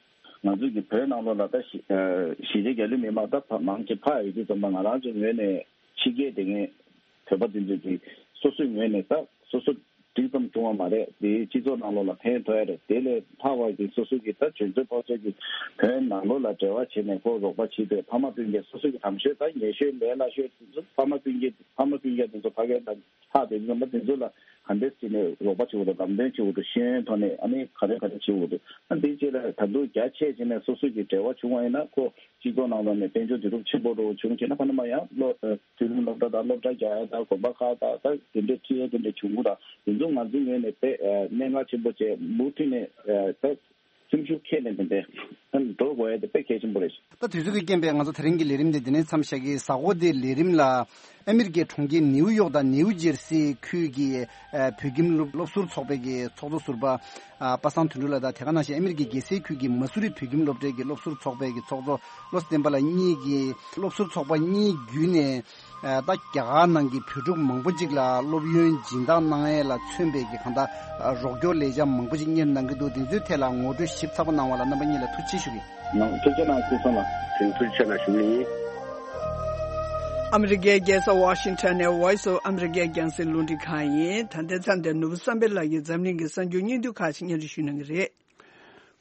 ང་ཚོའི་གི་བོད་ནང་ལོགས་ལ་ད་གཞི་ཨ་གཞིས་བྱེས་རྒྱ་གླིང་མི་མང་ད་ཕ་མང་ཆེ་ཕ་ཡི་གི་ཙམ་པ་ང་རང་ཚོའི་ངོས་ནས་ཕྱི་རྒྱལ་དེ་ངས་བོད་པ་དེ་ཚོས་ཀྱི་སོ་སོའི་ངོས་ནས་ད་སོ་སོ་འགྲིག་ཙམ་བྱུང་བ་མ་རེད། དེའི་སྤྱི་ཚོགས་ནང་ལོགས་ལ་ཕན་ཐོགས་ཡ་རེད། དེ་ལས་ལྷག་པ་གི་སོ་སོ་གི་ད་གྱོན་ཆས་ཕོ་ཆས་ཀྱི་བོད་ནང་ལོགས་ལ་འབྲེལ་བ་བྱས་ནས་ཁོ་རོགས་པ་བྱེད་དེ་ཕ་མ་སྤུན་ཀྱག་སོ་སོ་གི་དམ་ཤོས་ད་ཉེ་ཤོས་ལས་སླ་ཤོས་དེ་ཚོ་ཕ་མ་སྤུན་ཀྱག་ཕ་མ་སྤུན་ཀྱག་དེ་ཚོ་ཕ་གིར་ད་ལྷག་དེ་ཚོ་ད་དེ་ཚོ་ལ་ག་འདྲས་བྱས་ནས་རོགས་པ་བྱེད་དགོས་འདུག་ལམ་སྟོན་བྱེད་དགོས་འདུག་ཤེས་ཡོན་ཐོག་ནས་ཨ་ནི་ག་རེ་ག་རེ་བྱེད་དགོས་འདུག་ཨ་འདི་བྱས་ལ་ད་དུང་རྒྱ་ཆེ་བྱས་ནས་སོ་སོ་གི་འབྲེལ་བ་བྱུང་བ་ཡིན་ན་ཁོ་སྤྱི་ཚོགས་ནང་ལོགས་ནས་དཔལ་འབྱོར་དེ་རུབ་ཆེན་པོ་རུ་བྱུང་བྱས་ན་ཕ་ན་མ་ཡང་སློབ་ཨ་དུས་རིམ་སློབ་གྲྭ་དང་སློབ་གྲྭ་རྒྱག་ཡ་དང་དགོན་པ་ཁག་དང་ད་དེ་འདྲའི་ཁྲིད་ཡ་དེ་འདྲ་བྱུང་གི་ར། དེ་ཚོ་ང་ཚོའི་ངོས་ནས་དཔེ་ཨ་གནད་འགག་ཆེན་པོ་བྱས་མུ་མཐུད་ནས་ཨ་ད་སེམས་ཤུགས་ཁྱེར་ནས་དེ་འདྲའི་ཨ་འགྲོ་དགོས་ཡ་དེ་དཔེ་གལ་ཆེན་པོ་རེད། ད་དུས་ཚོད་ཀྱི་རྐྱེན་པས་ང་ཚོ་དེ་རིང་གི་ལས་རིམ་དེ་འདི་ནས་མཚམས་བཞག་གི། གཟའ་འཁོར་འདིའི་ལས་རིམ་ལ་ཨ་མི་རི་ཀའི་གྲོང་ཁྱེར་ནེའུ་ཡོག་དང་ནེའུ་ཇེར་སི་ཁུལ་གྱི་ཨ་བོད་ཁྱིམ་སློབ་སློབ་ཟུར་ཚོགས་པའི་གི་ཚོགས་གཙོ་ཟུར་པ་ཨ་པ་སངས་དོན་གྲུབ་ལགས་དང་དེ་ག་ནང་བཞིན་ཨ་མི་རི་ཀའི་རྒྱལ་སའི་ཁུལ་གྱི་མ་སུ་རི་བོད་ཁྱིམ་སློབ་གྲྭའི་གི་སློབ་ཟུར་ཚོགས་པའི་གི་ཚོགས་གཙོ་བློ་བཟང་བསྟན་པ་ལགས་གཉིས་ཀྱིས་སློབ་ཟུར་ཚོགས་པ་གཉིས་བརྒྱུད་ནས་ཨ་ད་རྒྱ་གར་ནང་གི་བོད་ཕྲུག་མང་པོ་ཅིག་ལ་སློབ་ཡོན་སྦྱིན་བདག་གནང་ཡས་ལ་མཚོན་པའི་གི་གང་ལྟར་ཨ་རོགས་སྐྱོར་ལས་འཆར་མང་པོ་ཅིག་གཉེར་གནང་གི་འདུག་དེ་ཚོའི་ཐད་ལ་ངོ་སྤྲོད་ཞིབ་ཚགས་པོ་གནང་བ་ལ་རྣམ་པ་གཉིས་ལ་ཐུགས་རྗེ་ཆེ་ཞུ་གི་ཡིན། ཐུགས་རྗེ་གནང་ཞུ་སོང་ལ། ཐུགས་རྗེ་ཆེ་གནང་ཞུ་གི་ཡིན། ཨ་མི་རི་ཀའི་རྒྱལ་ས་ཝ་ཤིང་ཊོན་ནས་Voice of America་རྒྱང་སྲིང་རླུང་འཕྲིན་ཁང་ཡིན། ད་ལྟའི་མཚམས་འདིར་ནོར་བུ་བསམ་འཕེལ་ལགས་ཀྱིས་འཛམ་གླིང་གི་གསར་འགྱུར་སྙིང་བསྡུས་ཁག་ཅིག་སྙན་སྒྲོན་ཞུ་གནང་གི་རེད།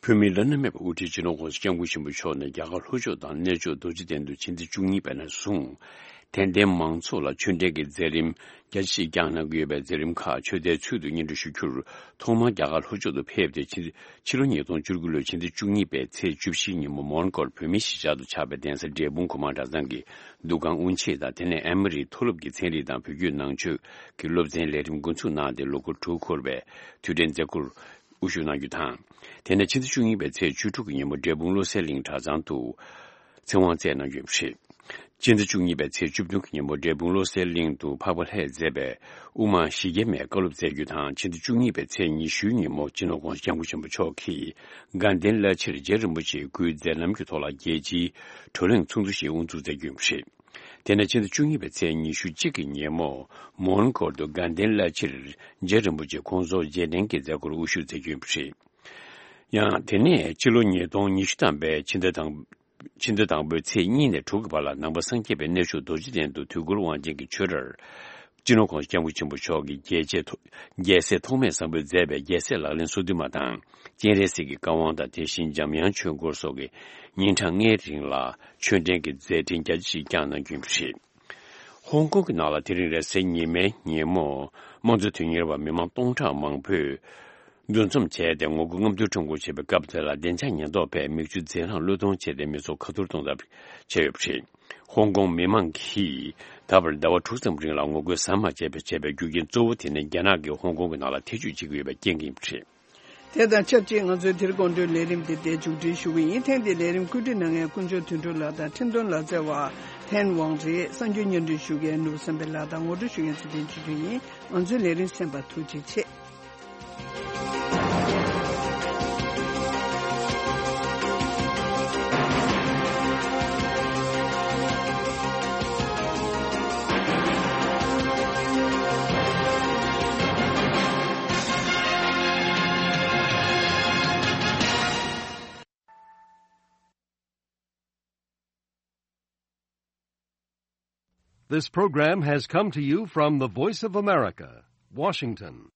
བོད་མིའི་བླ་ན་མེད་པའི་དབུ་ཁྲིད་སྤྱི་ནོར་༸གོང་ས་༸སྐྱབས་མགོན་ཆེན་པོ་མཆོག་ནས་རྒྱ་གར་ལྷོ་ཕྱོགས་དང་གནས་མཆོག་རྡོ་རྗེ་གདན་དུ་ཕྱི་ཚེས་བཅུ་གཉིས་པ་ནས་བཟུང་། དད་ལྡན་མང་ཚོགས་ལ་ཆོས་འབྲེལ་གྱི་མཛད་རིམ་རྒྱ་ཆེ་ཞིག་བསྐྱངས་གནང་གི་ཡོད་པའི་མཛད་རིམ་ཁག་ཆོས་སྡེའི་ཚུལ་དུ་སྙན་སྒྲོན་ཞུ་རྒྱུར། ཐོག་མར་རྒྱ་གར་ལྷོ་ཕྱོགས་སུ་ཕེབས་ཏེ་ཕྱི་ཕྱི་ལོ་ཉིས་སྟོང་བཅུ་དགུ་ལོའི་ཕྱི་ཚེས་བཅུ་གཉིས་པའི་ཚེས་བཅུ་བཞིའི་ཉིན་མོ་མོན་གྷོར་བོད་མིའི་གཞིས་ཆགས་སུ་ཆགས་པའི་གདན་ས་འབྲས་སྤུངས་གོང་མ་གྲྭ་ཚང་གི་འདུ་ཁང་དབུ་འབྱེད་དང་། དེ་ནས་ཨེ་མོ་རིའི་མཐོ་སློབ་ཀྱི་ཚན་རིག་དང་བོད་བརྒྱུད་ནང་ཆོས་ཀྱི་སློབ་ཚན་ལས་རིམ་འགོ་འཛུགས་གནང་སྟེ་ལོ་འཁོར་དྲུག་འཁོར་བའི་དུས་དྲན་མཛད་སྒོར་དབུ་བཞུགས་གནང་རྒྱུ་དང་། དེ་ནས་ཕྱི་ཚེས་བཅུ་གཉིས་པའི་ཚེས་བཅུ་དྲུག་གི་ཉིན་མོ་འབྲས་སྤུངས་བློ་གསལ་གླིང་གྲྭ་ཚང་དུ་ཚེ་དབང་སྩལ་གནང་རྒྱུ་ཡིན་པ་རེད། ཕྱི་ཚེས་བཅུ་གཉིས་པའི་ཚེས་བཅུ་བདུན་གྱི་ཉིན་མོ་འབྲས་སྤུངས་བློ་གསལ་གླིང་དུ་འཕགས་པ་ལྷས་མཛད་པའི་དབུ་མ་ཞི་རྒྱས་མའི་བཀའ་སློབ་སྩལ་རྒྱུ་དང་། ཕྱི་ཚེས་བཅུ་གཉིས་པའི་ཚེས་ཉི་ཤུའི་ཉིན་མོ་སྤྱི་ནོར་༸གོང་ས་༸སྐྱབས་མགོན་ཆེན་པོ་མཆོག་གིས་དགའ་ལྡན་བླ་ཕྱིར་རྗེ་རིན་པོ་ཆེའི་སྐུའི་མཛད་རྣམ་གྱི་ཐོག་ལ་རྒྱལ་སྤྱིའི་བགྲོ་གླེང་ཚོགས་འདུ་ཞིག་དབུ་འཛུགས་མཛད་རྒྱུ་ཡིན་པ་རེད། དེ་ནས་ཕྱི་ཚེས་བཅུ་གཉིས་པའི་ཚེས་ཉི་ཤུ་གཅིག་གི་ཉིན་མོ་མོན་གྷོར་དུ་དགའ་ལྡན་བླ་ཕྱིར་རྗེ་རིན་པོ་ཆེ་དགོངས་རྫོགས་རྗེས་དྲན་གྱི་མཛད་སྒོར་དབུ་བཞུགས་མཛད་རྒྱུ་ཡིན་པ་རེད། ཡང་དེ་ནས་ཕྱི་ལོ་ཉིས་སྟོང་ཉི་ཤུ་ཐམ་པའི་ཕྱི་ཟླ་དང་ཕྱི་ཟླ་དང་པོའི་ཚེས་གཉིས་ནས་དྲུག་གི་བར་ལ་ནང་པ་སངས་རྒྱས་པའི་གནས་མཆོག་རྡོ་རྗེ་གདན་དུ་དུས་འཁོར་དབང་ཆེན་གྱི་ཆོས་གྲྭར་ སྤྱི་ནོར་༸གོང་ས་༸སྐྱབས་མགོན་ཆེན་པོ་མཆོག་གིས་རྒྱལ་གཅེས་ཐོ་རྒྱལ་སྲས་ཐོགས་མེད་བཟང་པོས་མཛད་པའི་རྒྱལ་སྲས་ལག་ལེན་སོ་བདུན་མ་དང་། སྤྱན་རས་གཟིགས་ཀྱི་བཀའ་དབང་དང་། དེ་བཞིན་འཇམ་དབྱངས་ཆོས་འཁོར་སོགས་ཀྱི་ཉིན་གྲངས་ལྔའི་རིང་ལ་ཆོས་འབྲེལ་གྱི་མཛད་འཕྲིན་རྒྱ་ཆེ་ཞིག་བསྐྱངས་གནང་རྒྱུ་ཡིན་པ་རེད། ཧོང་ཀོང་གི་ནང་ལ་དེ་རིང་རེས་གཟའ་ཉི་མའི་ཉིན་མོ། དམངས་གཙོའི་དོན་གཉེར་བ་མི་མང་སྟོང་ཕྲག་མང་པོས་འདུ་འཛོམས་བྱས་ཏེ། ངོ་རྒོལ་རྔམ་སྟོན་ཁྲོམ་སྐོར་བྱེད་པའི་སྐབས་དེ་ལ་བདེ་འཇགས་ཉེན་རྟོག་པས་མིག་ཆུ་རྫས་སྣ་བློས་གཏོང་བྱས་ཏེ། མི་ཚོགས་ཁ་ཐོར་གཏོང་ཐབས་བྱས་ཡོད་པ་རེད། ཧོང་ཀོང་མི་མང་གིས་ད་བར་ཟླ་བ་དྲུག་ཙམ་རིང་ལ་ངོ་རྒོལ་ཟམ་མ་ཆད་པར་བྱས་པའི་རྒྱུ་རྐྱེན་གཙོ་བོ་དེ་ནི། རྒྱ་ནག་གིས་ཧོང་ཀོང་གི་ནང་ལ་ཐེ་བྱུས་བྱེད་ཀྱི་ཡོད་པའི་རྐྱེན་གྱིས་ཡིན་པ་རེད། དེ་དང་ཆབས་ཅིག་ང་ཚོའི་དེ་རིང་དགོང་དྲོའི་ལས་རིམ་འདི་འདིར་མཇུག་སྒྲིལ་ཞུ་གི་ཡིན། ཐེངས་འདིའི་ལས་རིམ་བཀོད་སྒྲིག་གནང་མཁན་དཀོན་མཆོག་དོན་གྲུབ་ལགས་དང་། འཕྲིན་གཏོང་ལག་རྩལ་བ་ཐན་ཝང་རེད། གསར་འགྱུར་སྙན་སྒྲོན་ཞུ་མཁན་ནོར་བུ་བསམ་འཕེལ་ལགས་དང་། ངོ་སྤྲོད་ཞུ་མཁན་ཚེ་བརྟན་ཆོས་སྒྲོན་ཡིན། ང་ཚོའི་ལས་རིམ་གསན་པར་ཐུགས་རྗེ་ཆེ། This program has come to you from the Voice of America, Washington.